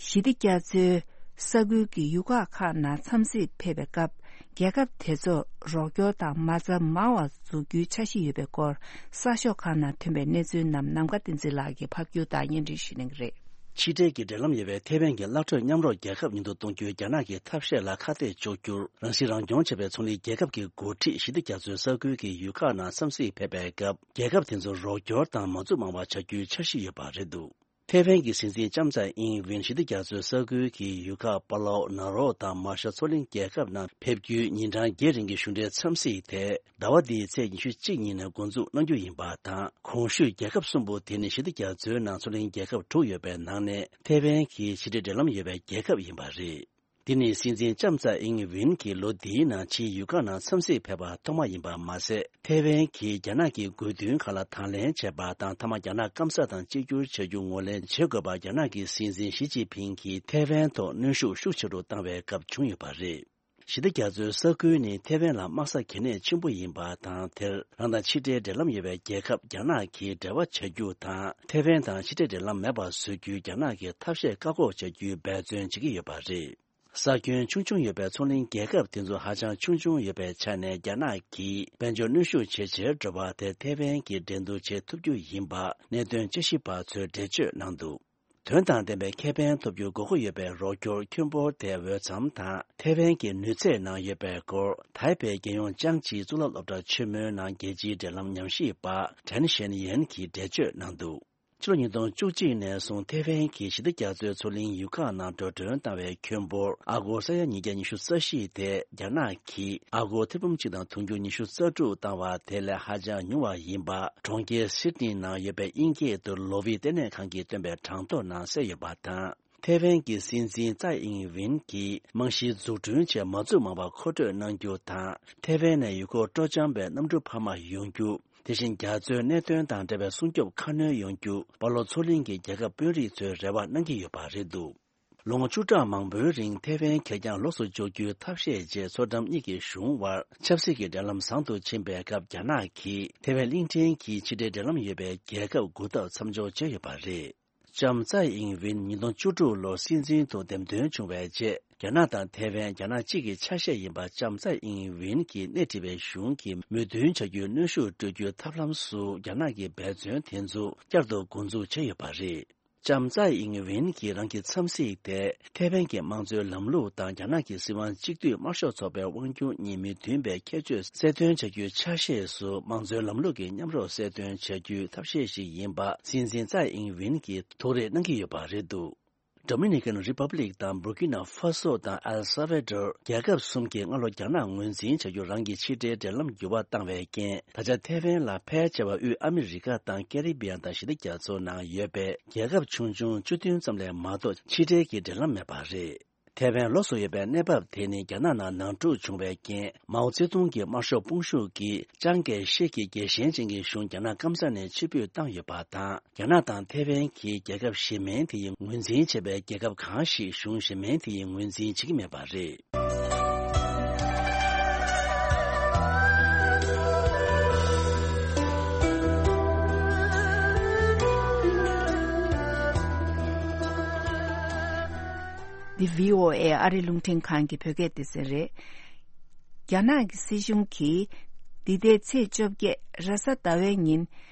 ཞི་བདེ་རྒྱ་མཚོའི་ས་ཁུལ་གྱི་ཡུལ་ཁག་ཁག་ནང་འཚམས་གཟིགས་ཕེབས་པའི་སྐབས། རྒྱལ་ཁབ་དེ་ཚོར་རོགས་སྐྱོར་དང་མ་རྩ་མང་བ་འཛུགས་རྒྱུའི་འཆར་གཞི་ཡོད་པའི་སྐོར་གསར་ཤོག་ཁག་ནང་ཐོན་པའི་གནས་ཚུལ་རྣམས་ནམ་མཁའ་བསྟན་འཛིན་ལགས་ཀྱིས་ཕབ་སྒྱུར་དང་སྙན་སྒྲོན་ཞུ་གནང་གི་རེད། ཕྱི་འབྲེལ་གྱི་འབྲེལ་ལམ་ཡོད་པའི་ཐའེ་ཝན་གྱི་གླ་སྤྲོད་མཉམ་རོགས་རྒྱལ་ཁབ་ཉུང་དུ་གཏོང་རྒྱུའི་རྒྱ་ནག་གི་ཐབས་ཤེས་ལ་ཁ་གཏད་གཅོག་རྒྱུར། རང་སྲིད་རང་སྐྱོང་བྱེད་པའི་མཚོ་གླིང་རྒྱལ་ཁབ་ཀྱི་འགོ་ཁྲིད་ཞི་བདེ་རྒྱ་མཚོའི་ས་ཁུལ་གྱི་ཡུལ་ཁག་ནང་འཚམས་གཟིགས་ཕེབས་པའི་སྐབས། རྒྱལ་ཁབ་དེ་ཚོར་རོགས་སྐྱོར་དང་མ་འཛུགས་མང་བ་བྱ་རྒྱུའི་འཆར་གཞི་ཡོད་པ་རེད་འདུག་ཐའེ་ཝན་གྱི་སྲིད་འཛིན་ལྕམ་ཚའེ་ཨིང་ཝེན་ཞི་བདེ་རྒྱ་མཚོའི་ས་ཁུལ་གྱི་ཡུལ་ཁག་པ་ལའོ། ནཱ་རོ་དང་མར་ཤལ་མཚོ་གླིང་རྒྱལ་ཁབ་ནང་ཕེབས་རྒྱུའི་ཉིན་གྲངས་བརྒྱད་རིང་གི་གཞུང་འབྲེལ་འཚམས་གཟིགས་དེ་ཟླ་བ་འདིའི་ཚེས་ཉི་ཤུ་གཅིག་ཉིན་ནས་འགོ་འཛུགས་གནང་རྒྱུ་ཡིན་པ་དང་། གོང་ཞུས་རྒྱལ་ཁབ་གསུམ་པོ་དེ་ནི་ཞི་བདེ་རྒྱ་མཚོའི་ནང་མཚོ་གླིང་རྒྱལ་ཁབ་དྲུག་ཡོད་པའི་ནང་ནས་ཐའེ་ཝན་གྱི་ཕྱི་འབྲེལ་འབྲེལ་ལམ་ཡོད་པའི་རྒྱལ་ཁབ་ཡིན་པ་རེད། འདི་ནི་སྲིད་འཛིན་ལྕམ་ཚའེ་ཨིང་ཝེན་གྱིས་ལོ་འདིའི་ནང་ཕྱིའི་ཡུལ་ཁག་ནང་འཚམས་གཟིགས་ཕེབས་པ་ཐོག་མ་ཡིན་པ་མ་ཟད། ཐའེ་ཝན་གྱིས་རྒྱ་ནག་གི་དགོས་འདུན་ཁག་ལ་དང་ལེན་བྱས་པ་དང་། མཐའ་མ་རྒྱ་ནག་སྐམ་ས་དང་གཅིག་གྱུར་བྱ་རྒྱུ་ངོས་ལེན་བྱེད་དགོས་པ་རྒྱ་ནག་གི་སྲིད་འཛིན་ཞི་ཅིན་ཕིང་གིས་ཐའེ་ཝན་ཐོག་གནོན་ཤུགས་ཤུགས་ཆེ་རུ་བཏང་བའི་སྐབས་བྱུང་ཡོད་པ་རེད། ཞི་བདེ་རྒྱ་མཚོའི་ས་ཁུལ་ནི་ཐའེ་ཝན་ལ་དམག་ས་གལ་གནད་ཆེན་པོ་ཡིན་པ་དང་། དེར་རང་དང་ཕྱི་འབྲེལ་འབྲེལ་ལམ་ཡོད་པའི་རྒྱལ་ཁབ་རྒྱ་ནག་གིས་འབྲེལ་བ་བྱ་རྒྱུ་དང་། ཐའེ་ཝན་དང་ཕྱི་འབྲེལ་འབྲེལ་ལམ་མེད་པར་བཟོ་རྒྱུའི་རྒྱ་ནག་གི་ཐབས་ཤེས་བཀག་འགོག་བྱ་རྒྱུའི་འབད་བརྩོན་བྱེད་ཀྱི་ཡོད་པ་རེད། ས་ཁྱོན་ཆུང་ཆུང་ཡོད་པའི་མཚོ་གླིང་རྒྱལ་ཁབ་དེ་ཚོ་ཧ་ཅང་ཆུང་ཆུང་ཡོད་པའི་ཆ་ནས། རྒྱ་ནག་གིས་དཔལ་འབྱོར་གནོན་ཤུགས་ཇེ་ཆེར་འགྲོ་བ་དེ་ཐའེ་ཝན་གྱིས་འགྲན་བསྡུར་བྱེད་ཐུབ་རྒྱུ་ཡིན་པ་གནད་དོན་དཔྱད་ཞིབ་པ་ཚོས་འགྲེལ་བརྗོད་གནང་འདུག་དོན་དང་ལྡན་པའི་ཁེ་ཕན་ཐོབ་རྒྱུའི་དགོས་མཁོ་ཡོད་པའི་རོགས་སྐྱོར་ཁྱོན་འབོར་དེ་འོས་འཚམ་དང་། ཐའེ་ཝན་གྱི་ནུས་ཚད་ནང་ཡོད་པའི་སྐོར། ཐའེ་པེ་རྒྱལ་ཡོངས་ཅང་ཅི་གཙུག་ལག་སློབ་གྲྭ་ཆེན་མོའི་ནང་རྒྱལ་སྤྱིའི་འབྲེལ་ལམ་ཉམས་ཞིབ་པ་ཁྲན་ཞན་ཡན་གྱིས་འགྲེལ་བརྗོད་གནང་འདུག་ཕྱི་ལོ་ཉིས་སྟོང་བཅུ་གཅིག་ནས་བཟུང་ཐའེ་ཝན་གྱིས་ཞི་བདེ་རྒྱ་མཚོའི་མཚོ་གླིང་ཡུལ་ཁག་ནང་འགྲོ་གྲོན་བཏང་བའི་ཁྱོན་འབོར་ཨ་སྒོར་ས་ཡ་ཉིས་བརྒྱ་ཉི་ཤུ་རྩ་བཞི་དེ། རྒྱ་ནག་གིས་ཨ་སྒོར་ཐེར་འབུམ་གཅིག་དང་དུང་ཕྱུར་ཉི་ཤུ་རྩ་དྲུག་བཏང་བ་དེ་ལས་ཧ་ཅང་ཉུང་བ་ཡིན་པ། གྲོང་ཁྱེར་སིད་ནི་ནང་ཡོད་པའི་དབྱིན་སྐད་དུ་ལོ་ཝི་ལྟེ་གནས་ཁང་གིས་བཏོན་པའི་གྲངས་ཐོ་ནང་གསལ་ཡོད་པ་དང་། ཐའེ་ཝན་གྱི་སྲིད་འཛིན་ཙའེ་ཨིང་ཝིན་གྱིས་རྨང་གཞི་འཛུགས་སྐྲུན་ཆེད་མ་འཛུགས་མང་བ་མཁོ་སྤྲོད་གནང་རྒྱུ་དང་། ཐའེ་ཝན་ནས་ཡུལ་སྐོར་སྤྲོ་འཆམ་པའི་གནམ་གྲུ་འཕར་མ་ཡོང་རྒྱུ། དེ་བཞིན་རྒྱ་མཚོའི་གནད་དོན་དང་འབྲེལ་བའི་སྲུང་སྐྱོབ་ཁ་སྣོན་ཡོང་རྒྱུ། སྤ་ལོ་མཚོ་གླིང་གི་རྒྱལ་ཁབ་དཔོན་རིགས་ཚོས་རེ་བ་གནང་གི་ཡོད་པ་རེད་འདུག་ལོ་ངོ་བཅུ་ཕྲག་མང་པོའི་རིང་ཐའེ་ཝན་ཁེར་རྐྱང་ལོགས་སུ་འཇོག་རྒྱུའི་ཐབས་ཤེས་བཅས་མཚོ་འགྲམ་གཉིས་ཀྱི་གཞུང་དབར་ཆབ་སྲིད་ཀྱི་འབྲེལ་ལམ་བཟང་དུ་ཕྱིན་པའི་སྐབས། རྒྱ་ནག་གིས་ཐའེ་ཝན་གླིང་ཕྲན་གྱི་ཕྱི་འབྲེལ་འབྲེལ་ལམ་ཡོད་པའི་རྒྱལ་ཁབ་དགུ་ཐབ་མཚམས་འཇོག་བྱས་ཡོད་པ་རེད། ལྕམ་ཙའི་ཨིང་ཝིན་ཉིས་སྟོང་བཅུ་དྲུག་ལོར་སྲིད་འཛིན་དུ་འདེམས་ཐོན་བྱུང་བའི་རྗེས། རྒྱ་ནག་དང་ཐའེ་ཝན་རྒྱ་ནག་གཅིག་གི་ཆ་ཤས་ཡིན་པ་ལྕམ་ཙའི་ཨིང་ཝིན་གྱིས་སྣེ་ཁྲིད་པའི་གཞུང་གིས་མོས་མཐུན་བྱ་རྒྱུའི་གནོན་ཤུགས་སྤྲོད་རྒྱུའི་ཐབས་ལམ་སུ་རྒྱ་ནག་གི་འབད་བརྩོན་དེ་ཚོ་བསྐྱར་དུ་འགོ་འཛུགས་བྱས་ཡོད་པ་རེད། ལྕམ་ཙའི་ཨིང་ཝིན་གྱིས་རང་གི་འཚམས་གཟིགས་དེ་ཐའེ་ཝན་གྱི་དམངས་གཙོའི་ལམ་ལུགས་དང་རྒྱ་ནག་གི་སྲིད་དབང་གཅིག་སྡུད་དམར་ཤོག་ཚོགས་པའི་དབང་སྒྱུར་གཉིས་མོས་མཐུན་པའི་ཁྱད་ཆོས་གསལ་སྟོན་བྱ་རྒྱུའི་ཆ་ཤས་སུ་དམངས་གཙོའི་ལམ་ལུགས་ཀྱི་མཉམ་རོགས་གསལ་སྟོན་བྱ་རྒྱུའི་ཐབས་ཤེས་ཤིག་ཡིན་པ་སྲིད་འཛིན་ཙའི་ཨིང་ཝིན་གྱིས་ཐུགས་རེ་གནང་གི་ཡོད་པ་རེད་འདུག། Dominican Republic དང་Burkina Faso དང་El Salvador རྒྱལ་ཁབ་གསུམ་གྱིས་སྔ་ལོ་རྒྱ་ནག་ངོས་འཛིན་བྱ་རྒྱུ་རང་གི་ཕྱི་འབྲེལ་འབྲེལ་ལམ་འགྱུར་བ་བཏང་བའི་རྐྱེན། ད་ཆ་ཐའེ་ཝན་ལ་ཕལ་ཆེ་བ་དབུས་ཨ་མི་རི་ཀ་དང་ཀེ་རི་བི་ཡན་དང་ཞི་བདེ་རྒྱ་མཚོ་ནང་ཡོད་པའི་རྒྱལ་ཁབ་ཆུང་ཆུང་བཅུ་བདུན་ཙམ་ལས་མ་གཏོགས་ཕྱི་འབྲེལ་གྱི་འབྲེལ་ལམ་མེད་པ་རེད། ཐའེ་ཝན་ལོགས་སུ་ཡོད་པའི་གནས་བབ་དེ་ནི་རྒྱ་ནག་ནང་ནང་འཁྲུག་བྱུང་བའི་རྐྱེན། མའོ་ཙེ་ཏུང་གི་དམར་ཤོག་དཔུང་ཤུགས་ཀྱིས་ཅང་ཀེ་ཤེ་གི་རྒྱལ་ཞེན་ཅན་གྱི་གཞུང་རྒྱ་ནག་སྐམ་ས་ནས་ཕྱིར་འབུད་བཏང་ཡོད་པ་དང་། རྒྱ་ནག་དང་ཐའེ་ཝན་གྱིས་རྒྱལ་ཁབ་གཞན་མིན་དེ་ཡི་ངོས་འཛིན་བྱེད་པའི་རྒྱལ་ཁབ་གང་ཞིག་གཞུང་གཞན་མིན་དེ་ཡི་ངོས་འཛིན་བྱེད་ཀྱི་མེད་པ་རེད། འདི་བྷི་ཨོ་ཨེ་ཨ་རི་རླུང་འཕྲིན་ཁང་གི་བོད་སྐད་སྡེ་ཚན་རེད། རྒྱ་ནག་གི་སྲིད་གཞུང་གིས་འདི་ཟླའི་ཚེས་བཅོ་བརྒྱད་རེས་གཟའ་ཟླ་བའི་ཉིན་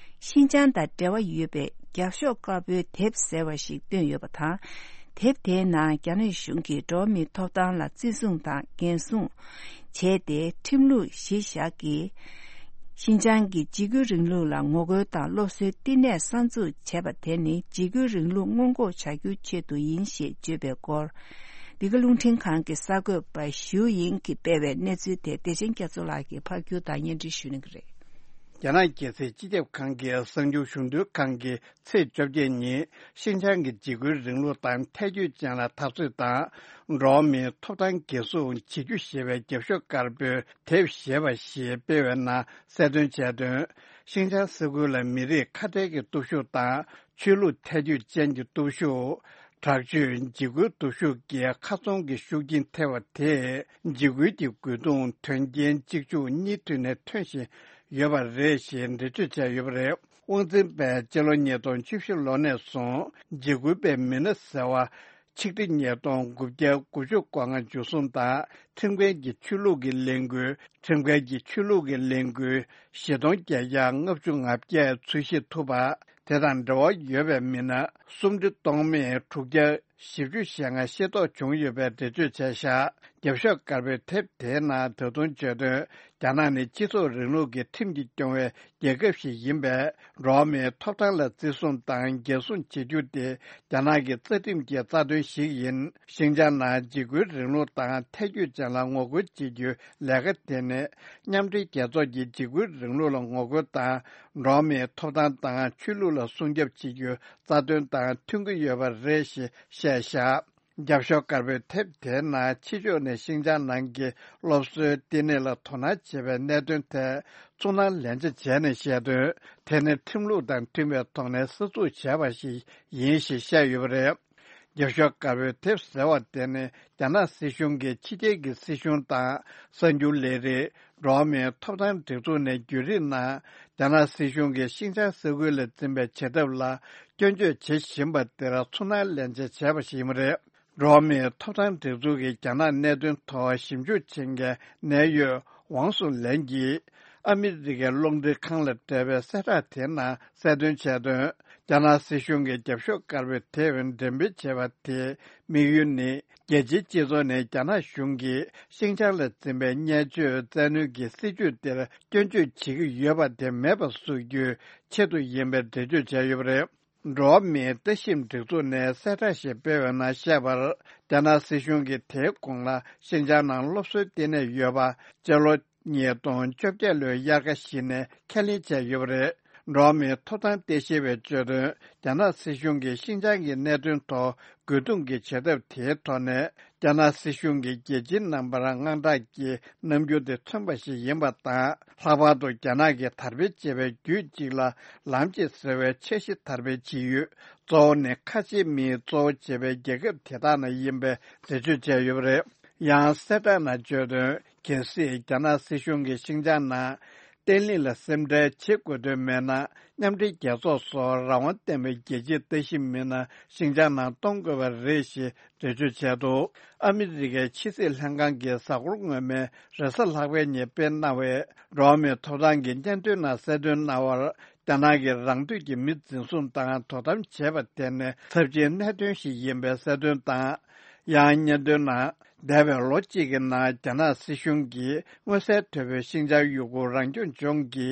ཤིན་ཅང་དང་འབྲེལ་བ་ཡོད་པའི་རྒྱབ་ཤོག་དཀར་པོའི་དེབ་ཟེར་བ་ཞིག་བཏོན་ཡོད་པ་དང་། དེབ་དེའི་ནང་རྒྱ་ནག་གཞུང་གིས་འགྲོ་བ་མིའི་ཐོབ་ཐང་ལ་བརྩི་སྲུང་དང་འགན་སྲུང་བྱས་ཏེ། ཁྲིམས་ལུགས་གཞི་བཞག་གིས་ཤིན་ཅང་གི་འཇིགས་སྐུལ་རིང་ལུགས་ལ་ངོ་རྒོལ་དང་སློབ་གསོའི་བསྟི་གནས་གསར་འཛུགས་བྱས་པ་དེ་ནི་འཇིགས་སྐུལ་རིང་ལུགས་སྔོན་འགོག་བྱ་རྒྱུའི་ཆེད་དུ་ཡིན་ཞེས་བརྗོད་པའི་སྐོར། འདི་ག་རླུང་འཕྲིན་ཁང་གི་གསར་འགོད་པ་ཞུ་ཡིན་གྱིས་སྤེལ་བའི་གནས་ཚུལ་དེ་བདེ་ཆེན་རྒྱ་མཚོ་ལགས་ཀྱིས་ཕབ་སྒྱུར་དང་སྙན་སྒྲོན་ཞུ་གནང་གི་རེད། རྒྱ་ནག་རྒྱལ་སྲིད་སྤྱི་ཁྱབ་ཁང་གི་གསར་འགྱུར་གཞུང་དོན་ཁང་གིས་ཚེས་བཅོ་བརྒྱད་ཉིན་ཤིན་ཅང་གི་འཇིགས་སྐུལ་རིང་ལུགས་དང་ཐལ་འགྱུར་ཅན་ལ་འཐབ་རྩོད་དང་། འགྲོ་བ་མིའི་ཐོབ་ཐང་འགན་སྲུང་བྱེད་རྒྱུ་ཞེས་པའི་རྒྱབ་ཤོག་དཀར་པོའི་དེབ་ཞེས་པ་ཞིག་སྤེལ་བའི་ནང་གསལ་སྟོན་བྱས་དོན། ཤིན་ཅང་ས་ཁུལ་ལ་མི་རིགས་ཁ་བྲལ་གྱི་སྟོབས་ཤུགས་དང་ཆོས་ལུགས་ཐལ་འགྱུར་ཅན་གྱི་སྟོབས་ཤུགས། དྲག་སྤྱོད་འཇིགས་སྐུལ་སྟོབས་ཤུགས་ཀྱི་ཁ་ཚོན་གྱི་ཤུགས་རྐྱེན་ཐེབས་པ་དེས་འཇིགས་སྐུལ་གྱི་རྒོལ་རྡུང་དོན་རྐྱེན་གཅིག་མཇུག་གཉིས་མཐུད་ནས་ཐོན་བཞིན་ཡོད་པ་རེད་ཞེས་འགྲེལ་བརྗོད་བྱས་ཡོད་པ་རེད། དབང་འཛིན་པས་སྤྱི་ལོ་ཉིས་སྟོང་བཅུ་བཞི་ལོ་ནས་བཟུང་འཇིགས་སྐུལ་པའི་མི་སྣ་ཟེར་བ། ཆིག་ཁྲི་ཉིས་སྟོང་དགུ་བརྒྱ་དགུ་བཅུ་གོ་ལྔ་འཇུ་བཟུང་དང་ཁྲིམས་འགལ་གྱི་ཆོས་ལུགས་ཀྱི་ལས་འགུལ། ཁྲིམས་འགལ་གྱི་ཆོས་ལུགས་ཀྱི་ལས་འགུལ། བཞི་སྟོང་བརྒྱད་བརྒྱ་ལྔ་བཅུ་ང་བརྒྱད་འཚོལ་ཞིབ་ཐུབ་པ། དེ་དང་འབྲེལ་བ་ཡོད་པའི་མི་སྣ་སུམ་ཁྲི་སྟོང་མེད་དྲུག་བརྒྱ་བཞི་བཅུ་ཞེ་ལྔ་ཤེས་རྟོགས་བྱུང་ཡོད་པའི་འགྲེལ་བརྗོད་བྱས་བཞག་རྒྱབ་ཤོག་དཀར་པོའི་དེབ་དེའི་ནང་ད་དུང་བརྗོད་དོན། རྒྱ་ནག་ནི་སྤྱི་ཚོགས་རིང་ལུགས་ཀྱི་ཁྲིམས་ཀྱིས་སྐྱོང་བའི་རྒྱལ་ཁབ་ཞིག་ཡིན་པས། འགྲོ་བ་མིའི་ཐོབ་ཐང་ལ་བརྩི་སྲུང་དང་འགན་སྲུང་བྱེད་རྒྱུ་དེ་རྒྱ་ནག་གི་རྩ་ཁྲིམས་ཀྱི་རྩ་དོན་ཞིག་ཡིན། ཤིན་ཅང་ནང་འཇིགས་སྐུལ་རིང་ལུགས་དང་ཐལ་འགྱུར་ཅན་ལ་ངོ་རྒོལ་བྱེད་རྒྱུའི་ལས་ཀ་དེ་ནི་མཉམ་འབྲེལ་རྒྱལ་ཚོགས་ཀྱི་འཇིགས་སྐུལ་རིང་ལུགས་ལ་ངོ་རྒོལ་དང་། འགྲོ་བ་མིའི་ཐོབ་ཐང་དང་ཆོས་ལུགས་ལ་སྲུང་སྐྱོབ་བྱེད་རྒྱུའི་རྩ་དོན་དང་མཐུན་གྱི་ཡོད་པ་རེད་ཞེས་བཤད་བཞག་རྒྱབ་ཤོག་དཀར་པོའི་དེབ་དེའི་ནང་ཕྱི་ཕྱོགས་ནས་ཤིན་ཅང་ནང་གི་སློབ་གསོའི་བསྟི་གནས་ལ་དོ་སྣང་བྱེད་པའི་གནད་དོན་ཐད་ཚོར་སྣང་ལན་ཆ་བྱས་ནས་བཤད་དོན། དེ་ནི་ཁྲིམས་ལུགས་དང་མཐུན་པའི་ཐོག་ནས་གསར་འཛུགས་བྱས་པ་ཞིག་ཡིན་ཞེས་བཤད་ཡོད་པ་རེད། རྒྱབ་ཤོག་དཀར་པོའི་དེབ་ཟེར་བ་དེ་ནི་རྒྱ་ནག་སྲིད་གཞུང་གིས་ཕྱི་རྒྱལ་གྱི་སྲིད་གཞུང་དང་གསར་འགྱུར་ལས་རིགས། འགྲོ་བ་མིའི་ཐོབ་ཐང་སྒྲིག་འཛུགས་ནས་བརྒྱུད་རིམ་ནང་རྒྱ་ནག་སྲིད་གཞུང་གིས་ཤིན་ཅང་ས་ཁུལ་ལ་འཛིན་པའི་བྱེད་ཐབས་ལ་སྐྱོན་བརྗོད་བྱེད་བཞིན་པ་དེར་ཚོར་སྣང་ལན་ཆ་བྱས་པ་ཞིག་ཡིན་པ་རེད། འགྲོ་བ་མིའི་ཐོབ་ཐང་སྒྲིག་འཛུགས་ཀྱིས་རྒྱ་ནག་གནད་དོན་ཐོག་ཞིབ་འཇུག་བྱེད་མཁན་གནད་ཡོད་ཝང་སུང་ལན་གྱིས་ཨ་མི་རི་ཀའི་རླུང་འཕྲིན་ཁང་ལ་སྤྲད་པའི་གསལ་བསྒྲགས་དེའི་ནང་གསལ་སྟོན་བྱས་དོན། རྒྱ་ནག་སྲིད་གཞུང་གིས་རྒྱབ་ཤོག་དཀར་པོའི་དེབ་འགྲེམས་སྤེལ་བྱས་པ་དེའི་དམིགས་ཡུལ་ནི། རྒྱལ་སྤྱིའི་སྤྱི་ཚོགས་ནས་རྒྱ་ནག་གཞུང་གིས་ཤིན་ཅང་ལ་འཛིན་པའི་བརྙས་བཅོས་བཙན་གནོན་གྱི་སྲིད་བྱུས་དེར་སྐྱོན་བརྗོད་བྱེད་ཀྱི་ཡོད་པ་དེ་མེད་པ་བཟོ་རྒྱུའི་ཆེད་དུ་ཡིན་པའི་འགྲེལ་བརྗོད་བྱས་ཡོད་པ་རེད། འགྲོ་བ་མིའི་ལྟ་ཞིབ་སྒྲིག་འཛུགས་ནས་གསལ་བསྒྲགས་ཤིག་སྤེལ་བའི་ནང་བཤད་པར། རྒྱ་ནག་སྲིད་གཞུང་གིས་དེའི་གོང་ལ་ཤིན་ཅང་ནང་སློབ་གསོའི་ལྟེ་གནས་ཡོད་པ་སྤྱི་ལོ་ཉིས་སྟོང་བཅོ་བརྒྱད་ལོའི་དབྱར་ཁ་ཞིག་ནས་ཁས་ལེན་བྱས་ཡོད་པ་རེད། འགྲོ་བ་མིའི་ཐོབ་ཐང་ལྟ་ཞིབ་པས་བརྗོད་དོན། རྒྱ་ནག་སྲིད་གཞུང་གིས་ཤིན་ཅང་གི་གནད་དོན་ཐོག་རྒོལ་རྡུང་གི་བྱེད་ཐབས་དེའི་ཐོག་ནས། རྒྱ་ནག་སྲིད་གཞུང་གིས་རྒྱལ་སྤྱིའི་རྣམ་པར་དངངས་སྐྲག་གི་རྣམ་འགྱུར་དེ་མཚོན་པ་ཞིག་ཡིན་པ་དང་། ལྷག་པར་དུ་རྒྱ་ནག་གིས་དར་སྤེལ་བྱེད་པའི་རྒྱུད་གཅིག་ལ་ལམ་གཅིག་ཟེར་བའི་འཆར་གཞི་དར་སྤེལ་བྱེད་ཡུལ་གཙོ་བོ་ནི་ཁ་ཆེ་མིའི་གཙོ་བོ་བྱེད་པའི་རྒྱལ་ཁབ་དེ་དག་ནང་ཡིན་པའི་འགྲེལ་བརྗོད་བྱས་ཡོད་པ་རེད། ཡང་གསལ་བསྒྲགས་ནང་བརྗོད་དོན། གལ་སྲིད་རྒྱ་ནག་སྲིད་གཞུང་གིས་ཤིན་ཅང་ནང་ བརྟན་ལྷིང་ལ་སེམས་ཁྲལ་བྱེད་དགོས་དོན་མེད་ན། མཉམ་འབྲེལ་རྒྱལ་ཚོགས་སོགས་རང་དབང་ལྡན་པའི་རྒྱལ་སྤྱིའི་ལྟ་ཞིབ་མི་སྣ་ཤིན་ཅང་ནང་གཏོང་དགོས་པ་རེད་ཞེས་འགྲེལ་བརྗོད་བྱས་འདུག་ཨ་མི་རི་ཀའི་ཕྱི་སྲིད་ལྷན་ཁང་གི་གཟའ་འཁོར་སྔོན་མའི་རེས་གཟའ་ལྷག་པའི་ཉིན་སྤེལ་གནང་བའི་འགྲོ་བ་མིའི་ཐོབ་ཐང་གི་སྙན་ཐོའི་ནང་གསལ་སྟོན་གནང་བར། རྒྱ་ནག་གིས་རང་འདོད་ཀྱིས་མི་འཛིན་བཟུང་དང་དོ་དམ་བྱས་པ་དེ་ནི་ཚབས་ཆེའི་གནད་དོན་ཞིག་ཡིན་པའི་གསལ་སྟོན་དང་། ཡང་སྙན་ཐོའི་ནང་། འདས་པའི་ལོ་གཅིག་གི་ནང་རྒྱ་ནག་སྲིད་གཞུང་གིས་མངོན་གསལ་དོད་པོའི་ཤིན་ཅང་ཡུ་གུར་རང་སྐྱོང་ལྗོངས་ཀྱི་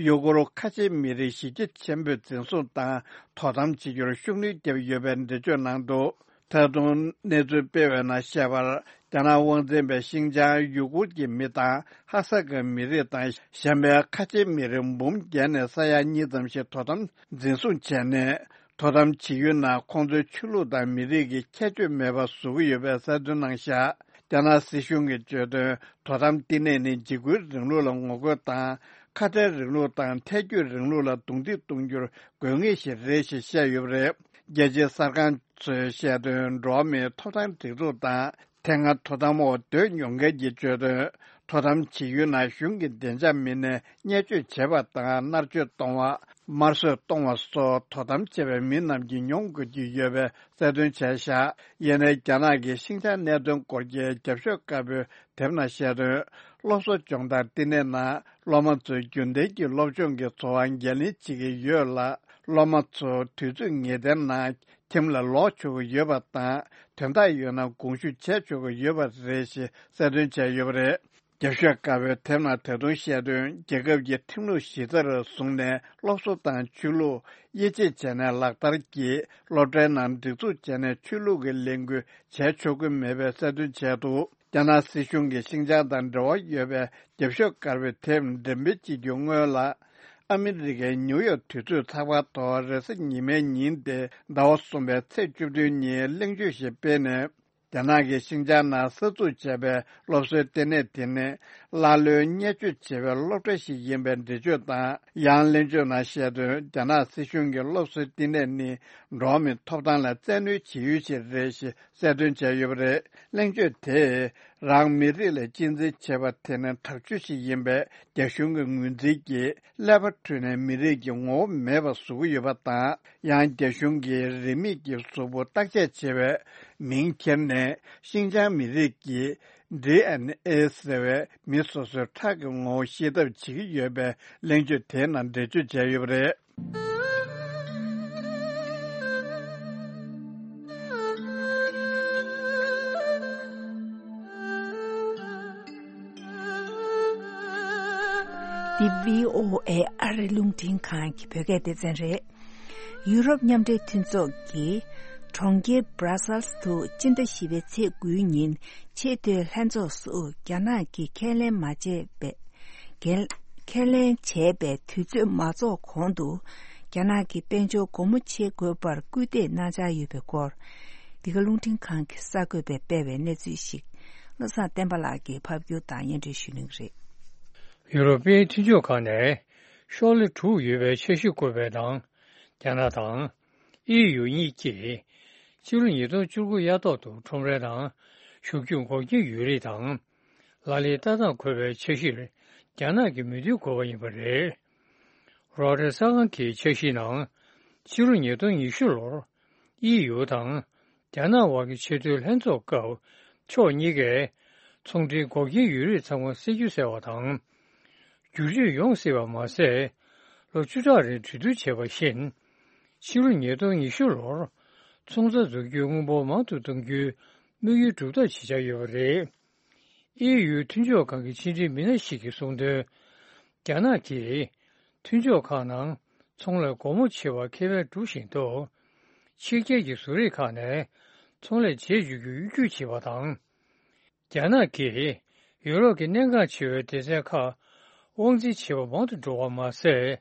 ཡུ་གུར་ཁ་ཆེའི་མི་རིགས་གཞི་རྒྱ་ཆེན་པོས་འཛིན་བཟུང་དང་དོ་དམ་བྱེད་རྒྱུར་ཤུགས་སྣོན་བརྒྱབ་ཡོད་པའི་འགྲེལ་བརྗོད་གནང་འདུག་ད་དུང་གནས་ཚུལ་སྤེལ་བའི་ནང་བཤད་པར། རྒྱ་ནག་དབང་འཛིན་པའི་ཤིན་ཅང་ཡུ་གུར་གྱི་མི་དང་ཧ་སག་གི་མི་རིགས་དང་གཞན་པའི་ཁ་ཆེའི་མི་རིགས་འབུམ་བརྒྱད་ནས་ས་ཡ་གཉིས་ཙམ་ཞིག་དོ་དམ་འཛིན་བཟུང་བྱས་ནས། དོ་དམ་བྱེད་ཡུལ་ནང་ཁོང་ཚོའི་ཆོས་ལུགས་དང་མི་རིགས་ཀྱི་ཁྱད་ཆོས་མེད་པ་བཟོ་གི་ཡོད་པའི་གསལ་སྟོན་གནང་བཞག་རྒྱ་ནག་སྲིད་གཞུང་གིས་བརྗོད་དོན། དོ་དམ་བསྟི་གནས་ནི་འཇིགས་སྐུལ་རིང་ལུགས་ལ་ངོ་རྒོལ་དང་། ཁ་བྲལ་རིང་ལུགས་དང་ཐལ་སྐྱོད་རིང་ལུགས་ལ་རྡུང་རྡེག་གཏོང་རྒྱུར་དགོས་ངེས་ཤིག་རེད་ཞེས་བཤད་ཡོད་པ་རེད། རྒྱལ་སྤྱིའི་གསར་ཁང་ཚོས་བཤད་དོན། འགྲོ་བ་མིའི་ཐོབ་ཐང་སྒྲིག་འཛུགས་དང་། དེ་སྔ་དོ་དམ་འོག་སྡོད་མྱོང་མཁན་གྱིས་བརྗོད་དོན། དོ་དམ་བྱེད་ཡུལ་ནང་གཞུང་གི་བདེ་འཇགས་མི་སྣས་བརྙས་བཅོས་བྱེད་པ་དང་མནར་གཅོད་གཏོང་བ། དམར་གསོད་གཏོང་བ་སོགས་དོ་དམ་བྱས་པའི་མི་རྣམས་ཀྱིས་མྱོང་དགོས་ཀྱི་ཡོད་པའི་གསལ་སྟོན་བྱས་བཞག་ཡིན་ནའི་རྒྱ་ནག་གི་ཤིན་ཅང་གནད་དོན་སྐོར་གྱི་རྒྱབ་ཤོག་དཀར་པོའི་དེབ་ནང་བཤད་དོན། སློབ་གསོ་སྦྱོང་བརྡར་བསྟི་གནས་ནང་སློབ་མ་ཚོས་རྒྱུན་ལྡན་གྱི་སློབ་སྦྱོང་གི་འཚོ་བ་འགན་ལེན་བྱེད་ཀྱི་ཡོད་ལ། སློབ་མ་ཚོ་དུས་ཚོད་ངེས་གཏན་ནང་ཁྱིམ་ལ་ལོག་ཆོག་གི་ཡོད་པ་དང་། དོན་དག་ཡོད་ན་དགོངས་ཞུ་བྱས་ཆོག་གི་ཡོད་པ་རེད་ཞེས་གསལ་སྟོན་བྱས་ཡོད་པ་རེད། རྒྱབ་ཤོག་དཀར་པོའི་དེབ་ནང་ད་དུང་བཤད་དོན། རྒྱལ་ཁབ་ཀྱི་ཁྲིམས་ལུགས་གཞི་རྩར་བཟུང་ནས་སློབ་གསོ་དང་ཆོས་ལུགས་དབྱེ་འབྱེད་བྱས་ནས་ལག་བསྟར་གྱིས་སློབ་གྲྭའི་ནང་སྒྲིག་འཛུགས་བྱས་ནས་ཆོས་ལུགས་ཀྱི་ལས་འགུལ་བྱས་ཆོག་གི་མེད་པའི་གསལ་སྟོན་བྱས་འདུག་རྒྱ་ནག་སྲིད་གཞུང་གིས་ཤིན་ཅང་དང་འབྲེལ་བ་ཡོད་པའི་རྒྱབ་ཤོག་དཀར་པོའི་དེབ་འགྲེམས་སྤེལ་བྱེད་རྒྱུ་སྔོན་ལ། ཨ་མི་རི་ཀའི་ནིའུ་ཡོག་དུས་ཚོད་ཚགས་པར་ཐོག་རེས་གཟའ་ཉི་མའི་ཉིན་ཏེ་ཟླ་བ་གསུམ་པའི་ཚེས་བཅུ་བདུན་ཉིན་གླེང་བརྗོད་ཞིག་སྤེལ་ནས། རྒྱ་ནག་གིས་ཤིན་ཅང་ནང་གསར་འཛུགས་བྱས་པའི་སློབ་གསོའི་ལྟེ་གནས་དེ་ནི་ཀླ་ཀློའི་བརྙས་བཅོས་བྱེད་པའི་སློབ་གྲྭ་ཞིག་ཡིན་པའི་འགྲེལ་བརྗོད་དང་། ཡང་གླེང་བརྗོད་ནང་བཤད་དོན། རྒྱ་ནག་སྲིད་གཞུང་གིས་སློབ་གསོའི་ལྟེ་གནས་ནི་འགྲོ་བ་མིའི་ཐོབ་ཐང་ལ་བཙན་གནོན་བྱེད་ཡུལ་ཞིག་རེད་ཞེས་གསལ་སྟོན་བྱས་ཡོད་པ་རེད། གླེང་བརྗོད་དེས་རང་མི་རིགས་ལ་གཅེས་འཛིན་བྱེད་པ་དེ་ནི་དྲག་སྤྱོད་ཞིག་ཡིན་པའི་རྒྱ་གཞུང་གི་ངོས་འཛིན་གྱིས་ཀླད་པ་འཁྲུད་ནས་མི་རིགས་ཀྱི་ངོ་བོ་མེད་པ་བཟོ་གི་ཡོད་པ་དང་། ཡང་རྒྱ་གཞུང་གིས་རིས་མེད་ཀྱི་གཟུགས་པོ་བརྟག་དཔྱད་བྱེད་པའི་མིང་ཁྱེར་ནས་ཤིན་ཅང་མི་རིགས་ཀྱི་ཌི་ཨེན་ཨེ་ཟེར་བའི་མི་སོ་སོའི་ཁྲག་གི་ངོ་བོ་ཤེས་ཐབས་བྱེད་ཀྱི་ཡོད་པའི་གླེང་བརྗོད་དེའི་ནང་འགྲེལ་བརྗོད་བྱས་ཡོད་པ་རེད། འདི་བྷི་ཨོ་ཨེ་ཨ་རི་རླུང་འཕྲིན་ཁང་གི་བོད་སྐད་སྡེ་ཚན་རེད། ཡུ་རོབ་མཉམ་འབྲེལ་མཐུན་ཚོགས་ཀྱིས་གྲོང་ཁྱེར་Brussels དུ་སྤྱི་ཟླ་བཞི་པའི་ཚེས་དགུའི་ཉིན་ཆེས་མཐོའི་ལྷན་ཚོགས་སུ་རྒྱ་ནག་གིས་ཁས་ལེན་མ་བྱས་པའི། འགན། ཁས་ལེན་བྱས་པའི་དུས་ཚོད་མ་རྫོགས་གོང་དུ། རྒྱ་ནག་གི་དཔལ་འབྱོར་སྒོ་མོ་ཕྱེ་དགོས་པར་སྐུལ་འདེད་གནང་འཆར་ཡོད་པའི་སྐོར། འདི་ག་རླུང་འཕྲིན་ཁང་གི་གསར་འགོད་པས་སྤེལ་བའི་གནས་ཚུལ་ཞིག་བློ་བཟང་བསྟན་པ་ལགས་ཀྱིས་ཕབ་སྒྱུར་དང་སྙན་སྒྲོན་ཞུ་གནང་གི་རེད། ཡུ་རོབ་པའི་མཐུན་ཕྱོགས་ཁག་ནས་ཤོག་ལྷེ་དྲུག་ཡོད་པའི་འཆར་གཞི་བཀོད་པའི་ནང་། རྒྱ་ནག་དང་། ཨི་ཡུ་གཉིས་ཀྱིས། ཕྱི་ལོ་ཉིས་སྟོང་བཅུ་དགུ་དབྱར་ཐོག་ཏུ་ཁྲོམ་རའི་ནང་ཞུགས་རྒྱུ་འགོག་རྐྱེན་ཡོད་རིགས་དང་། ལག་ལེན་ལྟ་སྟངས་འཁོད་པའི་འཆར་གཞིར་རྒྱ་ནག་གིས་མོས་མཐུན་དགོས་པ་ཡིན་པ་རེད། རོའི་ཊར་གསར་ཁང་གི་འཆར་གཞིའི་ནང་། ཕྱི་ལོ་ཉིས་སྟོང་ཉི་ཤུ་ལོར། ཨི་ཡུ་དང་། རྒྱ་ནག་དབར་གྱི་ཆེས་མཐོའི་ལྷན་ཚོགས་སྐབས། ཕྱོགས་གཉིས་ཀས། ཚོང་འབྲེལ་འགོག་རྐྱེན་ཡོད་རིགས་ཚང་མ་སེལ་རྒྱུ་ཟེར་བ་དང་། བསྒྱུར་བཅོས་ཡོང་སྲིད་པ་མ་ཟད། ལོ་བཅུ་ཕྲག་རིང་གྲོས་བསྡུར་བྱས་པ་བཞིན། ཕྱི་ལོ་ཉིས་སྟོང་ཉི་ཤུ་ལོར། ཚོང་རྩ་འཛུགས་རྒྱུའི་དངུལ་འབོར་མང་དུ་གཏོང་རྒྱུའི་དམིགས་ཡུལ་སྒྲུབ་ཐབས་བྱེད་འཆར་ཡོད་པ་རེད། ཨི་ཡུའི་མཐུན་ཕྱོགས་ཁང་གི་ཕྱི་འབྲེལ་མི་སྣ་ཞིག་གིས་གསུངས་དོན། རྒྱ་ནག་གིས་མཐུན་ཕྱོགས་ཁག་ནང་ཚོང་ལས་སྒོ་མོ་ཕྱེ་བར་ཁེ་ཕན་སྒྲུབ་བཞིན་འདུག་ཕྱི་རྒྱལ་གྱི་བཟོ་རིག་ཁག་ནས་ཚོང་ལས་བྱེད་འཇུག་རྒྱུར་གཡོ་སྒྱུ་བྱེད་པ་དང་། རྒྱ་ནག་གིས་ཡུ་རོབ་ཀྱི་གནད་འགག་ཆེ་བའི་སྡེ་ཚན་ཁག་དབང་འཛིན་བྱེད་པ་མང་དུ་འགྲོ་བ་མ་ཟད།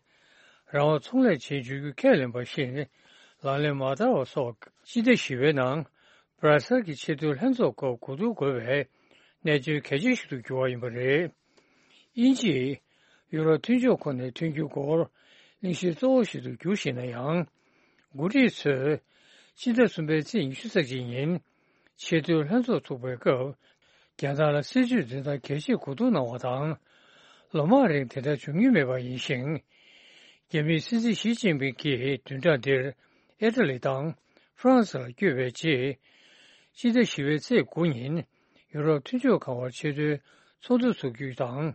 རང་དབང་ཚོང་ལས་བྱེད་འཇུག་རྒྱུ་ཁས་ལེན་པ་བཞིན་ལག་ལེན་མ་བསྟར་བ་སོགས། སྤྱི་ཟླ་བཞི་པའི་ནང་། སྦྲ་སེལ་གྱི་ཆེས་མཐོའི་ལྷན་ཚོགས་སྐབས་གོ་བསྡུར་དགོས་པའི་གནད་དོན་གལ་ཆེན་ཞིག་ཏུ་གྱུར་བ་ཡིན་པ་རེད། དབྱིན་ཇིས་ཡུ་རོབ་མཐུན་ཕྱོགས་ཁོ་ནའི་མཐུན་འགྱུར་སྐོར་གླེང་གཞི་གཙོ་བོ་ཞིག་ཏུ་གྱུར་བཞིན་ན་ཡང་། འགོ་ཁྲིད་ཚོས་ཕྱི་ཟླ་གསུམ་པའི་ཚེས་ཉི་ཤུ་རྩ་གཅིག་ཉིན་ཆེས་མཐོའི་ལྷན་ཚོགས་ཚུགས་པའི་སྐབས། རྒྱལ་ནང་ལ་སྲིད་ཇུས་འཛིན་སྟངས་གལ་ཆེ་གོ་བསྡུར་གནང་བ་དང་། ལོ་མང་རིང་དེ་འདྲ་བྱུང་མྱོང་མེད་པ་ཡིན་ཞིང་། རྒྱ་མིའི་སྲིད་འཛིན་ཞི་ཅིན་ཕིང་གིས་བདུན་ཕྲག་འདིར་ཨི་ཊ་ལི་དང་ཧྥ་རན་སི་ལ་བསྐྱོད་པའི་རྗེས། སྤྱི་ཟླ་བཞི་པའི་ཚེས་དགུ་ཉིན་ཡུ་རོབ་མཐུན་ཕྱོགས་ཁང་བར་ཆེས་མཐོའི་ཚོགས་འདུ་འཚོགས་རྒྱུ་དང་།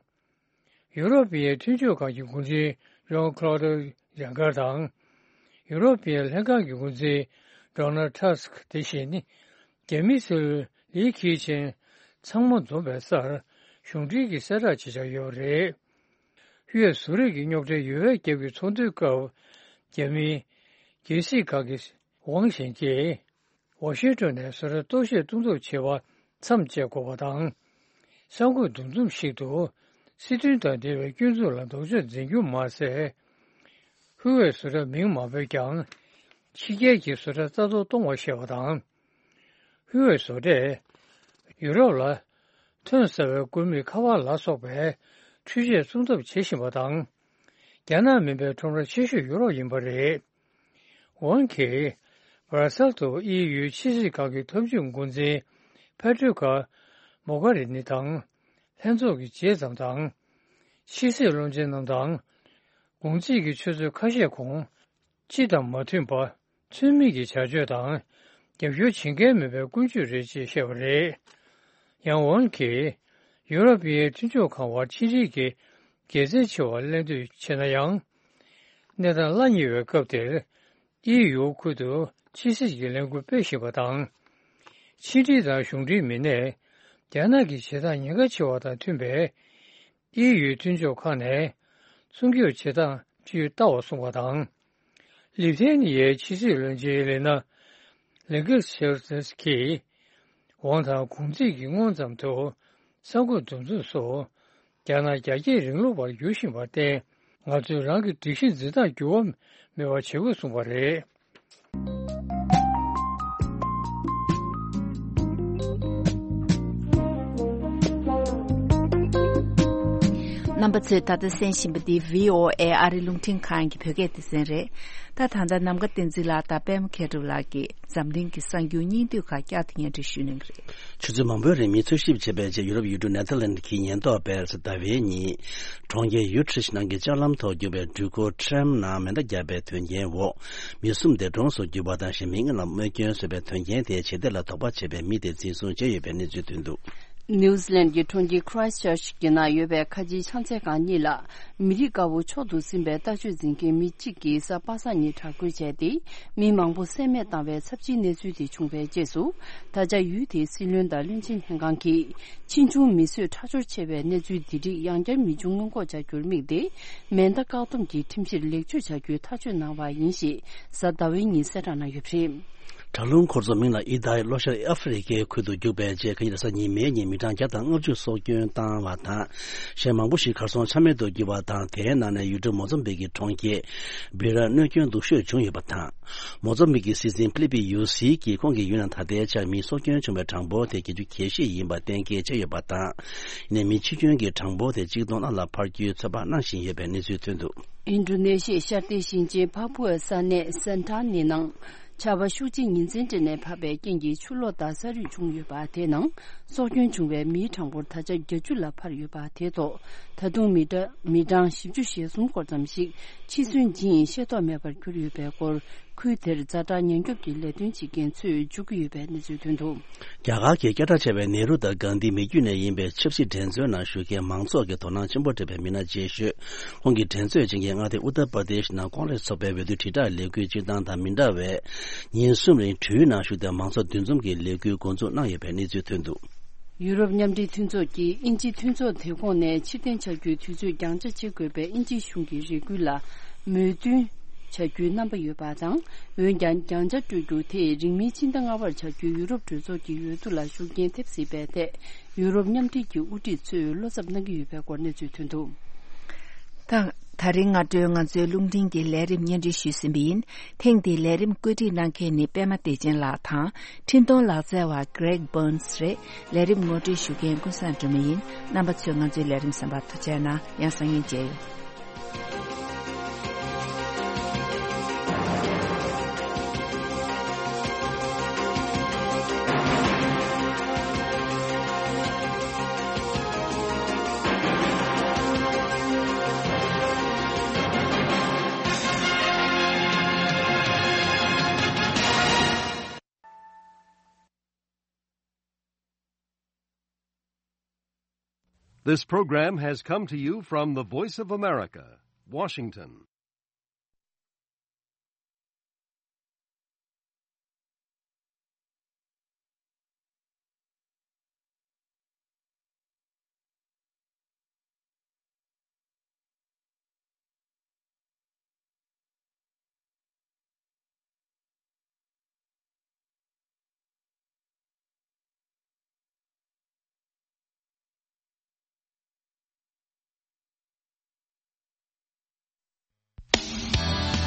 ཡུ་རོབ་པའི་མཐུན་ཕྱོགས་ཁང་གི་འགོ་འཛིན་ཇོན་ཁློ་ཌི་ཇང་ཀར་དང་། ཡུ་རོབ་པའི་ལྷན་ཁང་གི་འགོ་འཛིན་ཌོ་ནལ་ཌི་ཊརམ་སྐ་དེ་བཞིན་རྒྱ་མིའི་སྲིད་བློན་ལི་ཁེ་ཆང་ཚང་མ་འཛོམས་པའི་སར་གཞུང་འབྲེལ་གྱི་གསལ་བསྒྲགས་བྱེད་འཆར་ཡོད་པ་རེད། དབུས་བཟོ་རིག་གི་རྙོག་དྲའི་ཡོལ་བས་རྒྱབ་ཀྱི་ཚོགས་འདུའི་སྐབས། རྒྱ་མིའི་རྒྱལ་སྲིད་ཁང་གི་ཝང་ཞན་གྱིས། ཝ་ཤིང་ཏོན་ནས་བཟོ་གྲྭ་གཏོར་བཤིག་གཏོང་ཐབས་བྱེད་པ་མཚམས་བཅད་དགོས་པ་དང་། གསར་འགོད་འདུ་འཛོམས་ཤིག་ཏུ་སྲིད་དོན་དང་འབྲེལ་བའི་སྐྱོན་འཛུགས་ལ་ལྡོག་ཕྱོགས་འཛིན་རྒྱུ་མ་ཟད། ཧུའེ་བཟོ་གྲྭ་མིང་མ་འབོད་ཀྱང་ཕྱི་རྒྱལ་གྱི་བཟོ་གྲྭ་རྩ་གཏོར་གཏོང་བ་ཞེས་པ་དང་། ཧུའེ་བཟོ་གྲྭས་ཡུ་རོབ་ལ་ཐོན་གསར་བའི་ཀུ་མུད་ཁ་པར་ལ་སོགས་པའི་འཕྲུལ་ཆས་བཙོང་ཐབས་བྱེད་བཞིན་པ་དང་། རྒྱ་ནག་མིན་པའི་ཁྲོམ་ར་ཆེ་ཤོས་ཡུ་རོབ་ཡིན་པ་རེད། ཝང་གིས་བྷ་ར་སེལ་དུ་ཨི་ཡུའི་ཕྱི་སྲིད་ཁང་གི་འཐབ་ཇུས་འགོ་འཛིན་ཕེ་ཏྲུ་ཀ་མོ་གྷ་རི་ནི་དང་ལྷན་ཚོགས་ཀྱི་རྗེས་ཙམ་དང་། ཕྱི་སྲིད་བློན་ཆེན་རྣམས་དང་། དགོང་ཚིགས་ཀྱི་ཆུ་ཚོད་ཁ་ཤས་གོང་སྤྱི་དང་མ་མཐུན་པ། ཚུལ་མིན་གྱི་བྱ་སྤྱོད་དང་། རྒྱབ་སྐྱོར་བྱེད་མཁན་མེད་པའི་ཀུན་སྤྱོད་རེད་ཅེས་བཤད་པ་རེད། ཡང་ཝང་གིས་ཡུ་རོབ་པའི་མཐུན་ཕྱོགས་ཁང་བར་ཕྱི་འབྲེལ་གྱི་དགེ་མཚན་ཆེ་བ་གླེང་འདོད་ཆེ་ན་ཡང་། གནས་སྟངས་སླ་ཉེ་བའི་སྐབས་དེར། ཨི་ཡུ་ཁུལ་དུ་ཕྱི་སྲིད་ཀྱི་ལས་འགུལ་སྤེལ་བཞིན་པ་དང་། ཕྱི་འབྲེལ་དང་གཞུང་འབྲེལ་མི་སྣས་རྒྱ་ནག་གི་བྱེད་སྟངས་ཉེན་ཁ་ཆེ་བ་དང་མཐུན་པས། ཨི་ཡུའི་མཐུན་ཕྱོགས་ཁག་ནས་སྲུང་སྐྱོབ་བྱེད་སྟངས་བཅས་ལྟ་བར་གསུངས་པ་དང་། ལི་ཐེ་ནི་ཡའི་ཕྱི་སྲིད་བློན་ཆེན་ལི་ན་ལིང་གེ་ཤེར་སི་ཀིས་ཝང་དང་གུང་ཚིགས་ཀྱི་སྔོན་ཙམ་དུ་གསར་འགོད་འདུ་འཛོམས་སུ། རྒྱ་ནག་རྒྱ་སྐྱེད་རིང་ལུགས་པར་འགྱུར་བཞིན་པར་བརྟེན། ང་ཚོས་རང་གི་སྒྲིག་གཞི་འཛིན་སྟངས་འགྱུར་བ་མེད་པ་བྱེད་དགོས་གསུངས་པ་རེད། རྣམ་པ་ཚོས་ད་ལྟ་གསན་བཞིན་པ་འདི་བྷི་ཨོ་ཨེ་ཨ་རི་རླུང་འཕྲིན་ཁང་གི་བོད་སྐད་སྡེ་ཚན་རེད། ད་ད་ལྟ་ནམ་མཁའ་བསྟན་འཛིན་ལགས་དང་པད་མ་མཁས་གྲུབ་ལགས་ཀྱིས་འཛམ་གླིང་གི་གསར་འགྱུར་སྙིང་བསྡུས་ཁག་བསྐྱར་དུ་སྙན་སྒྲོན་ཞུ་གནང་གི་རེད། ཆུ་ཚོད་མང་པོའི་རིང་མིས་འཚོལ་ཞིབ་བྱས་པའི་རྗེས་ཡུ་རོབ་ཡུལ་གྲུ་ནེ་ཐར་ལན་གྱི་ཉེན་རྟོག་པས་ཟླ་བའི་ཉིན། གྲོང་ཁྱེར་ཡུ་ཁྲིད་ནང་གི་ལྕགས་ལམ་ཐོག་རྒྱུག་པའི་འགྲུལ་འཁོར་ཊྲམ་ནང་མེ་མདའ་བརྒྱབ་པའི་དོན་རྐྱེན་འོག་མི་གསུམ་འདས་གྲོངས་སུ་གྱུར་པ་དང་གཞན་མི་ལྔ་ལ་རྨས་སྐྱོན་བཟོས་པའི་དོན་རྐྱེན་དེའི་བྱེད་གཏེ་ལ་དོགས་པ་བྱས་པའི་མི་དེ་འཛིན་བཟུང་བྱས་ཡོད་པའི་གནས་ཚུལ་ཐོན་འདུག་ནིའུ་ཛི་ལན་གྱི་གྲོང་ཁྱེར་ཁི་རའེ་སི་ཅར་ཅི་གི་ནང་ཡོད་པའི་ཁ་ཆེའི་ཕྱག་འཚལ་ཁང་གཉིས་ལ། མི་རིགས་དཀར་པོ་མཆོག་ཏུ་ཟིན་པའི་ལྟ་སྤྱོད་འཛིན་མཁན་མི་གཅིག་གིས་གཟའ་པ་སངས་ཉིན་དྲག་རྒོལ་བྱས་ཏེ། མི་མང་པོ་བསད་རྨས་བཏང་བའི་ཚབས་ཆེའི་གནས་ཚུལ་དེ་བྱུང་བའི་རྗེས་སུ། ད་ཆ་ཡུལ་དེའི་སྲིད་བློན་དང་བློན་ཆེན་ལྷན་ཁང་གིས། ཕྱིས་འབྱུང་མི་གསོད་ཁྲག་སྦྱོར་ཆེ་བའི་གནས་ཚུལ་འདི་རིགས་ཡང་བསྐྱར་མི་འབྱུང་སྔོན་འགོག་བྱ་རྒྱུར་དམིགས་ཏེ། མེ་མདའ་བཀག་སྡོམ་གྱི་ཁྲིམས་གཞིར་ལེགས་བཅོས་བྱ་རྒྱུའི་ཐག་གཅོད་གནང་བ་ཡིན་ཞེས། གཟའ་ཟླ་བའི་ཉིན་གསལ་བསྒྲགས་གནང་ཡོད་པ་རེད། དྲག་རླུང་འཁོར་ཚོགས་མིང་ལ་ཨི་ཏཱ་ལི་ལྷོ་ཤར་ཨ་ཧྥེ་རི་ཁའི་ཁུལ་དུ་རྒྱུག་པའི་རྗེས། ཁ་ཉིན་རེས་གཟའ་ཉི་མའི་ཉིན་མི་གྲངས་བརྒྱ་དང་ལྔ་བཅུ་སྲོག་སྐྱོན་བཏང་བ་དང་། གཞན་མང་པོ་ཞིག་གར་སོང་ཆ་མེད་དུ་གྱུར་བ་དང་། དེའི་ནང་ནས་ཡུལ་གྲུ་མོ་ཛམ་བིག་གི་གྲོང་ཁྱེར་བི་ར་གནོད་སྐྱོན་སྡུག་ཤོས་བྱུང་ཡོད་པ་དང་། མོ་ཛམ་བིག་གི་སྲིད་འཛིན་ཕི་ལི་པི་ཡུ་སི་ཡིས་ཁོང་གི་ཡུལ་ནང་ད་ལྟའི་ཆར་མིའི་སྲོག་སྐྱོན་བྱུང་བའི་གྲངས་འབོར་དེ་བརྒྱད་ཅུ་གྱ་བཞི་ཡིན་པ་གཏན་འཁེལ་བྱས་ཡོད་པ་དང་། ཡིན་ནའི་མི་འཆི་སྐྱོན་གྱི་གྲངས་འབོར་དེ་གཅིག་སྟོང་ལྷག་ལ་འཕར་རྒྱུའི་ཚོད་དཔག་གནང་བཞིན་ཡོད་པའི་གནས་ཚུལ་ཐོན་འདུག་ཨིན་ཌོ་ནེ་ཤི་ཡའི་ཤར་ཏི་ཞིང་ཆེན་ཕ་པུའ་ས་གནས་སན་ཏྲ་ནི་ནང་ཆར་པ་ཤུགས་ཆེ་ཉིན་མཚན་སྤྲད་ནས་བབས་པའི་རྐྱེན་གྱིས་ཆུ་ལོག་དང་ས་རུད་བྱུང་ཡོད་པ་དེའི་ནང་སྲོག་སྐྱོན་བྱུང་བའི་མིའི་གྲངས་འབོར་ད་ཆ་བརྒྱད་ཅུ་ལ་འཕར་ཡོད་པ་དེའི་ཐོག་ད་དུང་མི་གྲངས་མི་གྲངས་བཞི་བཅུ་ཞེ་གསུམ་སྐོར་ཙམ་ཞིག་འཆི་གསོན་ཇི་ཡིན་ཤེས་རྟོགས་མེད་པར་གྱུར་ཡོད་པའི་སྐོར། ཁུལ་དེར་ཛ་དྲག་ཉེན་སྐྱོབ་ཀྱི་ལས་དོན་བྱེད་མཁན་ཚོས་བརྗོད་ཀྱི་ཡོད་པའི་གནས་ཚུལ་ཐོན་འདུག་རྒྱ་གར་གྱི་བསྐྱར་གྲགས་ཆེ་བའི་ནེ་རུ་དང་གྷན་དྷི་མི་རྒྱུད་ནས་ཡིན་པའི་ཆབ་སྲིད་འགྲན་རྩོད་ནང་ཞུགས་མཁན་མང་ཚོགས་ཀྱི་དོ་སྣང་ཆེན་པོ་སྤྲད་པའི་མི་སྣ་ཆེ་ཤོས། ཁོང་གིས་འགྲན་རྩོད་བྱེད་མཁན་མངའ་སྡེ་ཨུ་ཏར་པར་དེཤ་ནང་ཀོང་རེས་ཚོགས་པའི་འོས་བསྡུ་དྲིལ་བསྒྲགས་ལས་འགུལ་སྤྱིར་བཏང་དང་མི་འདྲ་བའི། ཉིན་གསུམ་རིང་གྲུའི་ནང་ཞུགས་ཏེ་མང་ཚོགས་འདུ་འཛོམས་ཀྱི་ལས་འགུལ་འགོ་འཛུགས་གནང་ཡོད་པའི་གནས་ཚུལ་ཐོན་འདུག་ཡུ་རོབ་མཉམ་འབྲེལ་མཐུན་ཚོགས་ཀྱིས་དབྱིན་ཇིའི་མཐུན་ཚོགས་དེ་ཁོངས་ནས་ཕྱིར་འཐེན་བྱ་རྒྱུའི་དུས་ཚོད་འགྱངས་ཆ་བྱེད་དགོས་པའི་དབྱིན་ཇིའི་གཞུང་གི་རེ་སྐུལ་ལ་མོས་མཐུན་བྱ་རྒྱུའི་རྣམ་པ་ཡོད་པ་དང་། འོན་ཀྱང་འགྱངས་ཆ་སྤྲོད་རྒྱུ་དེས་རིང་མིན་ཕྱི་ཟླ་ལྔ་པར་བྱ་རྒྱུའི་ཡུ་རོབ་གྲོས་ཚོགས་ཀྱི་འོས་བསྡུ་ལ་ཤུགས་རྐྱེན་ཐེབས་སྲིད་པའི་ཐད། ཡུ་རོབ་མཉམ་འབྲེལ་གྱི་དབུ་ཁྲིད་ཚོས་བློ་འཚབ་གནང་གི་ཡོད་པའི་སྐོར་གནས་ཚུལ་ཐོན་འདུག་ད། ད་རིང་སྔ་དྲོའི་ང་ཚོའི་རླུང་འཕྲིན་གྱི་ལས་རིམ་སྙན་སྒྲོན་ཞུས་ཟིན་པ་ཡིན། ཐེངས་འདིའི་ལས་རིམ་བཀོད་སྒྲིག་གནང་མཁན་ནི་པད་མ་བདེ་ཆེན་ལགས་དང་། འཕྲིན་གཏོང་ལག་རྩལ་བ་Greg Burns་རེད། ལས་རིམ་ངོ་སྤྲོད་ཞུ་མཁན་ཀུན་བཟང་སྒྲོལ་མ་ཡིན། རྣམ་པ་ཚོས་ང་ཚོའི་ལས་རིམ་གསན་པར་ཐུགས་རྗེ་གནང་། ཡང་སང་ཉིན་མཇལ་ཡོང་། This program has come to you from the Voice of America, Washington.